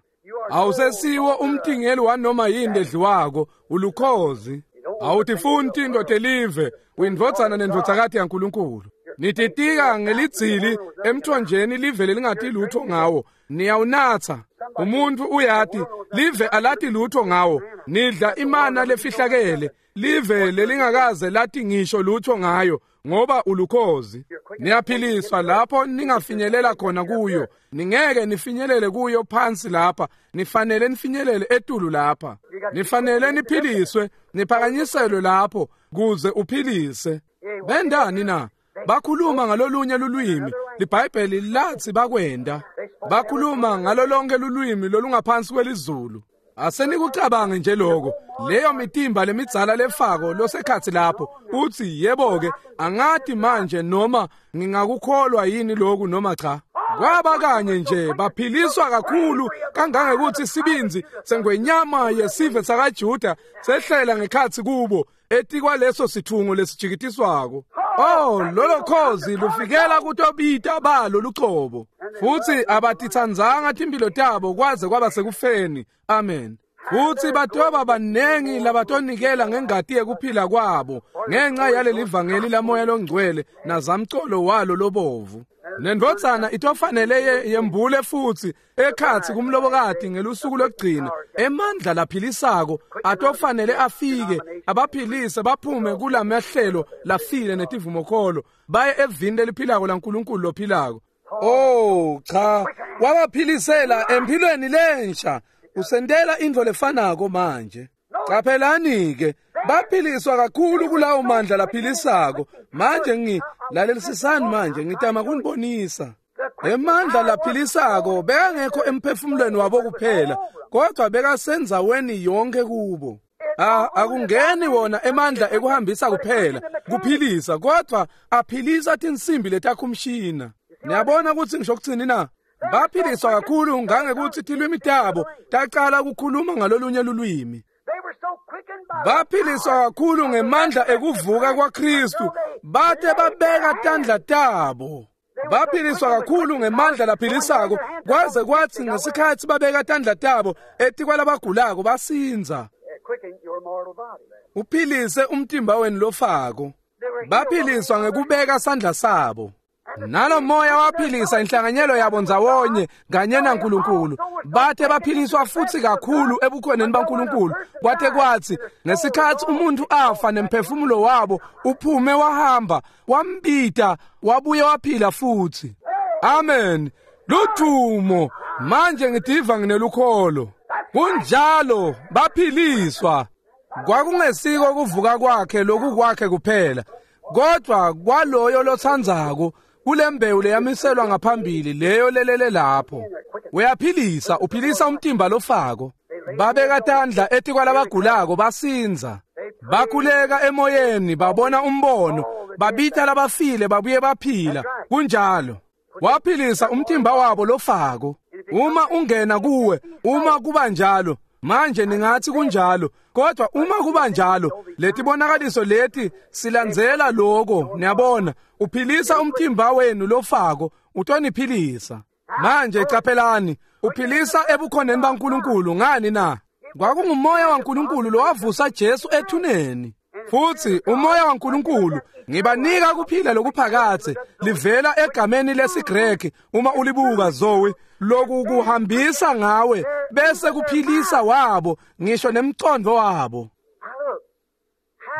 Awusesiwo umtingeli wanoma yini edliwako, ulukhozi. Awutifuni tinto telive, uyindvodzana nendvodzakati yaNkulunkulu. Nititika ngelidzili emthonjeni live lelingati lutho ngawo, niyawunatsa. Umuntu uyati, live alati lutho ngawo, nidla imana lefihlakele, live lelingakaze lati ngisho lutho ngayo, ngoba ulukhozi. Niyaphiliswa lapho ningafinyelela khona kuyo, ningeke nifinyelele kuyo phansi lapha, nifanele nifinyelele etulu lapha. Nifanele niphiliswe, niphakanyiselwe lapho kuze uphilise. Bendani na? Bakhuluma ngalolunye lulwimi, liBhayibheli lathi bakwenda. Bakhuluma ngalolonke lulwimi lolungaphansi kwelizulu. Asenikucabange nje lokho, leyo mitimba lemidzala lefako losekhatsi lapho, uthi yebo-ke, angati manje noma ngingakukholwa yini lokhu noma cha. Kwaba kanye nje baphiliswa kakhulu kangangekuthi sibinzi sengwenyama yesive sakaJuda sehlela ngekhatsi kubo etikwaleso sithungo lesijikitiswako. Oh, lolo khozi lufikela kutobita balo lucobo. Futhi abatitsandzanga timphilo tabo kwaze kwaba sekufeni. Amen. Futhi batoba banengi labatonikela ngengati yekuphila kwabo ngenxa yaleli vangeli lamoya longcwele nazamcolo walo lobovu. Nendvodzana itofanele yembule futhi ekhatsi kumlobokati ngelusuku lokugcina. Emandla laphilisako atofanele afike abaphilise baphume kulamahlelo lafile netivumokholo baye evini leliphilako laNkulunkulu lophilako. Oh cha, wabaphilisela empilweni lensha. Usentela intfo lefanako manje. Caphelani ke, baphiliswa kakhulu kulawo mandla laphilisako. Manje ngilalelisisani manje, ngitama kunibonisa. Emandla laphilisako bekangekho emphefumulweni wabo kuphela, kodwa bekasendzaweni yonke kubo. Akungeni wona emandla ekuhambisa kuphela, kuphilisa, kodwa aphilisa tinsimbi letakhumshina. Niyabona ukuthi ngisho kuthini na? Baphiliswa kakhulu ngangekuthi tilwimi tabo tacala ukukhuluma ngalolunye lulwimi. Baphiliswa kakhulu ngemandla ekuvuka kwaKristu, bate babeka tandla tabo. Baphiliswa kakhulu ngemandla laphilisako, kwaze kwathi ngesikhathi babeka tandla tabo etikwalabagulako basinza. Uphilise umtimba wenu lofako. Baphiliswa ngekubeka sandla sabo. Nalo moya waphilisa inhlanganyelo yabo ndzawonye kanye naNkulunkulu. Bathe baphiliswa futhi kakhulu ebukhoneni baNkulunkulu, kwathe kwathi ngesikhathi umuntu afa nemphefumulo wabo uphume wahamba, wambita wabuye waphila futhi. Amen. Ludumo. Manje ngidiva nginelukholo. Kunjalo, baphiliswa. Kwakungesiko kuvuka kwakhe lokukwakhe kuphela, kodwa kwaloyo lotsandzako kulembewu leyamiselwa ngaphambili leyo lelele lapho. Uyaphilisa, uphilisa umtimba lofako. Babeka tandla etikwalabagulako basinza. Bakhuleka emoyeni, babona umbono, babita labafile babuye baphila. Kunjalo. Waphilisa umtimba wabo lofako. Uma ungena kuwe, uma kuba njalo, manje ningathi kunjalo, kodwa uma kuba njalo, letibonakaliso leti silandzela lokho, niyabona, uphilisa umtimba wenu lofako, utoniphilisa. Manje caphelani, uphilisa ebukhoneni baNkulunkulu ngani na? Kwakungumoya waNkulunkulu lowavusa Jesu ethuneni. Futhi umoya waNkulunkulu ngibanika kuphila lokuphakathe livela egameni lesiGreki uma ulibuka Zoe loku kuhambisa ngawe bese kuphilisa wabo ngisho nemcondo wabo.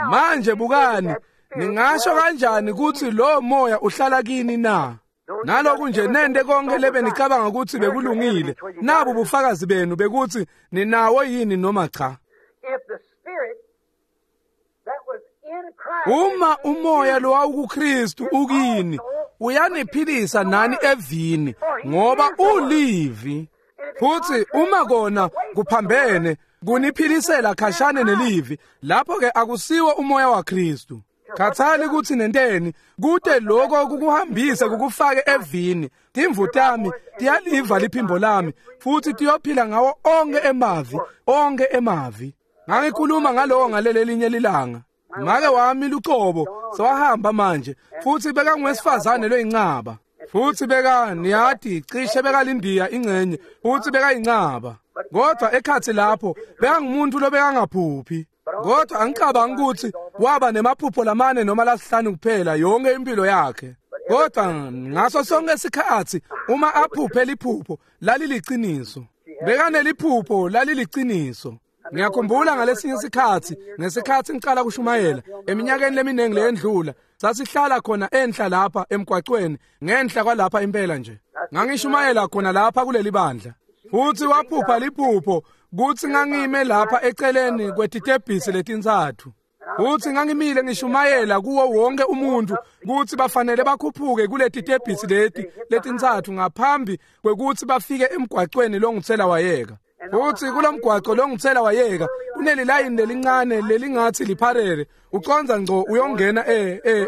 Manje bukani, ningasho kanjani ukuthi lo moya uhlala kini na? Naloku nje nende konke lebe nicabanga ukuthi bekulungile, nabu bufakazi benu bekuthi ninawo yini noma cha. Uma umoya lo wawukuKristu ukini, uyaniphilisa nani evini ngoba ulivi. Futhi uma kona kuphambene kuniphilisela khashane nelivi, lapho ke akusiwo umoya waKristu. Khathali ukuthi nenteni kude lokho kukuhambise kukufake evini. Timvu tami tiyaliva liphimbo lami futhi tiyophila ngawo onke emavi, onke emavi. Ngangikhuluma ngaloko ngalelelinye lilanga. Make wami lucobo sewahamba manje futhi bekangwesifazane loyincaba. Futhi beka niyathi cishe bekalindiya ingcenye futhi bekayincaba. Kodwa ekhathi lapho bekangumuntu lobekangaphuphi. Kodwa angicabangi ukuthi waba nemaphupho lamane noma lasihlanu kuphela yonke impilo yakhe. Kodwa ngaso sonke isikhathi uma aphuphe liphupho laliliqiniso. Bekaneliphupho laliliqiniso. Ngiyakhumbula ngalesinye isikhathi ngesikhathi ngiqala kushumayela eminyakeni leminingi leyendlula, sasihlala khona enhla lapha emgwaqweni ngenhla kwalapha impela nje. Ngangishumayela khona lapha kuleli bandla. Futhi waphupha liphupho kuthi ngangime lapha eceleni kwetitebhisi letintsatfu. Futhi ngangimile ngishumayela kuwo wonke umuntu kuthi bafanele bakhuphuke kuletitebhisi leti letintsatfu ngaphambi kwekuthi bafike emgwaqweni longitsela wayeka. Futhi kulomgwaqo longitsela wayeka kunelilayini lelincane lelingathi lipharele, uconza ngco uyongena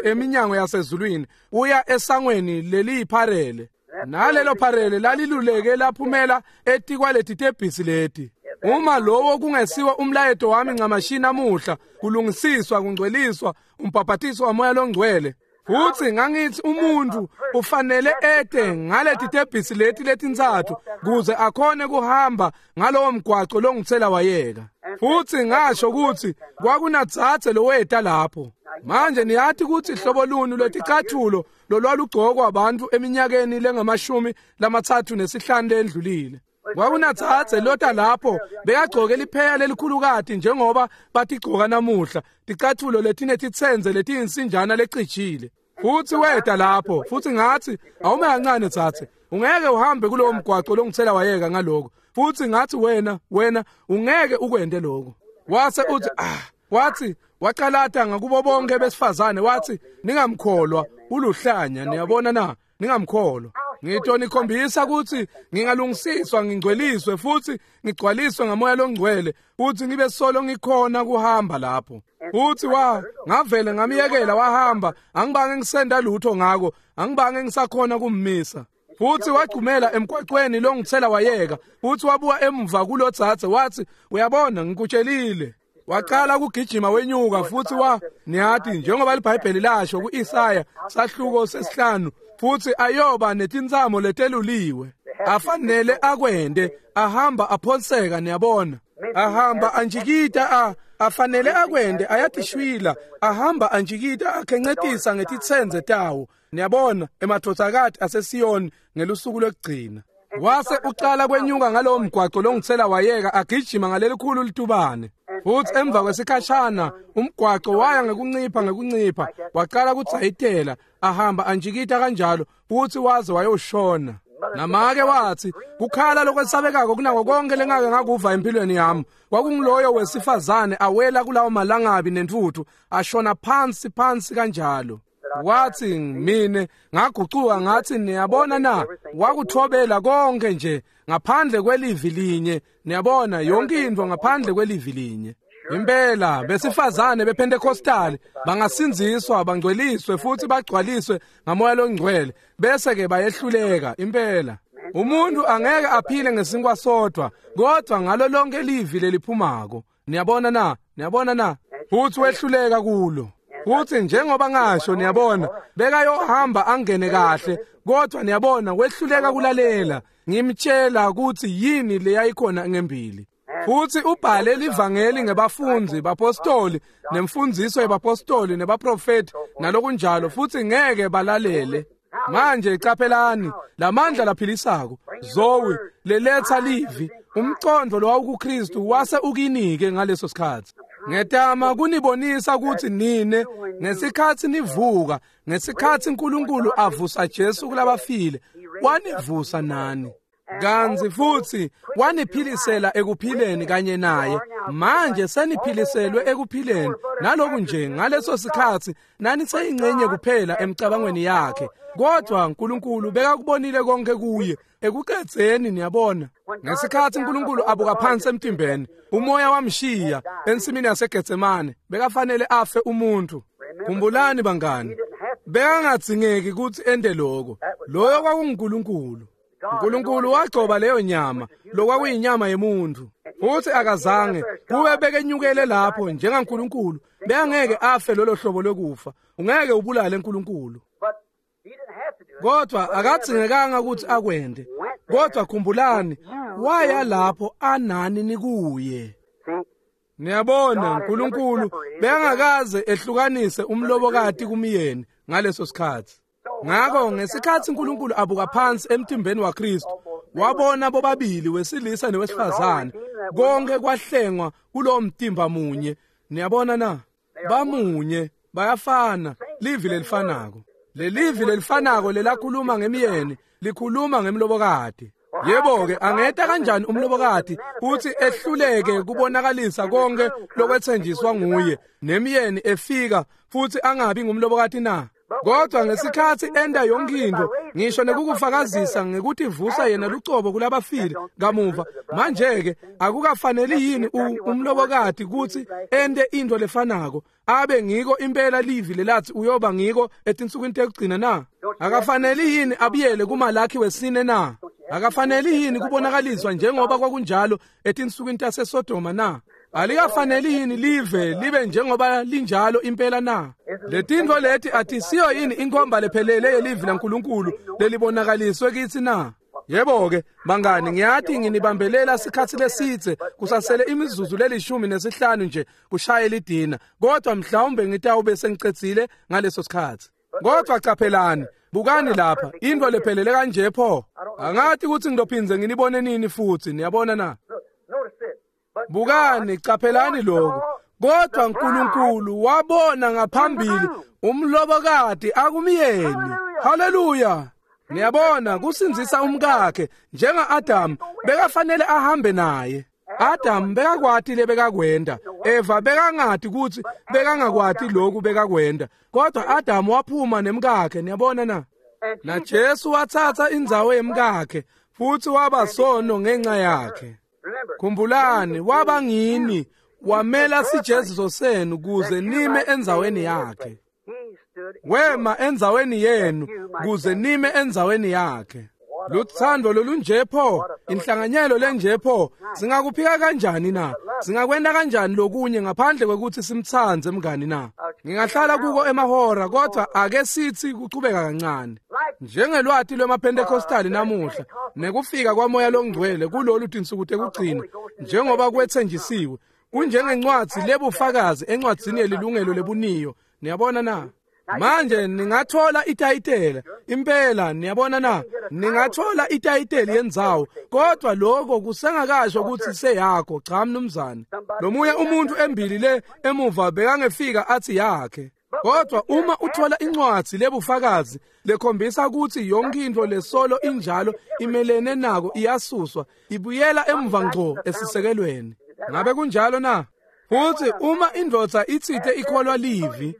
eminyango yasezulwini uya esangweni leliyipharele. Nalelo pharele laliluleke laphumela etikwaleti tebhisi leti. Uma lowo kungesiwa umlayeto wami ncamashi namuhla, kulungisiswa, kungcweliswa, umbhaphathiso wamoya longcwele. Futhi ngangithi umuntu ufanele ete ngaleti tebhisi leti letintsatfu kuze akhone kuhamba ngalowo mgwaqo longitsela wayeka. Futhi ngasho ukuthi kwakunadzadze loweta lapho. Manje niyathi ukuthi hlobo luni lweticathulo lolwalugcokwa abantu eminyakeni lengamashumi 35 lendlulile. Kwakunadzadze lota lapho bekagcoke lipheya lelikhulukati njengoba batigcoka namuhla, ticathulo letinetitsenze letiyinsinjana lecijile. Futhi weta lapho futhi ngathi awume kancane dzadze, ungeke uhambe kulowo mgwaqo longitsela wayeka ngaloko. Futhi ngathi wena ungeke ukwente lokho. Wase uthi wathi waqalata ngakubo bonke besifazane wathi ningamkholwa uluhlanya, niyabona na, ningamkholwa. Ngitonikhombisa ukuthi ngingalungisiswa ngingcweliswe futhi ngigcwaliswe ngamoya longcwele futhi ngibe solo ngikhona kuhamba lapho. Futhi ngavele ngamiyekela wahamba, angibange ngisenda lutho ngako, angibange ngisakhona kummisa. Futhi wagcumela emgwaqweni longitsela wayeka futhi wabuka emuva kulodzadze wathi uyabona ngikutshelile. Waqala ukugijima wenyuka futhi niyathi njengoba iBhayibheli lasho kuIsaya sahluko 5 futhi ayoba netintsamo leteluliwe afanele akwende ahamba aphonseka, niyabona, ahamba anjikita afanele akwende ayatishwila ahamba anjikita akhencetisa ngetitsenze tawo, niyabona, emadvodzakati aseSiyoni ngelusuku lokugcina. Wase uqala kwenyuka ngalowo mgwaqo longitsela wayeka agijima ngalelikhulu litubane. Futhi emva kwesikhashana umgwaqo waya ngekuncipha waqala kudzayitela ahamba anjikita kanjalo futhi waze wayoshona. Namake wathi kukhala lokwesabekako kunako konke lengake ngakuva empilweni yami kwakungiloyo wesifazane awela kulawo malangabi nentuthu ashona phansi phansi kanjalo. Wathi mine ngagucuka ngathi niyabona na, wakuthobela konke nje ngaphandle kwelivi linye, niyabona, yonke into ngaphandle kwelivi linye. Impela besifazane bePentecostal bangasinziswa bangcweliswe futhi bagcwaliswe ngamoya longcwele bese ke bayehluleka. Impela umuntu angeke aphile ngesinkwa sodwa kodwa ngalo lonke livi leliphumako, niyabona na, niyabona na. Futhi wehluleka kulo. Futhi njengoba ngasho, niyabona, bekayohamba angene kahle kodwa niyabona wehluleka kulalela. Ngimtshela ukuthi yini leyayikhona ngembili. Futhi ubhale livangeli ngebafundi bapostoli nemfundiso yebapostoli nebaprofeti nalokunjalo, futhi ngeke balalele. Manje qaphelani lamandla laphilisako Zoe leletha livi, umqondo lowawukuKristu wase ukinike ngaleso sikhathi. Ngetama kunibonisa ukuthi nine ngesikhathi nivuka, ngesikhathi uNkulunkulu avusa Jesu kulabafile, wanivusa nani. Kanzi futhi waniphilisela ekuphileni kanye naye. Manje seniphiliselwe ekuphileni naloku nje ngaleso sikhathi naniseyingxenye kuphela emcabangweni yakhe, kodwa uNkulunkulu bekakubonile konke kuye ekuqedzeni. Niyabona, ngesikhathi uNkulunkulu abuka phansi emtimbeni, umoya wamshiya ensimini yaseGetsemane, bekafanele afe umuntu. Khumbulani bangani, bekangadzingeki ukuthi ende lokho. Loyo kwakunguNkulunkulu. uNkulunkulu wagcoba leyo nyama, lokwakuyinyama yemuntu, futhi akazange kube bekenyukele lapho njengaNkulunkulu, bekangeke afe lolo hlobo lokufa. Ungeke ubulale uNkulunkulu. Kodwa akadzingekanga ukuthi akwende. Kodwa khumbulani, waya lapho anani nikuye. Niyabona, uNkulunkulu bekangakaze ehlukanise umlobokati kumyeni ngaleso sikhathi. Ngakho ngesikhathi uNkulunkulu abuka phansi emtimbeni waKristu, wabona bobabili wesilisa nowesifazane, konke kwahlengwa kulowo mtimba munye. Niyabona na? Bamunye, bayafana, livi lelifanako. Lelivi lelifanako lelakhuluma ngemyeni likhuluma ngemlobokati. Yebo-ke, angeta kanjani umlobokati uthi ehluleke kubonakalisa konke lokwethenjiswa nguye, nemyeni efika futhi angabi ngumlobokati na? Kodwa ngesikhathi enda yonke into, ngisho nekukufakazisa ngekuthi vusa yena lucobo kulabafile kamuva, manje-ke akukafaneli yini umlobokati kutsi ente into lefanako, abe ngiko impela livi lelathi uyoba ngiko etinsukwini tekugcina na? Akafaneli yini abuyele kuMalakhi wesine na? Akafaneli yini kubonakaliswa njengoba kwakunjalo etinsukwini taseSodoma na? Alikafaneli yini live libe njengoba linjalo impela na? Letintfo leti atisiyo yini inkhomba lephelele yelivi laNkulunkulu lelibonakaliswe kitsi na? Yebo-ke bangani, ngiyati nginibambelela sikhathi lesidze, kusasele imizuzu le15 nje kushaye lidina, kodwa mhlawumbe ngitawube sengicedzile ngaleso sikhathi. Kodwa qaphelani, bukani lapha, into lephelele kanje pho. Angathi ukuthi ngidophinze nginibone nini futhi, niyabona na? Bukani, qaphelani lokhu. Kodwa uNkulunkulu wabona ngaphambili umlobokati akumyeni. Haleluya! Niyabona, kusindzisa umkakhe njenga-Adamu bekafanele ahambe naye. Adam bekakwati lebekakwenda, Eva bekangati kutsi bekangakwati lokhu bekakwenda, kodwa Adam waphuma nemkakhe. Niyabona na? Na Jesu wathatha indzawo yemkakhe futhi waba sono ngenxa yakhe. Khumbulani, waba ngini, wamela sijeziso senu kuze nime endzaweni yakhe. Wema endzaweni yenu kuze nime endzaweni yakhe. Luthando lolunje pho, inhlanganyelo lenje pho, singakuphika kanjani na? Singakwenta kanjani lokunye ngaphandle kwekuthi simtsandze mngani na? Ngingahlala kuko emahora, kodwa ake sithi kuchubeka kancane. Njengelwati lwemaPentecostali namuhla nekufika kwaMoya loNgcwele kulolu tinsuku tekugcina, njengoba kwethenjisiwe, kunjengencwadzi lebufakazi encwadzini yelilungelo lebuniyo. Niyabona na? Manje ningathola itayitela impela, niyabona na? Ningathola itayiteli yendzawo, kodwa lokho kusengakasho ukuthi seyakho. Cha mnumzane. Lomunye umuntu embili le emuva bekangefika athi yakhe. Kodwa uma uthola incwadzi lebufakazi lekhombisa ukuthi yonke into lesolo injalo imelene nako, iyasuswa ibuyela emva ngco esisekelweni. Ngabe kunjalo na? Futhi uma indvodza itsite ikholwa livi,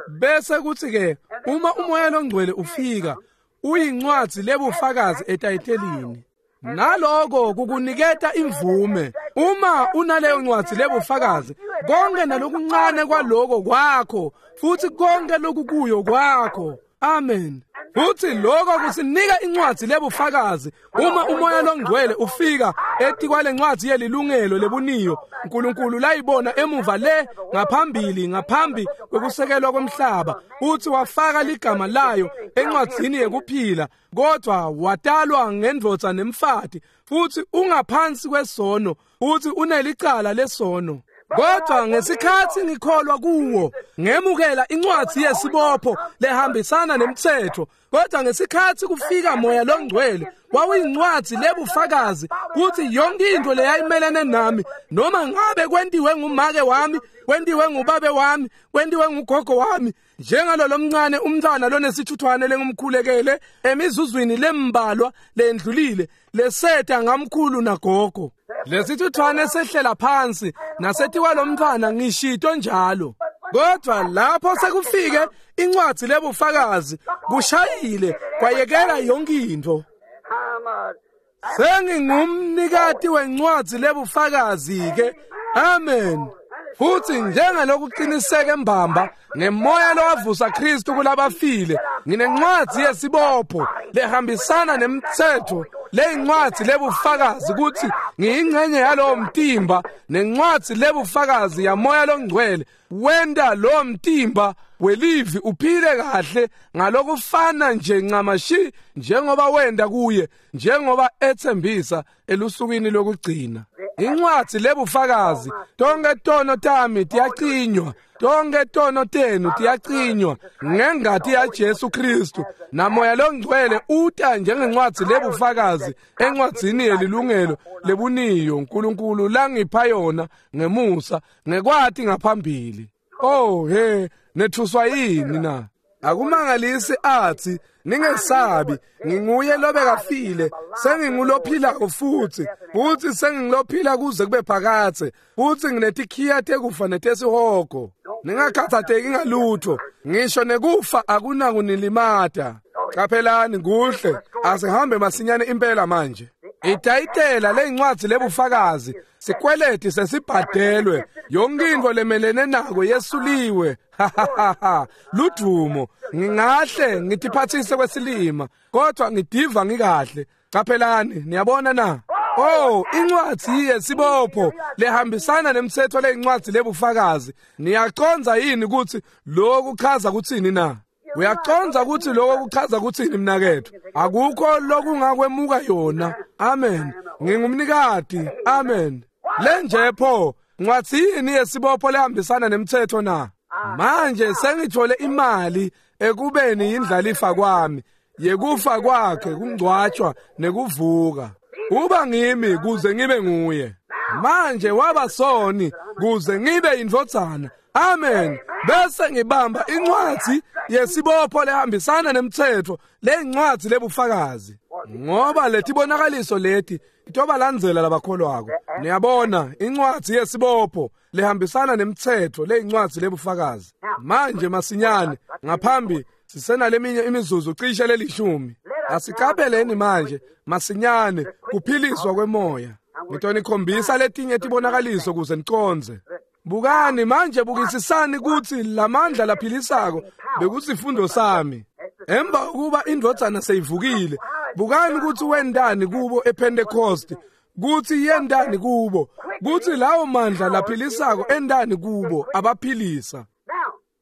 bese kuthi ke uma uMoya loNgcwele ufika, uyincwadzi lebufakazi etayitelini. Naloko kukuniketa imvume. Uma unaleyo ncwadzi lebufakazi, konke nalokuncane kwaloko kwakho, futhi konke lokukuyo kwakho. Amen. Futhi lokho kusinika incwadzi lebufakazi. Uma uMoya loNgcwele ufika etikwale ncwadzi yelilungelo lebuniyo, uNkulunkulu layibona emuva le ngaphambili, ngaphambi kwekusekelwa komhlaba, uthi wafaka ligama layo encwadzini yekuphila, kodwa watalwa ngendvodza nemfati, futhi ungaphansi kwesono. Futsi unelicala lesono. Kodwa ngesikhatsi ngikholwa kuwo, ngemukela incwadzi yesibopho lehambisana nemtsetfo. Kodwa ngesikhatsi kufika Moya Longcwele, wawuyincwadzi lebufakazi kutsi yonke intfo leyayimelene nami, noma ngabe kwentiwe ngumake wami, kwentiwe ngubabe wami, kwentiwe ngugogo wami, njengalo lomncane umntfwana lonesithuthwane lengumkhulekele emizuzwini lembalwa lendlulile leseta ngamkhulu nagogo. Lesithuthwane sehlela phansi nasetiwa lomntfwana ngishito njalo. Kodwa lapho sekufike incwadzi lebufakazi kushayile kwayekela yonke intfo. Sengingumnikati wencwadzi lebufakazi ke. Amen. Futsi njengalokuqiniseke mbamba ngemoya lowavusa Kristu kulabafile, nginencwadzi yesibopho lehambisana nemtsetfo, leyincwadzi lebufakazi kutsi ngiyingcenye yalowo mtimba, nencwadzi lebufakazi yaMoya Longcwele wenta lowo mtimba welivi uphile kahle ngalokufana nje ncamashi njengoba wenta kuye, njengoba etsembisa elusukwini lokugcina. Incwadzi lebufakazi, tonke tono tami tiyacinywa, tonke tono tenu tiyacinywa ngengati yaJesu Kristu, naMoya Longcwele uta njengencwadzi lebufakazi encwadzini yelilungelo lebuniyo uNkulunkulu langipha yona ngemusa ngekwati ngaphambili. Oh he, nethuswa yini na? Akumangalisi athi ningesabi, nginguye lobekafile, sengingulophilako futhi, futhi sengingulophila kuze kube phakadze, futhi nginetikhiya tekufa netesihogo. Ningakhathatheki ngalutho, ngisho nekufa akunakunilimatha. Qaphelani kuhle, asihambe masinyane impela manje. Itayitela leyincwadzi lebufakazi, sikweleti sesibhadelwe, yonke intfo lemelene nako yesuliwe. Ludumo, ngingahle ngitiphathise kwesilima, kodwa ngidiva ngikahle. Qaphelani, niyabona na? Oh, incwadzi yesibopho lehambisana nemtsetfo leyincwadzi lebufakazi. Niyacondza yini kutsi lokhu kuchaza kutsini na? Uyacondza kutsi lokho kuchaza kutsini mnaketfu? Akukho lokungakwemuka yona. Amen. Ngingumnikati. Amen. Lenje pho, ncwadzi yini yesibopho lehambisana nemtsetfo na? Manje sengithole imali ekubeni yindlalifa kwami, yekufa kwakhe, kungcwatshwa nekuvuka. Uba ngimi kuze ngibe nguye. Manje waba soni kuze ngibe indvodzana. Amen. Bese ngibamba incwadzi yesibopho lehambisana nemtsetfo, leyincwadzi lebufakazi. Ngoba letibonakaliso leti itobalandzela labakholwako. Niyabona, incwadzi yesibopho lehambisana nemtsetfo, leyincwadzi lebufakazi. Manje masinyane, ngaphambi sisenaleminye imizuzu cishe lelishumi. Asiqapheleni manje masinyane kuphiliswa kwemoya. Ngitonikhombisa letinye tibonakaliso kuze nicondze. Bukani manje, bukisisani kutsi lamandla laphilisako bekusifundo sami. Emva ukuba indvodzana seyivukile, bukani kutsi wentani kubo ePentecost, kutsi yentani kubo, kutsi lawo mandla laphilisako entani kubo, abaphilisa.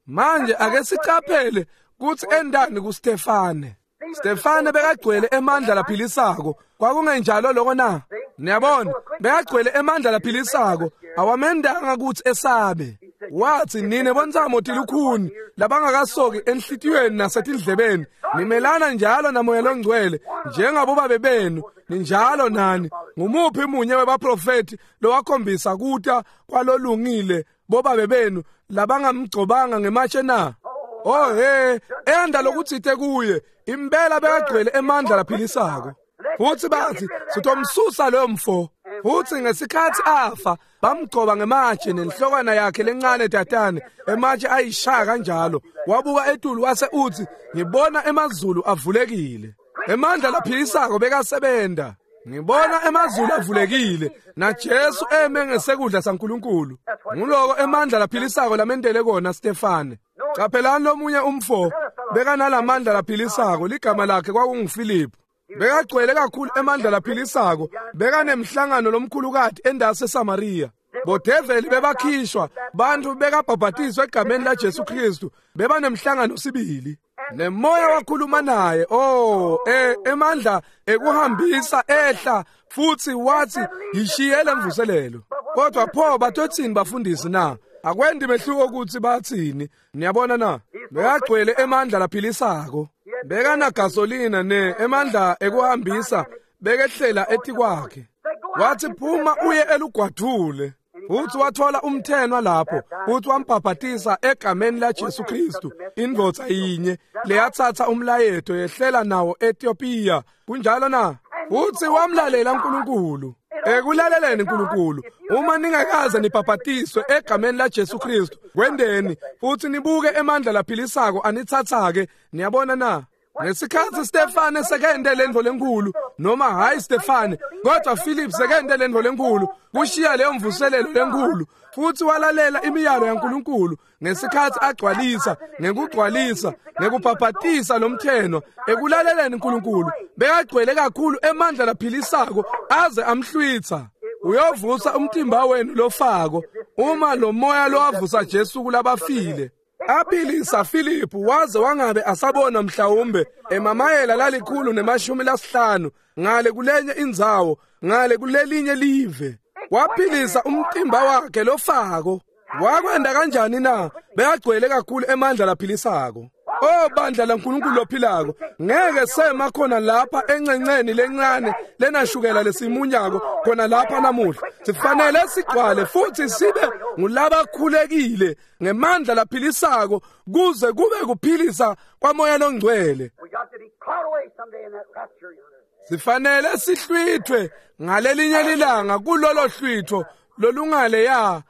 Manje ake sicaphele kutsi entani kuStefane. Stefane bekagcwele emandla laphilisako. Kwakungenjalo lokho na? Niyabona, bekagcwele emandla laphilisako, awamendanga kutsi esabe. Wathi, nine bontsamo tilukhuni labangakasoki enhlitiyweni nasetindlebeni, nimelana njalo naMoya Longcwele njengabobabe benu, ninjalo nani. Ngumuphi munye webaprofethi lowakhombisa kuta kwalolungile bobabe benu labangamgcobanga ngematshe na? Oh he, enda lokutsite kuye, impela bekagcwele emandla laphilisako. Futsi bathi sitomsusa loyo mfo. Futsi ngesikhatsi afa bamgcoba ngematshe nenhlokwana yakhe lencane tatane, ematshe ayishaya kanjalo. Wabuka etulu wase utsi, ngibona emazulu avulekile. Emandla laphilisako bekasebenta. Ngibona emazulu avulekile naJesu eme ngesekudla saNkulunkulu. Nguloko emandla laphilisako lamentele kona Stefane. Qaphelani lomunye umfo bekanalamandla laphilisako, ligama lakhe kwakunguFiliphu. Bekagcwele kakhulu emandla laphilisako, bekanemhlangano lomkhulukati endase Samaria. Bodeveli bebakhishwa, bantfu bekabhabhatiswa egameni laJesu Kristu, bebanemhlangano sibili. Nemoya wakhuluma naye. Emandla ekuhambisa ehla futhi wathi yishiyele mvuselelo. Kodwa pho batothini bafundisi na? Akwendi mehluko ukuthi bathini. Niyabona na? Bekagcwele emandla laphilisako. Bekana gasolina ne emandla ekuhambisa bekehlela etikwakhe. Wathi phuma uye elugwadule. Futhi wathola umthenwa lapho, futhi wambhabhatisa egameni laJesu Kristu. Indvodza yinye leyathatha umlayeto yehlela nawo eEthiopia. Kunjalo na? Futhi wamlalela uNkulunkulu. Ekulaleleni uNkulunkulu, uma ningakaze nibhabhatiswe egameni laJesu Kristu, kwendeni futhi nibuke emandla laphilisako anithathake. Niyabona na? Ngesikhathi Stefane sekende lendvo lenkulu, noma hayi Stefane, kodwa Philip sekende lendvo lenkulu, kushiya leyo mvuselelo lenkulu, futhi walalela imiyalo yaNkulunkulu ngesikhathi agcwalisa, ngekugcwalisa, ngekubhabhatisa lomtheno, ekulaleleni uNkulunkulu, bekagcwele kakhulu emandla laphilisako aze amhlwitha. Uyovusa umtimba wenu lofako uma lo moya lowavusa Jesu kulabafile. Aphilisa Philip waze wangabe asabona mhlawumbe emamayela lalikhulu ne-50 ngale kulenye indzawo, ngale kulelinye live. Waphilisa umtimba wakhe lofako. Wakwenda kanjani na? Bekagcwele kakhulu emandla laphilisako. Oh bandla laNkulunkulu lophilako, ngeke sema khona lapha encenceni lencane lenashukela lesimunyako khona lapha namuhla. Sifanele sigcwale futhi sibe ngulabakhulekile ngemandla laphilisako kuze kube kuphilisa kwamoya longcwele. Sifanele sihlwithwe ngalelinye lilanga kulolo hlwitho lolungale ya.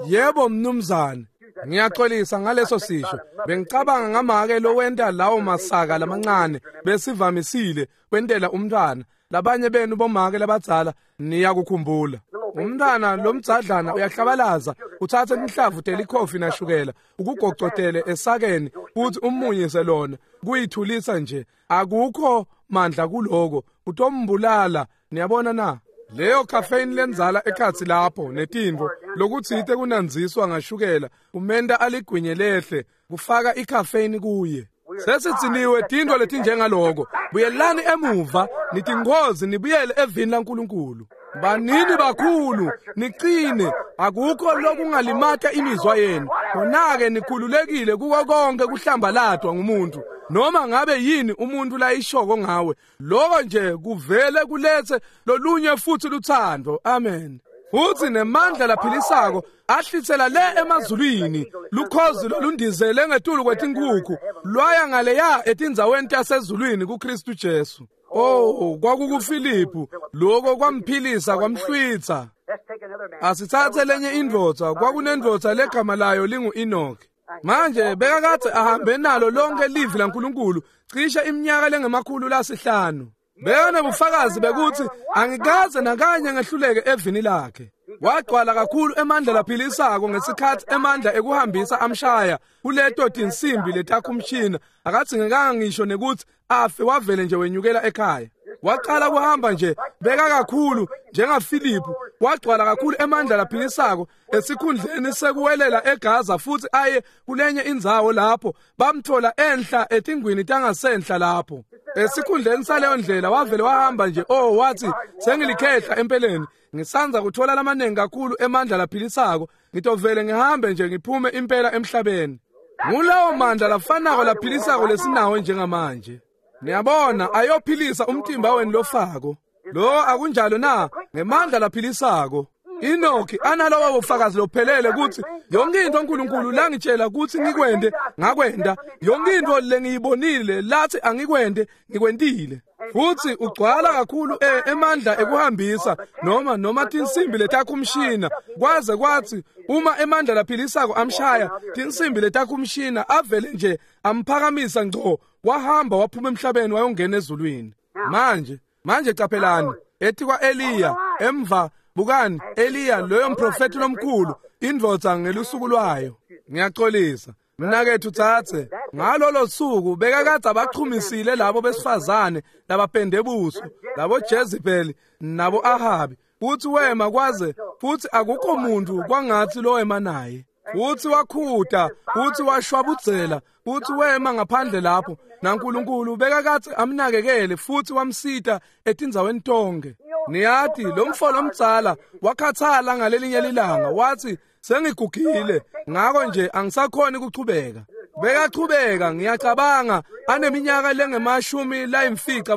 Yebo mnumzane. Ngiyaxolisa ngaleso sisho. Bengicabanga ngamake lowenta lawo masaka lamancane besivamisile kwentela umntwana. Labanye benu bomake labadzala niyakukhumbula. Umntwana lomdzadlana uyahlabalaza, uthathe inhlavu telikhofi nashukela, ukugocotele esakeni futhi umunyise lona, kuyithulisa nje. Akukho mandla kuloko, utombulala. Niyabona na? Leyo caffeine lenzala ekhatsi lapho netintfo lokutsite kunanziswa ngashukela umenta aligwinye lehle kufaka icaffeine kuye. Sesitsiniwe tintfo letinjengaloko. Buyelani emuva nitingozi nibuyele evini laNkulunkulu. Banini bakhulu niqine, akukho lokungalimata imizwa yenu. Khona-ke nikhululekile kuko konke kuhlambalatwa ngumuntu. Noma ngabe yini umuntu layishoko ngawe, lokho nje kuvele kulethe lolunye futhi luthando. Amen. Futhi nemandla laphilisako ahlitsela le emazulwini, lukhozi lolundizele ngetulu kwetinkukhu lwaya ngaleya etindzaweni tasezulwini kuKristu Jesu. Oh, kwakukuFilipu, lokho kwamphilisa kwamhlwitha. Asithathe lenye indvodza, kwakunendvodza legama layo lingu-Enoch. Manje bekakade ahambe nalo lonke livi laNkulunkulu cishe iminyaka lengama-500. Bekanobufakazi bekuthi angikaze nakanye ngehluleke evini lakhe. Wagcwala kakhulu emandla laphilisako ngesikhathi emandla ekuhambisa amshaya kuleto tinsimbi letakhumshina, akadzingekanga ngisho nekuthi afe, wavele nje wenyukela ekhaya. Waqala kuhamba nje beka kakhulu njengaFilipu, wagcwala kakhulu emandla laphilisako esikhundleni sekuwelela eGaza futhi aye kulenye indzawo lapho bamthola enhla etingwini tangasenhla lapho. Esikhundleni saleyo ndlela wavele wahamba nje. Oh, wathi sengilikhehla empeleni, ngisanza kuthola lamaningi kakhulu emandla laphilisako, ngitovele ngihambe nje ngiphume impela emhlabeni. Ngulawo mandla lafanako laphilisako lesinawo njengamanje. Niyabona, ayophilisa umtimba wenu lofako. Lo akunjalo na? Ngemandla laphilisako. Enoki analowo bufakazi lophelele ukuthi yonke into uNkulunkulu langitshela ukuthi ngikwende ngakwenda, yonke into lengiyibonile lathi angikwende ngikwentile. Futhi ugcwala kakhulu emandla ekuhambisa noma tinsimbi letakhumshina, kwaze kwathi uma emandla laphilisako amshaya tinsimbi letakhumshina avele nje amphakamisa ngco, wahamba waphuma emhlabeni wayongena ezulwini. Manje qaphelani ethi kwa-Eliya emva. Bukani Eliya loyo mprofeti lomkhulu, indvodza ngelusuku lwayo. Ngiyaxolisa mnakethu tsatse, ngalolo suku bekakade abachumisile labo besifazane labapende buso, labo Jezebel nabo Ahabi, futhi wema kwaze futhi akukho muntu kwangathi lo wema naye. Futsi wakhuta, futsi washwabudzela, futsi wema ngaphandle lapho, naNkulunkulu bekakadze amnakekele futsi wamsita etindzaweni tonke. Niyati, lo mfo lomdzala wakhathala ngalelinye lilanga, watsi, sengigugile, ngako nje angisakhoni kuchubeka. Bekachubeka, ngiyacabanga, aneminyaka lengemashumi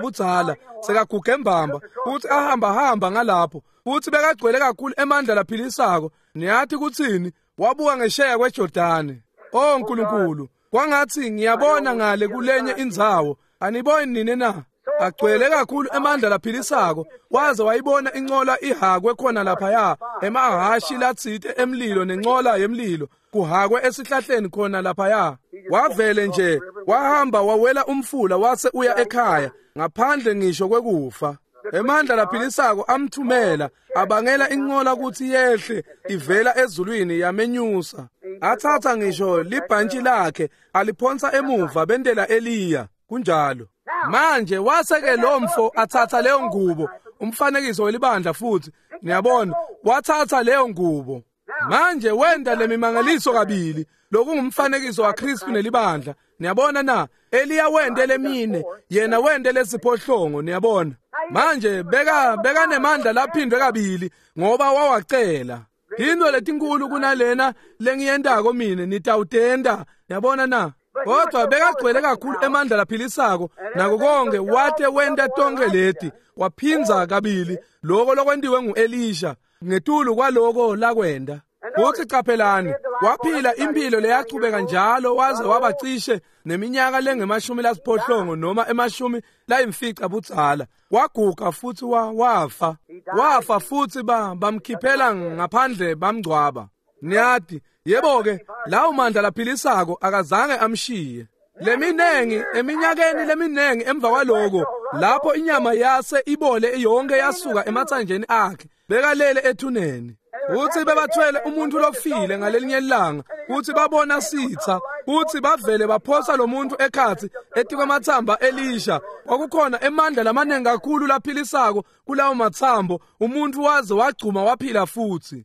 budzala, sekaguge mbamba, futsi ahamba-hamba ngalapho, futsi bekagcwele kakhulu emandla laphilisako. Niyati kutsini? Wabuka ngesheya kweJordani. Oh Nkulunkulu, kwangatsi ngiyabona ngale kulenye indzawo. Aniboni nini na? Agcwele kakhulu emandla laphilisako, waze wayibona incola ihakwe khona laphaya, emahhashi latsite emlilo nencola yemlilo kuhakwe esihlahleni khona laphaya. Wavele nje wahamba wawela umfula wase uya ekhaya ngaphandle ngisho kwekufa. Emandla laphilisako amthumela, abangela incola kutsi yehle ivela ezulwini yamenyusa. Athatha ngisho libhantshi lakhe aliphonsa emuva bentela Eliya. Kunjalo. Manje waseke lo mfo athatha leyo ngubo, umfanekiso welibandla futhi, niyabona, wathatha leyo ngubo. Manje wenda lemimangaliso kabili, lokungumfanekiso waKristu nelibandla. Niyabona na? Eliya wende lemine, yena wende lesiphohlongo, niyabona. Manje beka nemandla laphindwe kabili ngoba wawacela. Into letinkulu kunalena lengiyentako mine nitawutenda, niyabona na? Kodwa bekagcwele kakhulu emandla laphilisako nako konke, wate wenta tonke leti, waphindza kabili lokho lokwentiwe nguElisha ngetulu kwaloko lakwenda. Futsi qaphelani, waphila impilo leyachubeka njalo waze wabacishe neminyaka lengemashumi noma 50 budzala. Waguga futsi wafa. Wafa futsi bamkhiphela ngaphandle bamngcwaba. Niyati, yebo-ke, lawo mandla laphilisako akazange amshiye. Leminengi, eminyakeni leminengi emva kwaloko, lapho inyama yase ibole yonke yasuka ematsanjeni akhe, bekalele ethuneni. Futsi bebathwele umuntu lofile ngalelinye ilanga, futsi babona sitha, futsi bavele baphosa lo muntu ekhatsi etikwamatsamba Elisha. Kwakukhona emandla lamaningi kakhulu laphilisako kulawo matsambo, umuntu waze wagcuma waphila futhi.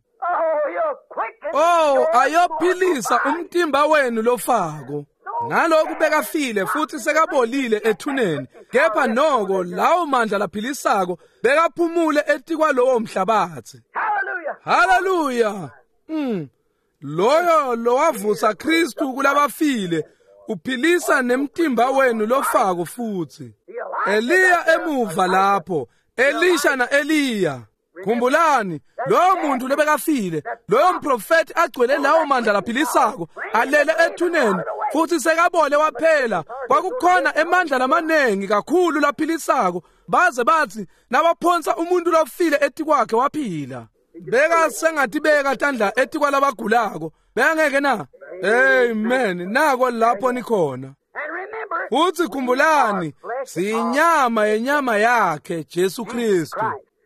Oh, ayophilisa umtimba wenu lofako. Ngalokhu bekafile futhi sekabolile ethuneni, kepha noko lawo mandla laphilisako bekaphumule etikwalowo mhlabathi. Haleluya. Loyo lowavusa Kristu kulabafile uphilisa nemtimba wenu lofako futhi. Eliya emuva lapho, Elisha na Eliya. Khumbulani, loyo muntu lebekafile, loyo mprofeti agcwele lawo mandla laphilisako, alele ethuneni futhi sekabole waphela. Kwakukhona emandla lamaningi kakhulu laphilisako, baze bathi nabaphonsa umuntu lofile etikwakhe waphila. Beka sengatibeka tandla etikwalabagulako, bengeke na? Amen. Nako lapho nikhona. Futhi khumbulani, siyinyama yenyama yakhe Jesu Kristu.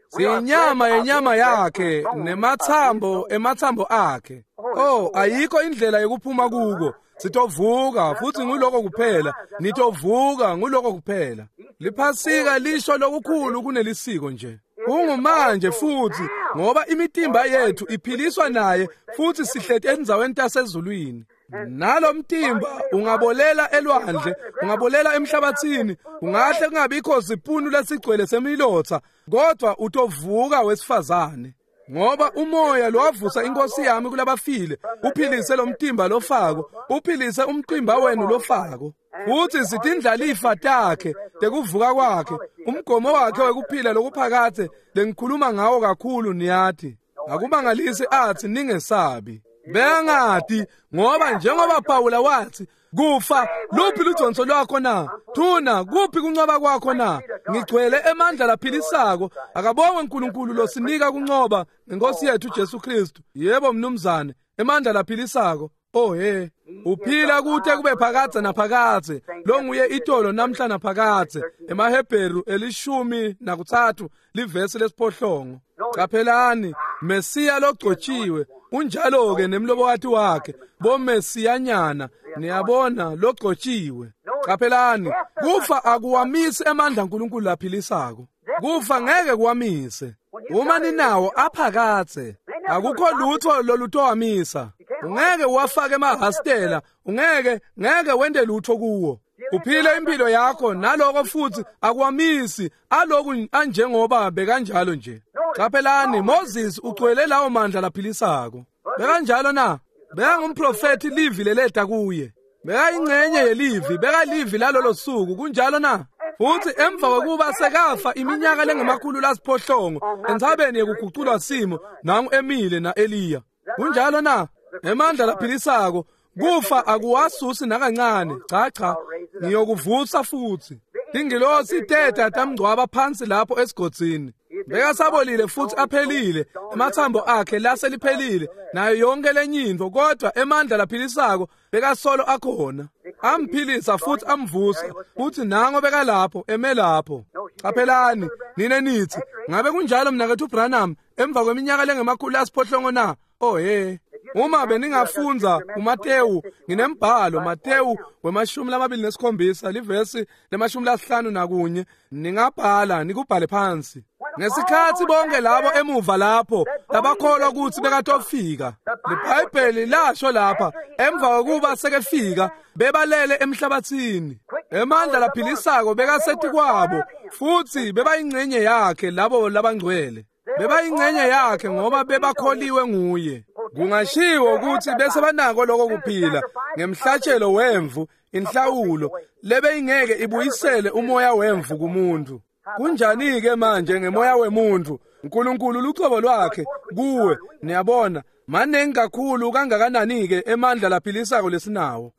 Siyinyama yenyama yakhe nemathambo emathambo akhe. Oh, ayikho indlela yokuphuma kuko. Sitovuka futhi nguloko kuphela. Nitovuka nguloko kuphela. Liphasika lisho lokukhulu kunelisiko nje. Kungumanje futhi ngoba imitimba yethu iphiliswa naye futhi sihleti endzaweni tasezulwini. Nalo mtimba ungabolela elwandle, ungabolela emhlabathini, ungahle kungabikho sipunu lesigcwele semilotha, kodwa utovuka wesifazane. Ngoba umoya lowavusa inkosi yami kulabafile, uphilise lo mtimba lofako, uphilise umtimba wenu lofako. Futhi sitindlalifa takhe tekuvuka kwakhe, umgomo wakhe wekuphila lokuphakathe lengikhuluma ngawo kakhulu niyati. Akumangalisi athi ningesabi. Bengati ngoba njengoba Pawula wathi, kufa luphi ludonso lwakho na? Thuna kuphi kuncoba kwakho na? Ngigcwele emandla laphilisako. Akabongwe uNkulunkulu losinika kuncoba ngenkosi yethu Jesu Kristu. Yebo mnumzane, emandla laphilisako. Oh he, uphila kute kube phakadze naphakadze, longuye itolo namhla naphakadze. EmaHebheru 13 livesi lesiphohlongo. Qaphelani, Mesiya logcotshiwe unjalo ke nemlobokati wakhe, boMesiyanyana, niyabona, logcotshiwe. Qaphelani, kufa akuwamisi emandla uNkulunkulu laphilisako. Kufa ngeke kuwamise. Uma ninawo aphakadze, akukho lutho lolutowamisa. Ungeke uwafake emahastela, ungeke ngeke wente lutho kuwo. Uphile impilo yakho naloko futhi akwamisi aloku anjengoba bekanjalo nje. Qaphelani, Moses ugcwele lawo mandla laphilisako. Bekanjalo na? Bekangumprofethi, livi leleta kuye. Bekayingcenye yelivi, bekalivi lalolo suku, kunjalo na? Futhi emva kokuba sekafa iminyaka lengama-800 entsabeni yekuguculwa simo, nangu emile na-Eliya. Kunjalo na? Emandla laphilisako, kufa akuwasusi nakancane. Cha cha, ngiyokuvusa futhi. Tingilosi teta tamngcwaba phansi lapho esigodzini. Bekasabolile futhi aphelile, emathambo akhe laseliphelile nayo yonke lenyintfo, kodwa emandla laphilisako bekasolo akhona. Amphilisa futhi amvusa, futhi nango bekalapho eme lapho. Qaphelani, nine nithi, ngabe kunjalo mnakethu Branham emva kweminyaka lengama-800 na? Oh he. Uma beningafundza uMatewu, nginembhalo Matewu we-27 livesi le-51, ningabhala nikubhale phansi. Ngesikhathi bonke labo emuva lapho labakholwa ukuthi bekatofika, liBhayibheli lasho lapha emva kokuba sekefika bebalele emhlabathini. Emandla laphilisako bekasethi kwabo futhi bebayingcenye yakhe labo labangcwele. Bebayingcenye yakhe ngoba bebakholiwe nguye. Kungashiwo ukuthi bese banako lokho kuphila ngemhlatshelo wemvu, inhlawulo lebeyingeke ibuyisele umoya wemvu kumuntu. Kunjani-ke manje ngemoya wemuntu? uNkulunkulu lucobo lwakhe kuwe, niyabona, maningi kakhulu kangakanani-ke emandla laphilisako lesinawo.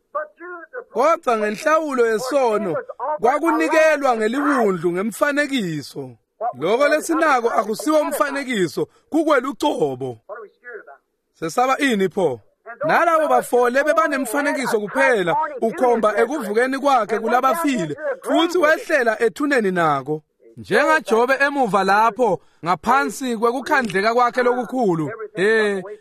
Kodwa ngenhlawulo yesono kwakunikelwa ngeliwundlu ngemfanekiso. Lokho lesinako akusiwo umfanekiso, kukwelucobo. Sesaba ini pho? Nalabo bafole bebanemfanekiso kuphela, ukhomba ekuvukeni kwakhe kulabafile, futhi wehlela ethuneni nako. NjengaJobe emuva lapho ngaphansi kwekukhandleka kwakhe lokukhulu,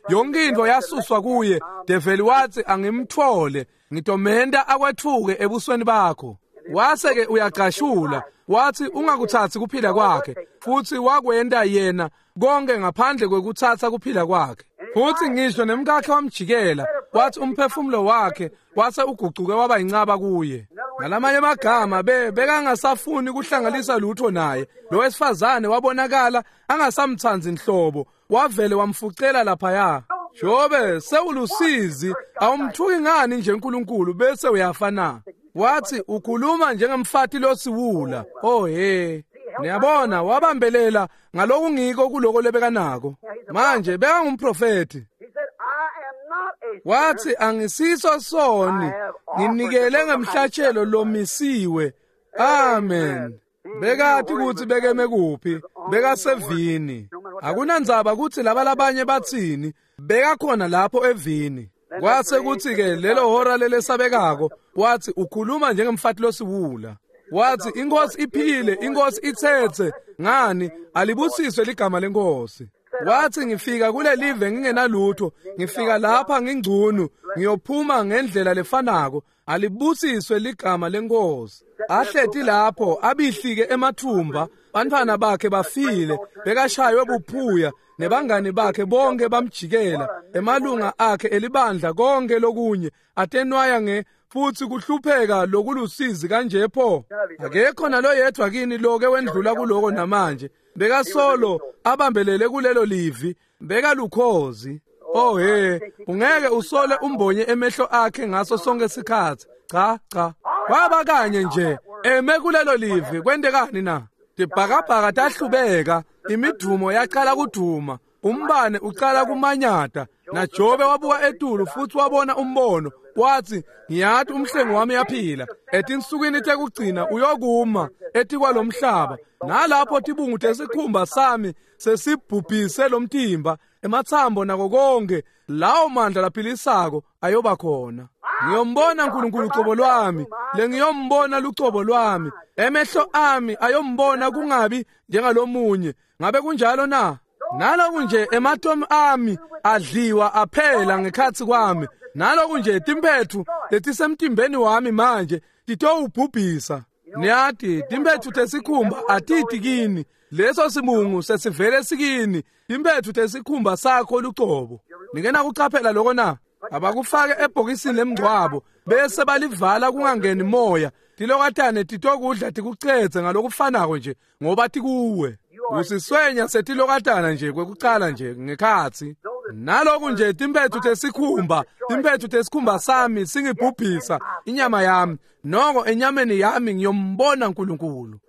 yonke into yasuswa kuye. Develi wathi angimthole, ngitomenta akwethuke ebusweni bakho. Wase-ke uyagqashula, wathi ungakuthathi kuphila kwakhe, futhi wakwenta yena konke ngaphandle kwekuthatha kuphila kwakhe. Futhi ngisho nemkakhe wamjikela, wathi umphefumulo wakhe wase ugucuke waba incaba kuye. Ngalamanye amagama bekangasafuni kuhlanganisa lutho naye. Lo wesifazane wabonakala angasamthanzi nhlobo, wavele wamfucela laphaya. Jobe sewulusizi, awumthuki ngani nje uNkulunkulu bese uyafa na? Wathi ukhuluma njengemfati losiwula. Oh he. Niyabona, wabambelela ngalokungiko kuloko lebekanako. Manje bekangumprofethi. Wathi angisiso soni, nginikele ngemhlatshelo lomisiwe. Amen. Bekathi ukuthi bekeme kuphi, bekasevini. Akunandzaba ukuthi laba labanye bathini, bekakhona lapho evini. Kwase kuthi-ke lelo hora lelesabekako, wathi ukhuluma njengemfati losiwula. Wathi inkosi iphile, inkosi ithethe, ngani alibusiswe ligama lenkosi. Wathi ngifika kule live ngingenalutho, ngifika lapha ngingcunu, ngiyophuma ngendlela lefanako, alibusiswe ligama lenkosi. Ahleti lapho abihlike emathumba, bantfwana bakhe bafile, bekashaywe buphuya, nebangani bakhe bonke bamjikela, emalunga akhe elibandla konke lokunye atenwaya nge futhi kuhlupheka lokulusizi kanje pho. Akekho naloyedwa kini loke wendlula kuloko namanje. Bekasolo abambelele kulelo livi, bekalukhozi. Oh he, ungeke usole umbonye emehlo akhe ngaso sonke sikhathi. Cha cha, kwaba kanye nje eme kulelo livi. Kwentekani na? Tibhakabhaka tahlubeka, imidumo yaqala kuduma, umbane uqala kumanyata. NaJobe wabuka etulu futhi wabona umbono, wathi ngiyathi umhlengi wami uyaphila, etinsukwini tekugcina uyokuma etikwalomhlaba, nalapho tibungu tesikhumba sami sesibhubhise lomtimba, emathambo nako konke, lawo mandla laphilisako ayoba khona. Ngiyombona uNkulunkulu ucobo lwami, lengiyombona lucobo lwami, emehlo ami ayombona kungabi njengalomunye. Ngabe kunjalo na? Naloku nje ematomu ami adliwa aphela ngekhatsi kwami, naloku nje timphethu letisemtimbeni wami manje titowubhubhisa. Niyati timphethu tesikhumba atiti kini, leso simungu sesivele sikini, timphethu tesikhumba sakho lucobo. Ningena kucaphela lokho na? Abakufake ebhokisini lemngcwabo bese balivala kungangeni moya. Tilokatane titokudla tikucedze ngalokufanako nje ngoba tikuwe. Usiswenya setilokatana nje kwekucala nje ngekhatsi. Naloku nje timphethu tesikhumba sami singibhubhisa inyama yami, noko enyameni yami ngiyombona uNkulunkulu.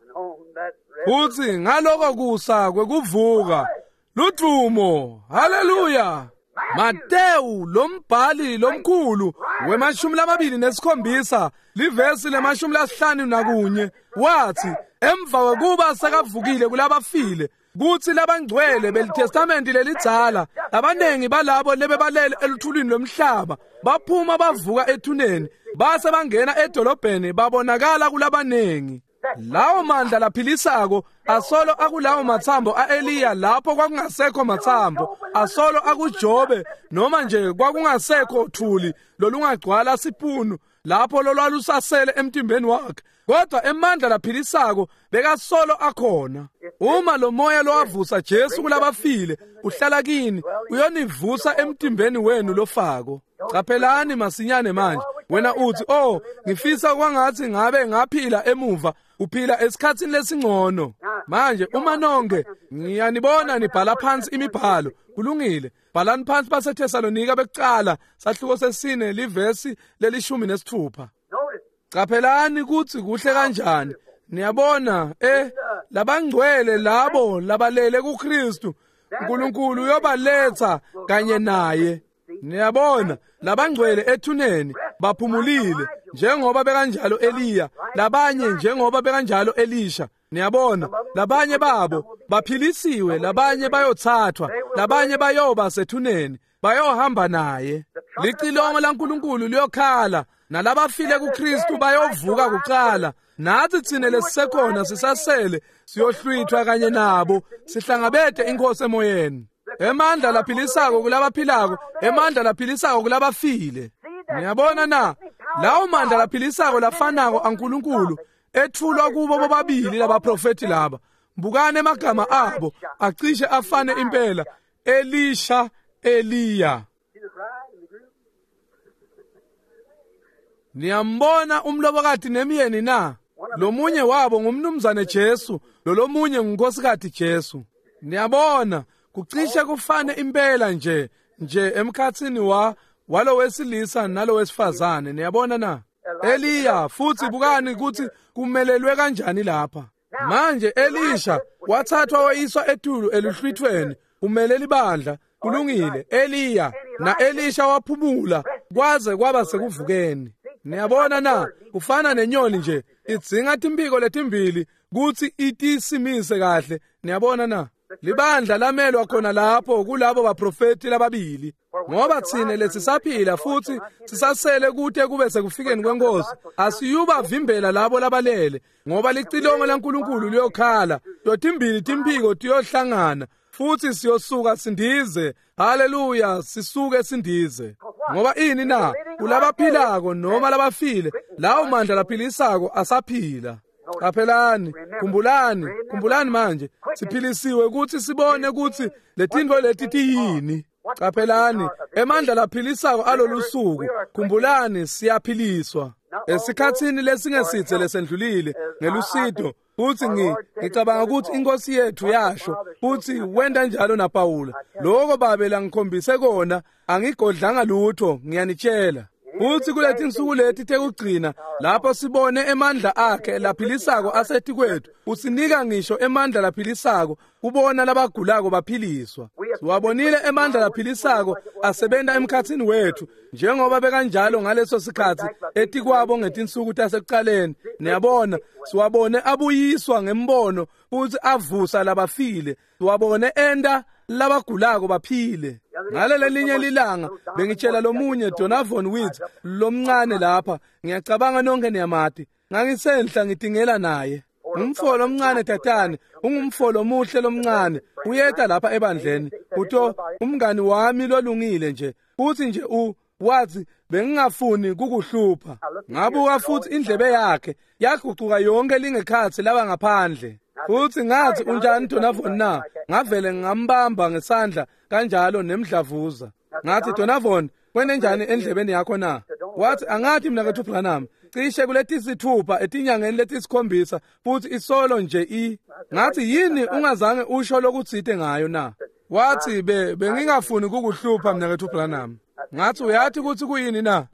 Futhi ngaloko kusa kwekuvuka ludvumo, haleluya. Matewu lombhali lomkhulu we-27 livesi le-51 wathi emva kokuba sekavukile kulabafile kuthi labangcwele belitestamenti lelidzala abanengi balabo lebebalele eluthulini lomhlaba baphuma bavuka ethuneni base bangena edolobheni babonakala kulabanengi. Lawo mandla laphilisako asolo akulawo mathambo aEliya lapho kwakungasekho mathambo, asolo akuJobe noma nje kwakungasekho thuli lolungagcwala sipunu lapho lolwalusasele emtimbeni wakhe, kodwa emandla laphilisako bekasolo akhona. Uma lo moya lowavusa Jesu kulabafile uhlala kini, uyonivusa emtimbeni wenu lofako. Caphelani masinyane manje. Wena uthi, oh, ngifisa kwangathi ngabe ngaphila emuva. Uphila esikhatsini lesingcono manje. Uma nonke ngiyanibona nibhala phansi imibhalo, kulungile, bhalani phansi baseThesalonika bekucala sahluko sesine livesi le-16. Caphelani kutsi kuhle kanjani. Niyabona, labangcwele labo labalele kuKristu, uNkulunkulu uyobaletha kanye naye. Niyabona, labangcwele ethuneni baphumulile njengoba bekanjalo Eliya, labanye njengoba bekanjalo Elisha. Niyabona, labanye babo baphilisiwe, labanye bayothathwa, labanye bayoba sethuneni, bayohamba naye. Licilongo laNkulunkulu liyokhala, nalabafile kuKristu bayovuka kuqala. Nathi tsine lesisekhona sisasele siyohlwithwa kanye nabo, sihlangabete inkosi emoyeni. Emandla laphilisako kulabaphilako, emandla laphilisako kulabafile. Niyabona na, lawo mandla laphilisako lafanako aNkulunkulu ethulwa kubo bobabili labaprofeti laba. Bukani emagama abo acishe afane impela, Elisha, Eliya. Niyambona umlobokati nemyeni na? Lomunye wabo ngumnumzane Jesu, lolomunye ngunkosikazi Jesu. Niyabona, kucishe kufane impela nje emkhatsini walo wesilisa nalo wesifazane. Niyabona na? Eliya, futhi bukani ukuthi kumelelwe kanjani lapha. Manje Elisha wathathwa wayiswa etulu eluhlwithweni, umeleli bandla. Kulungile, Eliya na Elisha waphumula kwaze kwaba sekuvukeni. Niyabona na, kufana nenyoni nje idzinga timpiko letimbili kutsi itisimise kahle. Niyabona na, libandla lamelwa khona lapho kulabo baprofeti lababili, ngoba tsine lesisaphila futhi sisasele kute kube sekufikeni kwenkosi asiyubavimbela labo labalele, ngoba licilongo laNkulunkulu liyokhala, totimbili timphiko tiyohlangana futhi siyosuka sindize. Haleluya, sisuke sindize. Ngoba ini na? Kulabaphilako noma labafile, lawo mandla laphilisako asaphila. Qaphelani, khumbulani, khumbulani manje, siphilisiwe ukuthi sibone ukuthi letintfo leti tiyini. Qaphelani, emandla laphilisako alolusuku, khumbulani, siyaphiliswa. Esikhatsini lesingesitse lesendlulile ngelusito, futhi ngicabanga ukuthi inkosi yethu yasho futhi wenda njalo naPawula, lokho babe langikhombise kona angigodlanga lutho, ngiyanitshela. Futhi kuleti insuku leti tekugcina lapho sibone emandla akhe laphilisako asetikwethu, usinika ngisho emandla laphilisako kubona labagulako baphiliswa. Siwabonile emandla laphilisako asebenta emkhatsini wethu njengoba bekanjalo ngaleso sikhatsi etikwabo ngetinsuku tasekuqaleni. Niyabona, siwabone abuyiswa ngembono futhi avusa labafile, siwabone enda labagulako baphile. Ngalelelinye lilanga bengitshela lomunye Donovan Woods lomncane lapha, ngiyacabanga nonke niyamati, ngangisenhla ngitingela naye. Umfo lomncane tatane, ungumfo lomuhle lomncane, uyeta lapha ebandleni, uto umngani wami lolungile nje, futhi nje wathi bengingafuni kukuhlupha. Ngabuka futhi indlebe yakhe yagucuka yonke lingekhatsi laba ngaphandle. Futhi ngathi, unjani Donovan na? Ngavele ngambamba ngesandla kanjalo nemdlavuza. Ngathi, Donovan, Kwente njani endlebeni yakho na? Wathi, angathi mnaketfu Branham, cishe kuletisithupha etinyangeni letisikhombisa futhi isolo nje i. Ngathi, yini ungazange usho lokutsite ngayo na? Wathi, bengingafuni kukuhlupha mnaketfu Branham. Ngathi, uyathi kutsi kuyini na?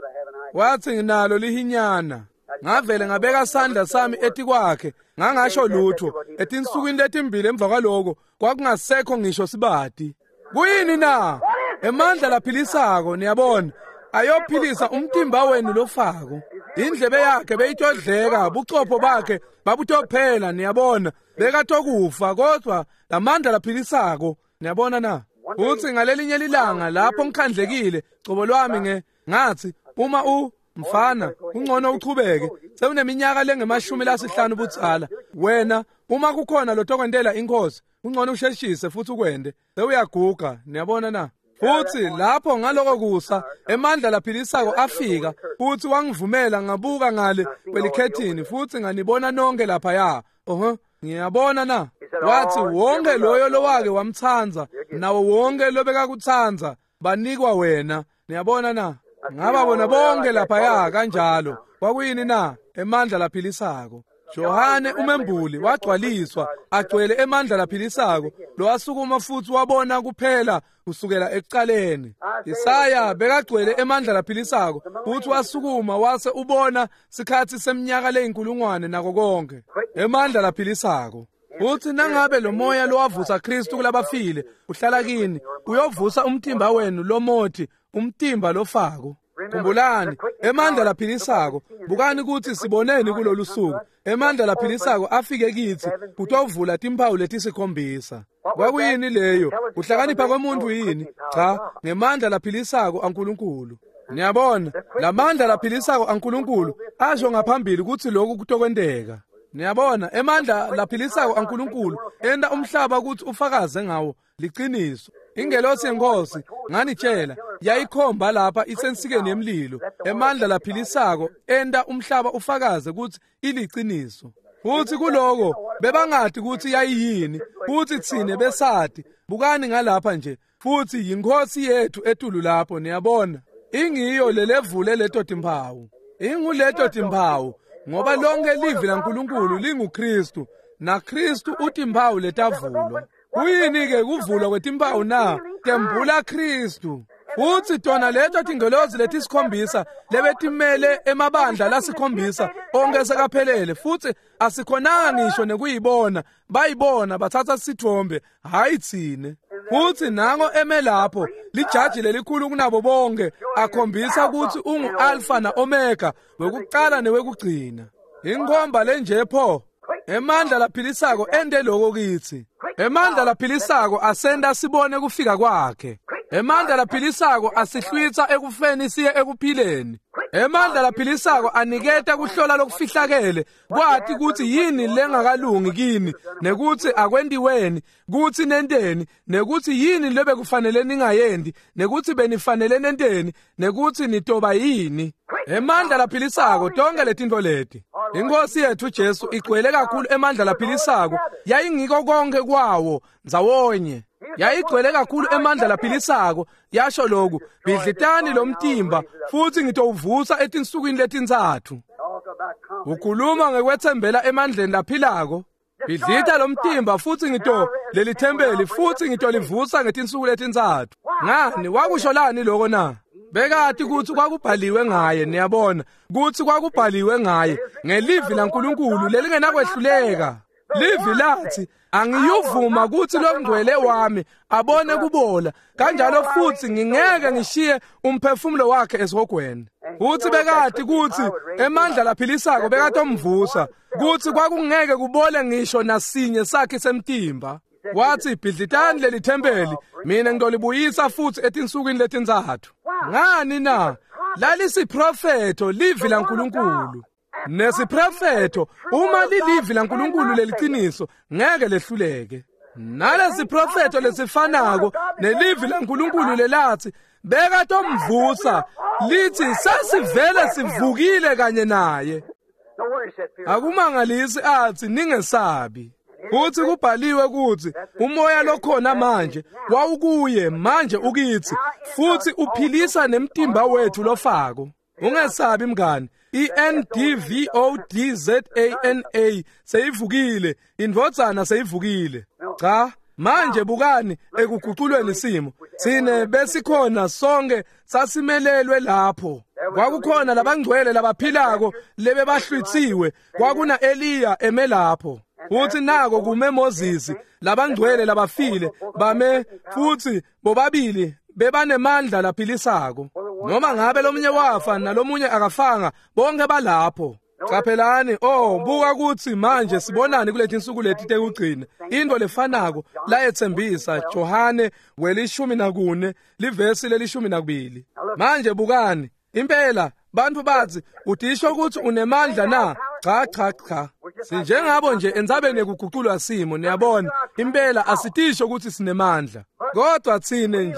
Wathi, nginalo lihinyana. Ngavele ngabeka sandla sami etikwakhe, ngangasho lutho. Etinsukwini letimbili emva kwaloko kwakungasekho ngisho sibati. Kuyini na? Emandla laphilisako, niyabona, ayophilisa umtimba wenu lofako. Indlebe yakhe beyitodleka, buchopho bakhe babutophela, niyabona, bekatokufa, kodwa lamandla laphilisako, niyabona na? Uthi ngalelinye lilanga lapho ngikhandlekile cobo lwami ngathi, uma mfana kungcono uchubeke, sewuneminyaka lengama-50 budzala wena, uma kukhona lotokwentela inkosi kungcono usheshise futhi ukwende, sewuyaguga, niyabona na? Futhi lapho ngaloko kusa emandla laphilisako afika futhi wangivumela ngabuka ngale kwelikhethini futhi nganibona nonke laphaya. Ngiyabona na? Wathi, wonke loyo lowake wamtsanza nawo wonke lobekakutsandza banikwa wena, niyabona na? Ngababona bonke laphaya kanjalo. Kwakuyini na? Emandla laphilisako. Johane umembuli wagcwaliswa agcwele emandla laphilisako, lowasukuma futhi wabona kuphela kusukela ekucaleni. Isaya bekagcwele emandla laphilisako futhi wasukuma wase ubona sikhatsi seminyaka leyinkulungwane nako konke. Emandla laphilisako. Uthi nangabe lo moya lowavusa Kristu kulabafile uhlala kini, uyovusa umtimba wenu lomothi, umtimba lofako. Khumbulani, emandla laphilisako. Bukani kutsi siboneni kulolu suku. Emandla laphilisako afike kitsi kutovula timphawu letisikhombisa. Kwakuyini leyo? Kuhlakanipha kwemuntu yini? Cha, ngemandla laphilisako aNkulunkulu. Niyabona, lamandla laphilisako aNkulunkulu asho ngaphambili kutsi lokhu kutokwenteka. Niyabona, emandla laphilisako aNkulunkulu enta umhlaba kutsi ufakaze ngawo liciniso. Ingelosi yenkosi nganitshela yayikhomba lapha isensikeni yemlilo. Emandla laphilisako enta umhlaba ufakaze kutsi iliciniso. Futhi kuloko bebangati kutsi yayiyini, futhi tsine besati. Bukani ngalapha nje, futhi yinkosi yethu etulu lapho, niyabona. Ingiyo lelevule leto timphawu. Inguleto timphawu ngoba lonke livi laNkulunkulu linguKristu, naKristu utimphawu letavulwa. Kuyini-ke kuvulwa kwetimphawu na? Tembula Kristu. Futhi tona leto tingelozi letisikhombisa lebetimele emabandla lasikhombisa onke sekaphelele, futhi asikhonanga ngisho nekuyibona, bayibona bathatha sithombe, hayi tsine. Futhi nango eme lapho lijaji lelikhulu kunabo bonke akhombisa kutsi ungu-Alpha na-Omega, wekucala newekugcina. Inkhomba lenje pho. Emandla laphilisako ente loko kitsi. Emandla laphilisako asenta sibone kufika kwakhe. Emandla laphilisako asihlwitsa ekufeni siye ekuphileni. Emandla laphilisako aniketa kuhlola lokufihlakele, kwati kutsi yini lengakalungi kini, nekutsi akwentiweni, kutsi nenteni, nekutsi yini lebekufanele ningayendi, nekutsi benifanele nenteni, nekutsi nitoba yini. Emandla laphilisako tonke letintfo leti. Inkosi yethu Jesu igcwele kakhulu emandla laphilisako, yayingiko konke kwawo ndzawonye. Yayigcwele kakhulu emandla laphilisako, yasho lokhu, bhidlitani lo mtimba futhi ngitowuvusa etinsukwini letintsatfu. Ukhuluma ngekwetsembela emandleni laphilako. Bhidlita lo mtimba futhi ngito leli thempeli futhi ngitolivusa ngetinsuku letintsatfu. Ngani wakusho lani lokho na? Bekati kutsi kwakubhaliwe ngaye, niyabona, kutsi kwakubhaliwe ngaye ngelivi laNkulunkulu lelingenakwehluleka. Livi lathi, angiyuvuma kutsi longcwele wami abone kubola, kanjalo futhi ngingeke ngishiye umphefumulo wakhe esihogweni. Futhi bekati kutsi emandla laphilisako bekatomvusa, kutsi kwakungeke kubole ngisho nasinye sakhe semtimba. Wathi, bhidlitani leli thempeli, mina ngitolibuyisa futhi etinsukwini letintsatfu. Ngani na? Lalisiprofetho livi laNkulunkulu. Nesiprofetho uma lilivi laNkulunkulu leliciniso ngeke lehluleke. Nalesiprofetho lesifanako nelivi laNkulunkulu lelathi bekatomvusa lithi sasivele sivukile kanye naye. Akumangalisi athi ningesabi. Futhi kubhaliwe ukuthi umoya lokhona manje wawukuye manje ukithi futhi uphilisa nemtimba wethu lofako. Ungesabi mngani, iNDVODZANA seyivukile, indvodzana seyivukile. Cha, manje bukani ekuguculweni isimo. Sine besikhona sonke sasimelelwe lapho. Kwakukhona labangcwele labaphilako lebebahlwitsiwe, kwakuna Eliya eme lapho. Futhi nako kume Moses, labangcwele labafile bame futhi bobabili bebanemandla laphilisako. Noma ngabe lomunye wafa nalomunye akafanga, bonke balapho. Caphelani, oh, buka ukuthi manje sibonani kuleti insuku leti tekugcina. Into lefanako layethembisa Johane 14 livesi le-12. Manje bukani, impela bantu bathi udisho ukuthi unemandla na? Cha cha cha. Sinjengabo nje endzabeni yekuguculwa simo, niyabona. Impela asitisho ukuthi sinemandla. Kodwa thine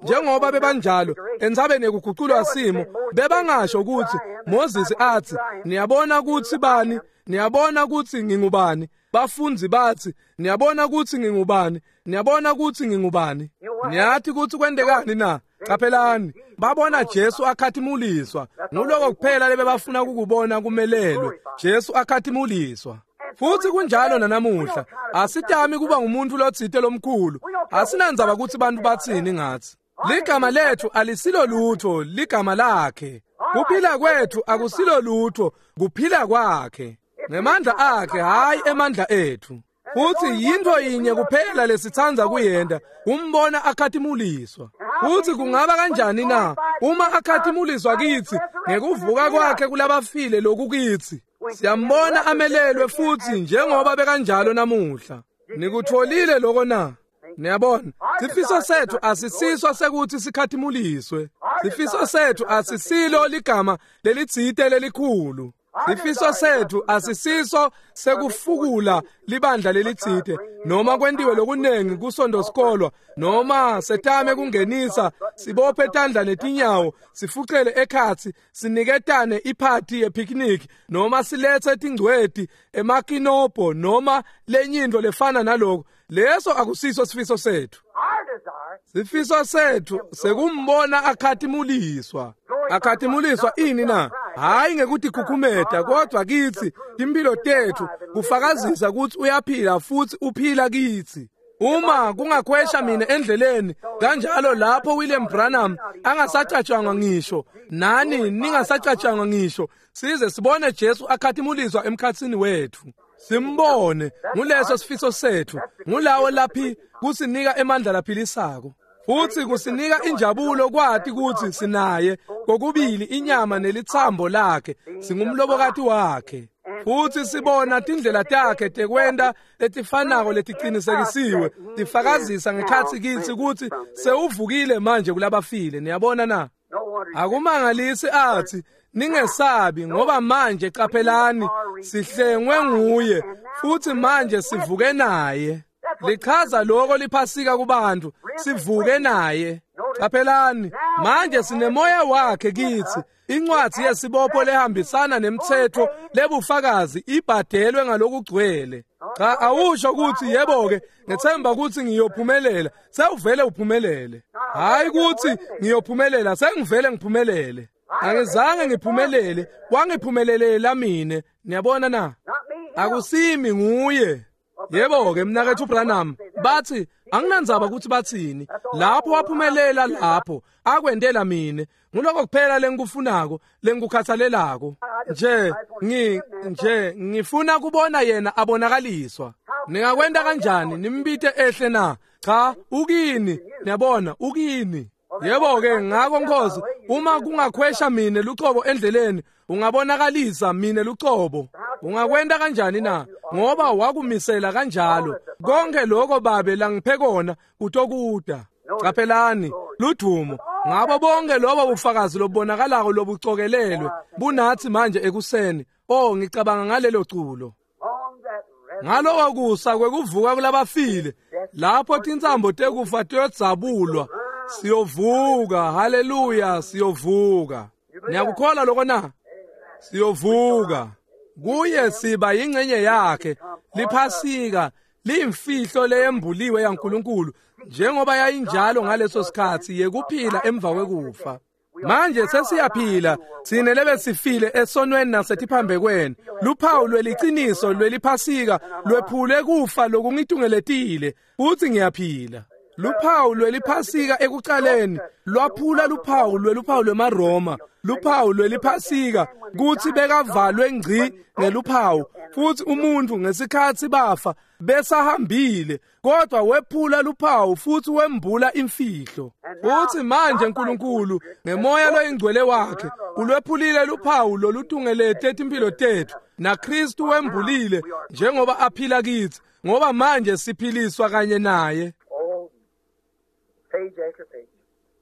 njengoba bebanjalo endzabeni yekuguculwa simo, bebangasho ukuthi Moses athi niyabona ukuthi bani, niyabona ukuthi ngingubani. Bafunzi bathi niyabona ukuthi ngingubani, niyabona ukuthi ngingubani. Niyathi ukuthi kwendekani na? Caphelani, babona Jesu akhatimuliswa. Nguloko kuphela lebebafuna ukukubona kumelelwe. Jesu akhatimuliswa. Futhi kunjalo nanamuhla. Asitami kuba ngumuntu lotsite lomkhulu. Asinandzaba ukuthi bantu batsini ngathi. Ligama lethu alisilo lutho, ligama lakhe. Kuphila kwethu akusilo lutho, kuphila kwakhe. Ngemandla akhe, hayi emandla ethu. Futhi yinto yinye kuphela lesithandza kuyenda, umbona akhatimuliswa. Futhi kungaba kanjani na uma akhatimuliswa kithi ngekuvuka kwakhe kulabafile lokukithi? Siyambona amelelwe futhi njengoba bekanjalo namuhla. Nikutholile lokho na? Niyabona, sifiso sethu asisiswa sekuthi sikhatimuliswe. Sifiso sethu asisilo ligama lelitsite lelikhulu. Sifiso sethu asisiso sekufukula libandla lelitsite noma kwentiwe lokunengi kusonto sikolwa noma setame kungenisa sibophe tandla netinyawo sifucele ekhatsi siniketane iphathi yepicnic noma silethe tingcweti emakinobho noma lenye into lefana naloko. Leso akusiso sifiso sethu. Sifiso sethu sekumbona akhatimuliswa. Akhatimuliswa ini na? Hayi ngekuthi khukhumeta, kodwa kithi impilo tethu kufakazisa ukuthi uyaphila futhi uphila kithi. Uma kungakhwesha mina endleleni kanjalo lapho William Branham angasacatshangwa ngisho, nani ningasacatshangwa ngisho, size sibone Jesu akhatimuliswa emkhatsini wethu. Simbone, nguleso sifiso sethu, ngulawo laphi kusinika emandla laphilisako. Futhi kusinika injabulo kwathi ukuthi sinaye kokubili inyama nelithambo lakhe, singumlobokati wakhe. Futhi sibona tindlela takhe tekwenta letifanako letiqinisekisiwe tifakazisa ngekhatsi kithi ukuthi sewuvukile manje kulabafile. Niyabona na? Akumangalisi athi ningesabi, ngoba manje qaphelani sihlengwe nguye futhi manje sivuke naye. Lichaza lokho liphasika kubantu, sivuke naye. Qaphelani, manje sinemoya wakhe kithi. Incwadi yesibopho lehambisana nemthetho lebufakazi ibhadelwe ngalokugcwele. Cha, awusho ukuthi yebo ke ngethemba ukuthi ngiyophumelela, sewuvele uphumelele. Hayi ukuthi ngiyophumelela, sengivele ngiphumelele. Angizange ngiphumelele, wangiphumelelela mina. Niyabona na? Akusimi nguye. Yebo ke mnakethu Branham, bathi anginandzaba ukuthi bathini. Lapho waphumelela lapho, akwendela mina. Nguloko kuphela lengikufunako, lengikukhathalelako. Nje ngifuna kubona yena abonakaliswa. Ningakwenda kanjani nimbite ehle na? Cha, ukini, niyabona, ukini. Yebo ke ngakho Nkosi, uma kungakhwesha mina lucobo endleleni, ungabonakalisa mina lucobo. Ungakwenda kanjani na? Ngoba wakumisela kanjalo. Konke lokho babe langiphe kona kutokuda. Qaphelani, ludumo. Ngabo bonke lobo bufakazi lobonakalako lobucokelelwe bunathi manje ekuseni. Oh, ngicabanga ngalelo culo. Ngaloko kusa kwekuvuka kulabafile, lapho tintsambo tekufa tiyodzabulwa, siyovuka. Haleluya, siyovuka. Niyakukholwa lokho na? Siyovuka. Kuye siba yingcenye yakhe. Liphasika liyimfihlo leyembuliwe yaNkulunkulu njengoba yayinjalo ngaleso sikhatsi yekuphila emva kwekufa. Manje sesiyaphila tsine lebesifile esonweni nasetiphambekweni. Luphawu lweliciniso lweliphasika lwephule kufa lokungitungeletile futsi ngiyaphila. Luphawu lweliphasika ekucaleni lwaphula luphawu lweluphawu lwemaRoma, luphawu lweliphasika kutsi bekavalwe ngci ngeluphawu futsi umuntu ngesikhatsi bafa besahambile, kodwa wephula luphawu futsi wembula imfihlo. Futsi manje Nkulunkulu ngemoya loyingcwele wakhe ulwephulile luphawu lolutungelete timphilo tetfu, naKristu wembulile njengoba aphila kitsi, ngoba manje siphiliswa kanye naye.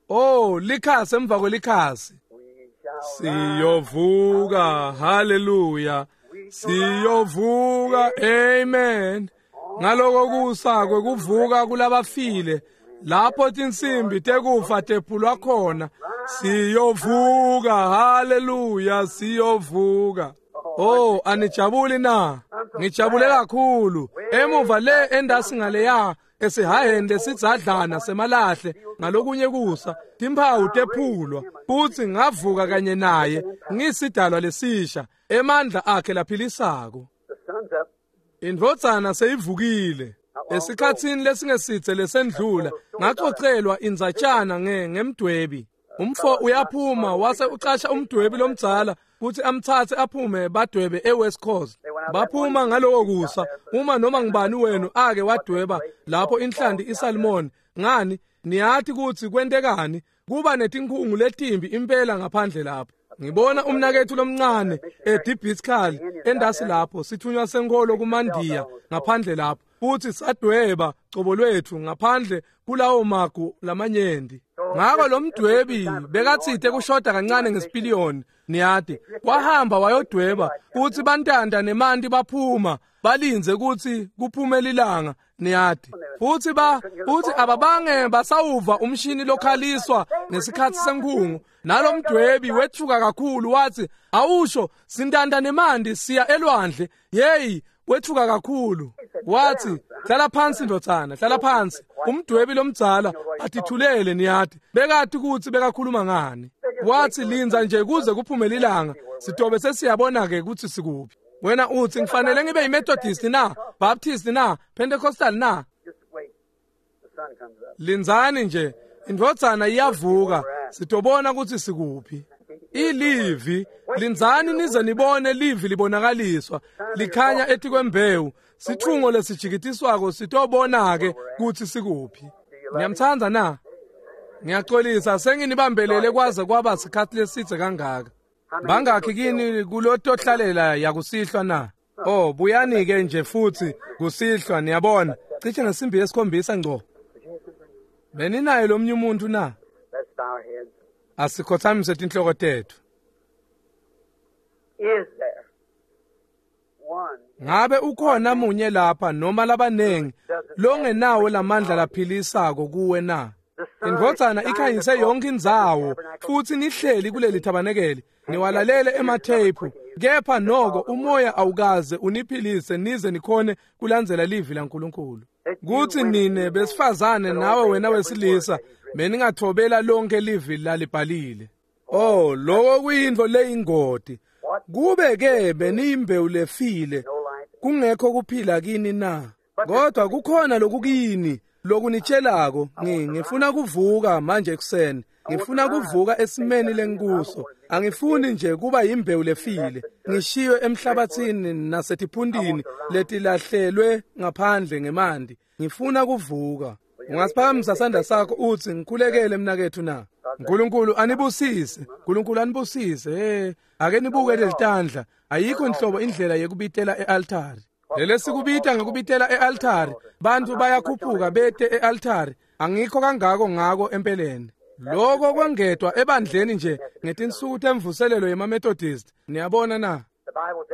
Oh, likhasi emva kwelikhasi. Siyovuka, haleluya. Siyovuka, amen. Ngaloko kusa kwekuvuka kulabafile, lapho tinsimbi tekufa tephulwa khona. Siyovuka, haleluya, siyovuka. Oh, anijabuli na? Ngijabule kakhulu. Emuva le endasi ngaleya esihaheni lesidzadlana semalahle ngalokunye kusa timphawu tephulwa futsi ngavuka kanye naye ngisidalwa lesisha emandla akhe laphilisako. Indvodzana seyivukile. Esikhatsini lesingesitse lesendlula ngacocelwa indzatshana ngemdwebi. Umfo uyaphuma wase ucasha umdwebi lomdzala kutsi amtsatse aphume badwebe eWest Coast. Baphuma ngaloko kusa uma noma ngibani wenu ake wadweba lapho inhlanti isalmon. Ngani niyati kutsi kwentekani? Kuba netinkhungu letimbi impela ngaphandle lapho. Ngibona umnaketfu lomncane eDibiskal endasi lapho sithunywa senkholo kumandiya ngaphandle lapho futsi sadweba cobo lwetfu ngaphandle kulawo magu lamanyenti. Ngako lo mdwebi bekatsite kushoda kancane ngesipiliyoni, niyati. Wahamba wayodweba futsi bantanta nemanti baphuma balindze kutsi kuphume lilanga, niyati. Futsi futsi ababange basawuva umshini lokhaliswa ngesikhatsi senkhungu. Nalo mdwebi wetfuka kakhulu wathi, awusho sintanta nemanti siya elwandle. Yeyi, wetfuka kakhulu. Wathi, hlala phansi ndodzana, hlala phansi. Umdwebi lomdzala atithulele, niyati. Bekati kutsi bekakhuluma ngani. Wathi, lindza nje kuze kuphume lilanga, sitobe sesiyabona ke kutsi sikuphi. Wena utsi ngifanele ngibe yiMethodist na, Baptist na, Pentecostal na? Lindzani nje, indvodzana iyavuka, sitobona kutsi sikuphi. Ilivi, lindzani nize nibone livi libonakaliswa, likhanya etikwembewu, sitfungo lesijikitiswako sitobona ke kutsi sikuphi. Niyamtsandza na? Ngiyaxolisa senginibambelele kwaze kwaba sikhatsi lesitse kangaka. Bangakhi kini kulotohlalela yakusihlwa na? Oh, buyani ke nje futsi kusihlwa, niyabona. Cishe ngesimbi yesikhombisa ngco. Beninaye lomnye umuntu na? Asikhothamise tinhloko tetfu. Ngabe ukhona munye lapha noma labanengi longenawo lamandla laphilisako kuwe na? Indvodzana ikhanyise yonke indzawo futsi nihleli kuleli thabanekeli niwalalele ematheyiphu, kepha noko umoya awukaze uniphilise nize nikhone kulandzela livi laNkulunkulu. Kutsi nine besifazane nawe wena wesilisa beningathobela lonke livi lalibhalile. Oh, lokho kuyintfo leyingoti. Kube ke beniyimbewu lefile kungekho kuphila kini na? Kodwa kukhona lokukini lokunitshelako. Ngifuna kuvuka manje ekuseni. Ngifuna kuvuka esimeni lengikuso. Angifuni nje kuba yimbewu lefile ngishiywe emhlabathini nasetiphundini letilahlelwe ngaphandle ngemanti. Ngifuna kuvuka. Ungasiphakamisa sandla sakho utsi ngikhulekele mnaketfu na? Nkulunkulu anibusise. Nkulunkulu anibusise. Hey, ake nibuke lelitandla. Ayikho inhlobo indlela yekubitela ealtari. Lele sikubita ngekubitela ealtari. Bantu bayakhuphuka bete ealtari. Angikho kangako ngako empeleni. Lokho kwengedwa ebandleni nje ngetinsuku temvuselelo yemaMethodist. Niyabona na?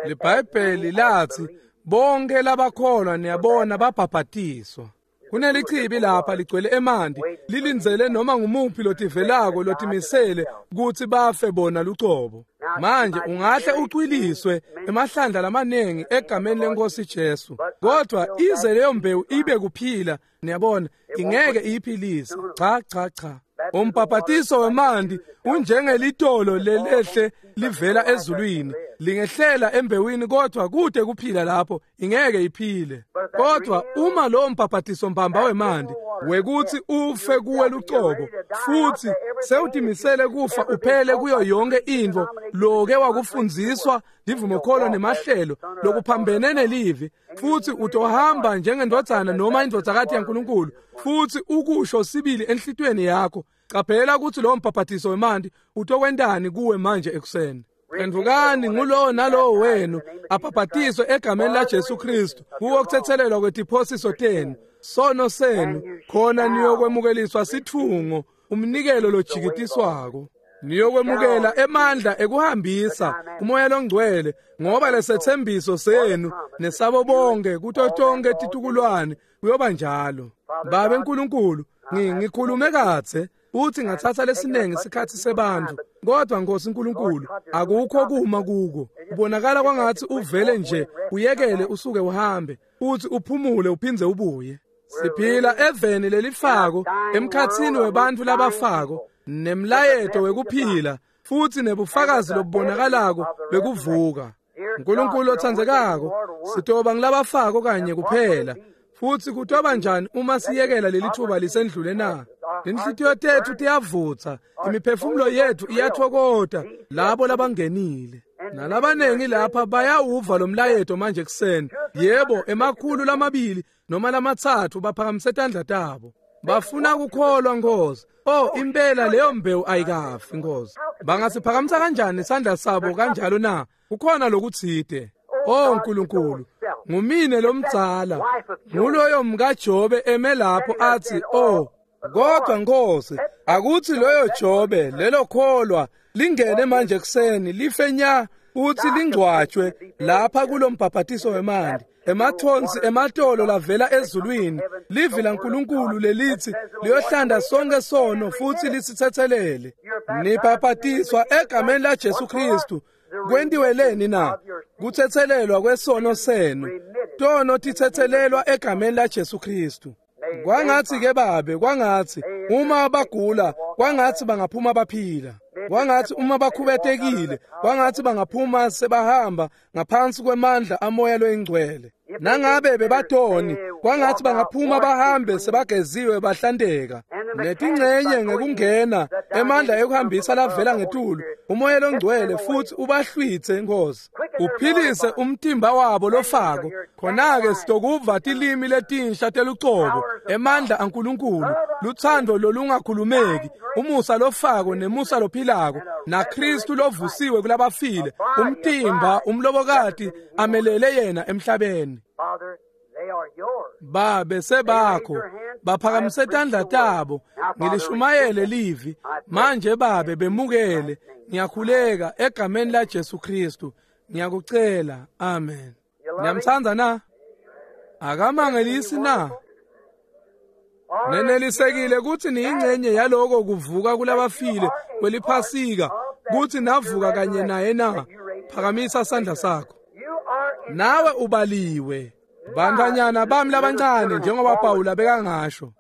LiBhayibheli lathi bonke labakholwa niyabona babhabhatiswa. Kunelichibi lapha ligcwele emanti lilindzele noma ngumuphi lotivelako lotimisele kutsi bafe bona lucobo. Manje ungahle ucwiliswe emahlandla lamaningi egameni lenkosi Jesu, kodwa ize leyo mbewu ibe kuphila, niyabona, ingeke iyiphilise. Cha cha cha. Umbhabhatiso wemanti unjengelitolo lelehle livela ezulwini, lingehlela embewini, kodwa kude kuphila lapho ingeke iphile. Kodwa uma lowo mbhabhatiso mbamba wemanti wekuthi ufe kuwe lucobo, futhi sewutimisele kufa uphele kuyo yonke intfo loke wakufundziswa livumokholo nemahlelo lokuphambene nelivi, futhi utohamba njengendvodzana noma indvodzakati yaNkulunkulu, futhi ukusho sibili enhlitiyweni yakho, qaphela ukuthi lowo mbhabhatiso wemanti utokwentani kuwe manje ekuseni. Phendvukani ngulowo nalowo wenu abhabhatiswe egameni laJesu Kristu kuwo kuthethelelwa kwetiphosiso tenu, sono senu, khona niyokwemukeliswa sithungo, umnikelo lojikitiswako. Niyokwemukela emandla ekuhambisa umoya longcwele, ngoba lesethembiso senu nesabo bonke kuto tonke titukulwane kuyoba njalo. Babe Nkulunkulu, ngikhulume kadze futhi ngathatha lesiningi isikhathi sebantu, kodwa Nkosi Nkulunkulu, akukho kuma kuko. Kubonakala kwangathi uvele nje uyekele usuke uhambe futhi uphumule uphindze ubuye. Siphila eveni lelifako, emkhatsini webantfu labafako, nemlayeto wekuphila futhi nebufakazi lobubonakalako bekuvuka. Nkulunkulu otsandzekako, sitoba ngilabafako kanye kuphela, futhi kutoba njani uma siyekela leli thuba lisendlule na? Inhlitiyo tethu tiyavutsa, imiphefumulo yethu iyathokota labo labangenile. Nalabanengi lapha bayawuva lo mlayeto manje ekuseni. Yebo, 200 noma 300 baphakamise tandla tabo. Bafuna kukholwa Nkosi. Oh, impela leyo mbewu ayikafi Nkosi. Bangasiphakamisa kanjani isandla sabo kanjalo na? Kukhona lokutsite. Oh Nkulunkulu, ngumine lomdzala, nguloyo mkaJobe eme lapho athi, oh, kodwa Nkosi, akuthi loyo Jobe lelo kholwa lingene manje ekuseni life nya futhi lingcwatshwe lapha kulombhabhatiso wemanti, emathonsi ematolo lavela ezulwini, livi laNkulunkulu lelithi liyohlanda sonke sono futhi lisithethelele. Nibhabhatiswa egameni laJesu Kristu. Kwentiwe leni na? Kuthethelelwa kwesono senu. Tono tithethelelwa egameni laJesu Kristu. Kwangathi ke babe, kwangathi uma bagula, kwangathi bangaphuma baphila. Kwangathi uma bakhubetekile, kwangathi bangaphuma sebahamba ngaphansi kwemandla amoya loyingcwele. Nangabe bebatoni, kwangathi bangaphuma bahambe sebageziwe bahlanteka. Netingcenye ngekungena emandla ekuhambisa lavela ngetulu, umoya longcwele futhi ubahlwithe Nkosi. Uphilise umtimba wabo lofako, khona-ke sitokuva tilimi letinsha telucobo, emandla aNkulunkulu, luthando lolungakhulumeki, umusa lofako nemusa lophilako, naKristu lovusiwe kulabafile, umtimba umlobokati amelele yena emhlabeni. Babe sebakho, baphakamise tandla tabo, ngilishumayele livi manje babe bemukele. Ngiyakhuleka egameni laJesu Kristu, ngiyakucela, amen. Niyamtsandza na? Akamangelisi na? Nenelisekile kutsi niyingcenye yaloko kuvuka kulabafile kweliphasika, kutsi navuka kanye naye na? Phakamisa sandla sakho. Nawe ubaliwe. Bantfwanyana bami labancane, njengoba Pawula bekangasho,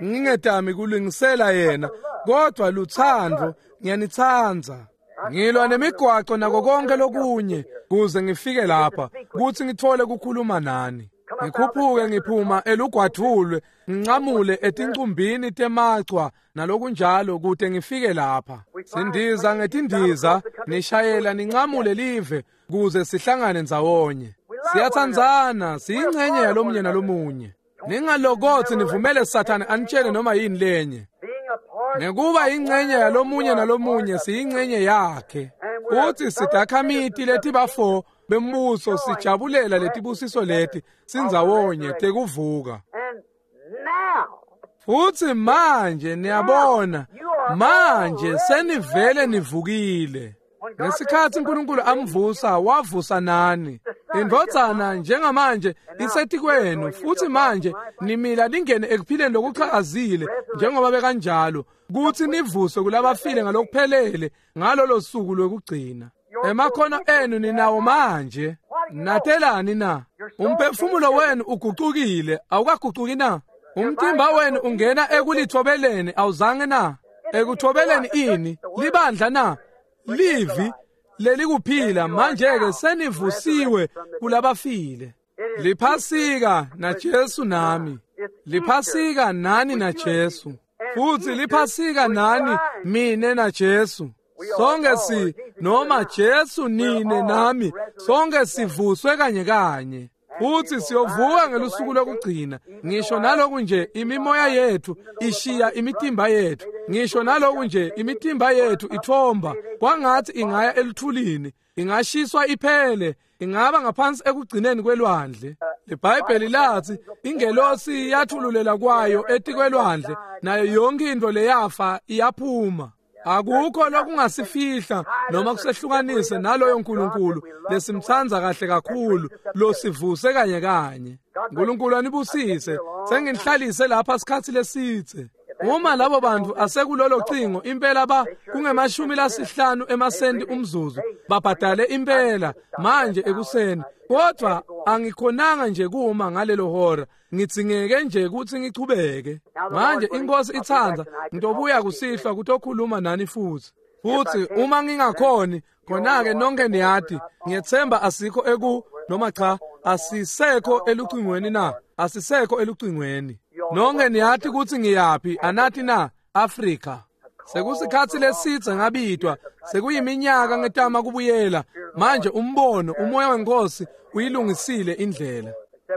ngingedami kulungisela yena, kodwa luthando, ngiyanitsandza. Ngilwa nemigwaco nako konke lokunye kuze ngifike lapha kutsi ngithole kukhuluma nani. Ngikhuphuke ngiphuma elugwadvulwe, ngincamule etincumbini temachwa nalokunjalo kute ngifike lapha. Sindiza ngetindiza, nishayela nincamule live kuze sihlangane ndzawonye. Siyatsandzana, siyingcenye yalomunye nalomunye. Ningalokothi nivumele Sathane anitshele noma yini lenye. Ngekuba ingcenye yalomunye nalomunye, siyingcenye yakhe. Futhi sidakhamiti letibafo bembuso, sijabulela letibusiso leti sindzawonye tekuvuka. Futhi manje niyabona, manje senivele nivukile. Ngesikhathi uNkulunkulu amvusa, wavusa nani. Indvodzana njengamanje isetikwenu, futhi manje nimila ningene ekuphileni lokuchakazile njengoba bekanjalo, kuthi nivuswe kulabafile ngalokuphelele ngalolo suku lwekugcina. Emakhono enu ninawo manje. Natelani na? Umphefumulo wenu ugucukile, awukagucuki na? Umtimba wenu ungena ekulithobeleni, awuzange na? Ekuthobeleni ini? Libandla na? Livi lelikuphila. Manje-ke senivusiwe kulabafile. Liphasika naJesu nami. Liphasika nani naJesu. Futhi liphasika nani mine naJesu. Sonke si noma Jesu nine nami, sonke sivuswe kanye kanye. Futhi siyovuka ngelusuku lokugcina. Ngisho naloku nje imimoya yethu ishiya imitimba yethu, ngisho naloku nje imitimba yethu ithomba kwangathi ingaya eluthulini, ingashiswa iphele, ingaba ngaphansi ekugcineni kwelwandle. IBhayibheli lathi ingelosi yathululela kwayo etikwelwandle, nayo yonke into leyafa iyaphuma. Akukho lokungasifihla noma kusehlukanise naloyo nkulunkulu lesimthandza kahle kakhulu, losivuse kanye kanye. Nkulunkulu anibusise. Senginihlalise lapha sikhatsi lesitse. Uma labo bantu asekulolo cingo impela ba kunge-50 emasenti umzuzu, babhadale impela manje ekuseni. Kodwa angikhonanga nje kuma ngalelo hora, ngitsingeke nje ukuthi ngichubeke. Manje inkosi itsandza, ngitobuya kusihlwa kutokhuluma nani futhi. Futhi uma ngingakhoni, khona-ke nonke niyati, ngiyethemba asikho eku noma cha, asisekho elucingweni na? Asisekho elucingweni. Nonke niyati ukuthi ngiyaphi, anati na? Afrika. Sekusikhatsi lesitse ngabitwa, sekuyiminyaka ngetama kubuyela. Manje umbono, umoya wenkosi uyilungisile indlela.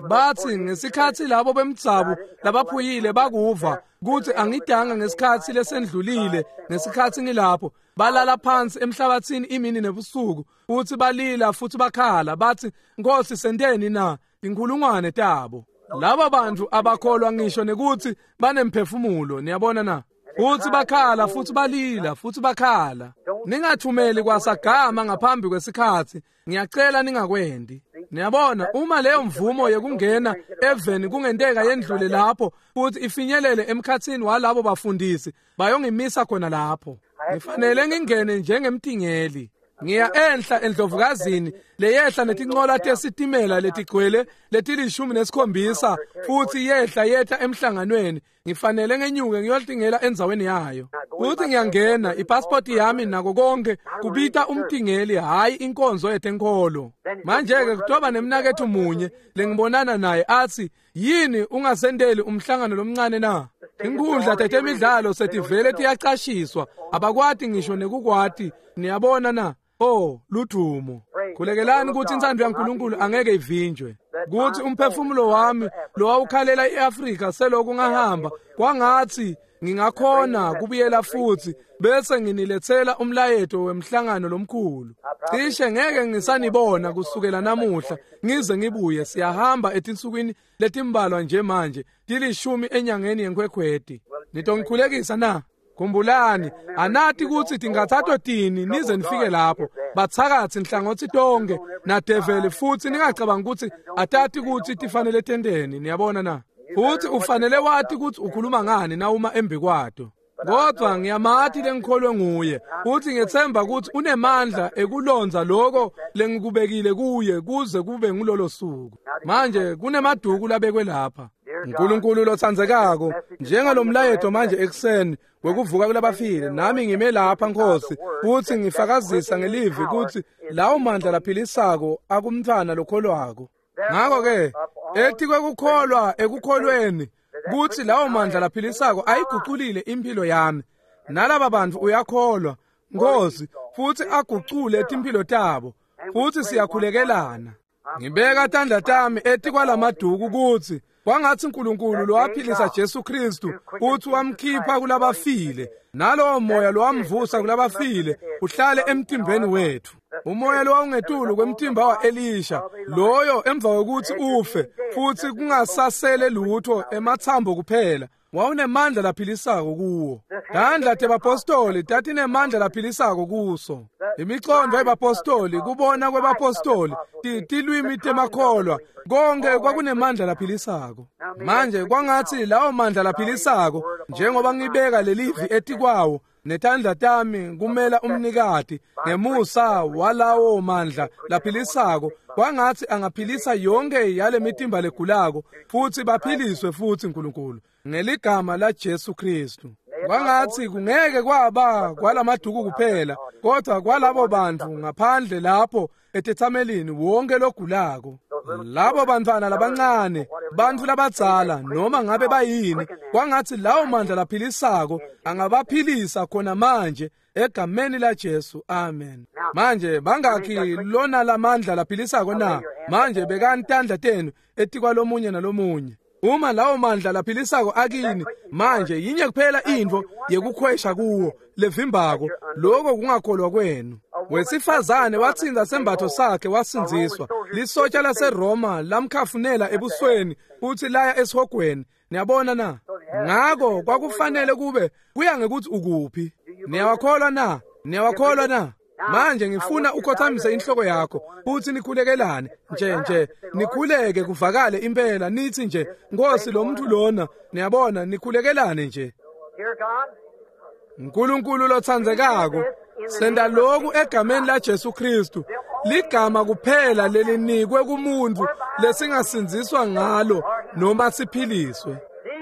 Bathi ngesikhatsi labo bemdzabu labaphuyile bakuva kuthi angidanga ngesikhatsi lesendlulile, ngesikhatsi ngilapho balala phansi emhlabathini imini nebusuku, futhi balila futhi bakhala bathi, Nkosi senteni na? Inkhulungwane tabo. Laba bantu abakholwa ngisho nekuthi banemphefumulo, niyabona na? Futhi bakhala futhi balila futhi bakhala. Ningathumeli kwasagama ngaphambi kwesikhatsi, ngiyacela ningakwendi. Niyabona, uma leyo mvumo yekungena eveni kungenteka yendlule lapho futhi ifinyelele emkhatsini walabo bafundisi, bayongimisa khona lapho. Ngifanele ngingene njengemtingeli. Ngiya enhla endlovukazini leyehla netincola tesitimela letigcwele leti-17, futhi yehla yetha emhlanganweni. Ngifanele ngenyuke ngiyotingela endzaweni yayo. Futhi ngiyangena, ipasipoti yami nako konke kubita umtingeli, hhayi inkonzo yetenkolo. Manje-ke kutoba nemnaketfu munye lengibonana naye athi, yini ungasenteli umhlangano lomncane na? Inkhundla tetemidlalo setivele tiyacashiswa, abakwati ngisho nekukwati, niyabona na? Oh, ludumo. Khulekelani ukuthi intsandvo yaNkulunkulu angeke ivinjwe. Kuthi umphefumulo wami lowawukhalela iAfrika seloku ngahamba, kwangathi ngingakhona kubuyela futhi bese nginilethela umlayeto wemhlangano lomkhulu. Cishe ngeke ngisanibona kusukela namuhla ngize ngibuye. Siyahamba etinsukwini letimbalwa nje manje, 10 enyangeni yeNkhwekhweti. Nitongikhulekisa na? Khumbulani, anati kutsi tingathatho tini nize nifike lapho. Batsakatsi nhlangothi tonke nadeveli, futhi ningacabanga ukuthi atati kutsi tifanele tenteni, niyabona na? Futhi ufanele wati kutsi ukhuluma ngani nawuma embikwato. Kodwa ngiyamati lengikholwe nguye, futhi ngethemba kutsi unemandla ekulonza lokho lengikubekile kuye kuze kube ngulolo suku. Manje kunemaduku labekwe lapha. Nkulunkulu lotsandzekako, njengalomlayeto manje ekuseni wekuvuka kulabafile, nami ngime lapha Nkosi, futhi ngifakazisa ngelivi kutsi lawo mandla laphilisako akumntfwana lokholwako. Ngakho-ke etikwekukholwa ekukholweni kutsi lawo mandla laphilisako ayiguculile impilo yami, nalaba bantfu uyakholwa Nkosi, futhi agucule timphilo tabo, futhi siyakhulekelana. Ngibeka tandla tami etikwalamaduku kutsi kwangathi uNkulunkulu lowaphilisa Jesu Kristu uthi wamkhipha kulabafile, nalowo moya lowamvusa kulabafile uhlale emtimbeni wethu. Umoya lowawungetulu kwemtimba wa-Elisha, loyo emva kokuthi ufe futhi kungasasele lutho emathambo kuphela, Wawunemandla laphilisako kuwo. Tandla tebapostoli tatinemandla laphilisako kuso. Imicondo yebapostoli, kubona kwebapostoli, tilwimi temakholwa, konke kwakunemandla laphilisako. Manje kwangatsi lawo mandla laphilisako, njengoba ngibeka lelivi etikwawo netandla tami kumela umnikati ngemusa walawo mandla laphilisako, kwangatsi angaphilisa yonke yale mitimba legulako futsi baphiliswe futsi Nkulunkulu ngeligama la Jesu Kristu. Kwangatsi kungeke kwaba kwalamaduku kuphela, kodwa kwalabo bantu ngaphandle lapho etethamelini, wonke logulako, labo bantfwana labancane, bantfu labadzala, noma ngabe bayini, kwangatsi lawo mandla laphilisako angabaphilisa khona manje egameni la Jesu. Amen. Manje bangakhi lona lamandla laphilisako na? Manje bekani tandla tenu etikwalomunye nalomunye. Uma lawo mandla laphilisako akini manje, yinye kuphela intfo yekukhwesha kuwo levimbako, lokho kungakholwa kwenu. Wesifazane watsinza sembatho sakhe wasindziswa. Lisotsha laseRoma lamkhafunela ebusweni futhi laya esihogweni. Niyabona na? Ngako kwakufanele kube kuya ngekuthi ukuphi. Niyawakholwa na? Niyawakholwa na? Manje ngifuna ukhothamise inhloko yakho futhi nikhulekelane nje nikhuleke kuvakale impela, nithi nje, Nkosi, lo muntu lona, niyabona, nikhulekelane nje. Nkulunkulu lotsandzekako, senda lokhu egameni la Jesu Kristu, ligama kuphela lelinikwe kumuntu lesingasindziswa ngalo noma siphiliswe.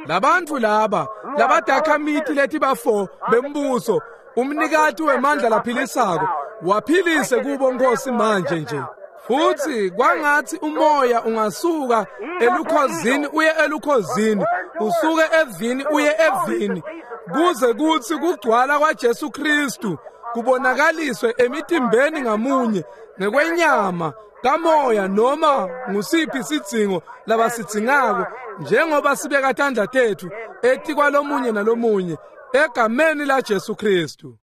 Labantfu laba labadakhamiti letibafo bembuso, umnikati wemandla laphilisako, waphilise kubo Nkosi manje nje. Futhi kwangatsi umoya ungasuka elukhozini uye elukhozini, usuke evini uye evini, kuze kutsi kugcwala kwaJesu Kristu kubonakaliswe emitimbeni ngamunye ngekwenyama kamoya noma ngusiphi sidzingo labasidzingako, njengoba sibeka tandla tetfu etikwalomunye nalomunye egameni la Jesu Kristu.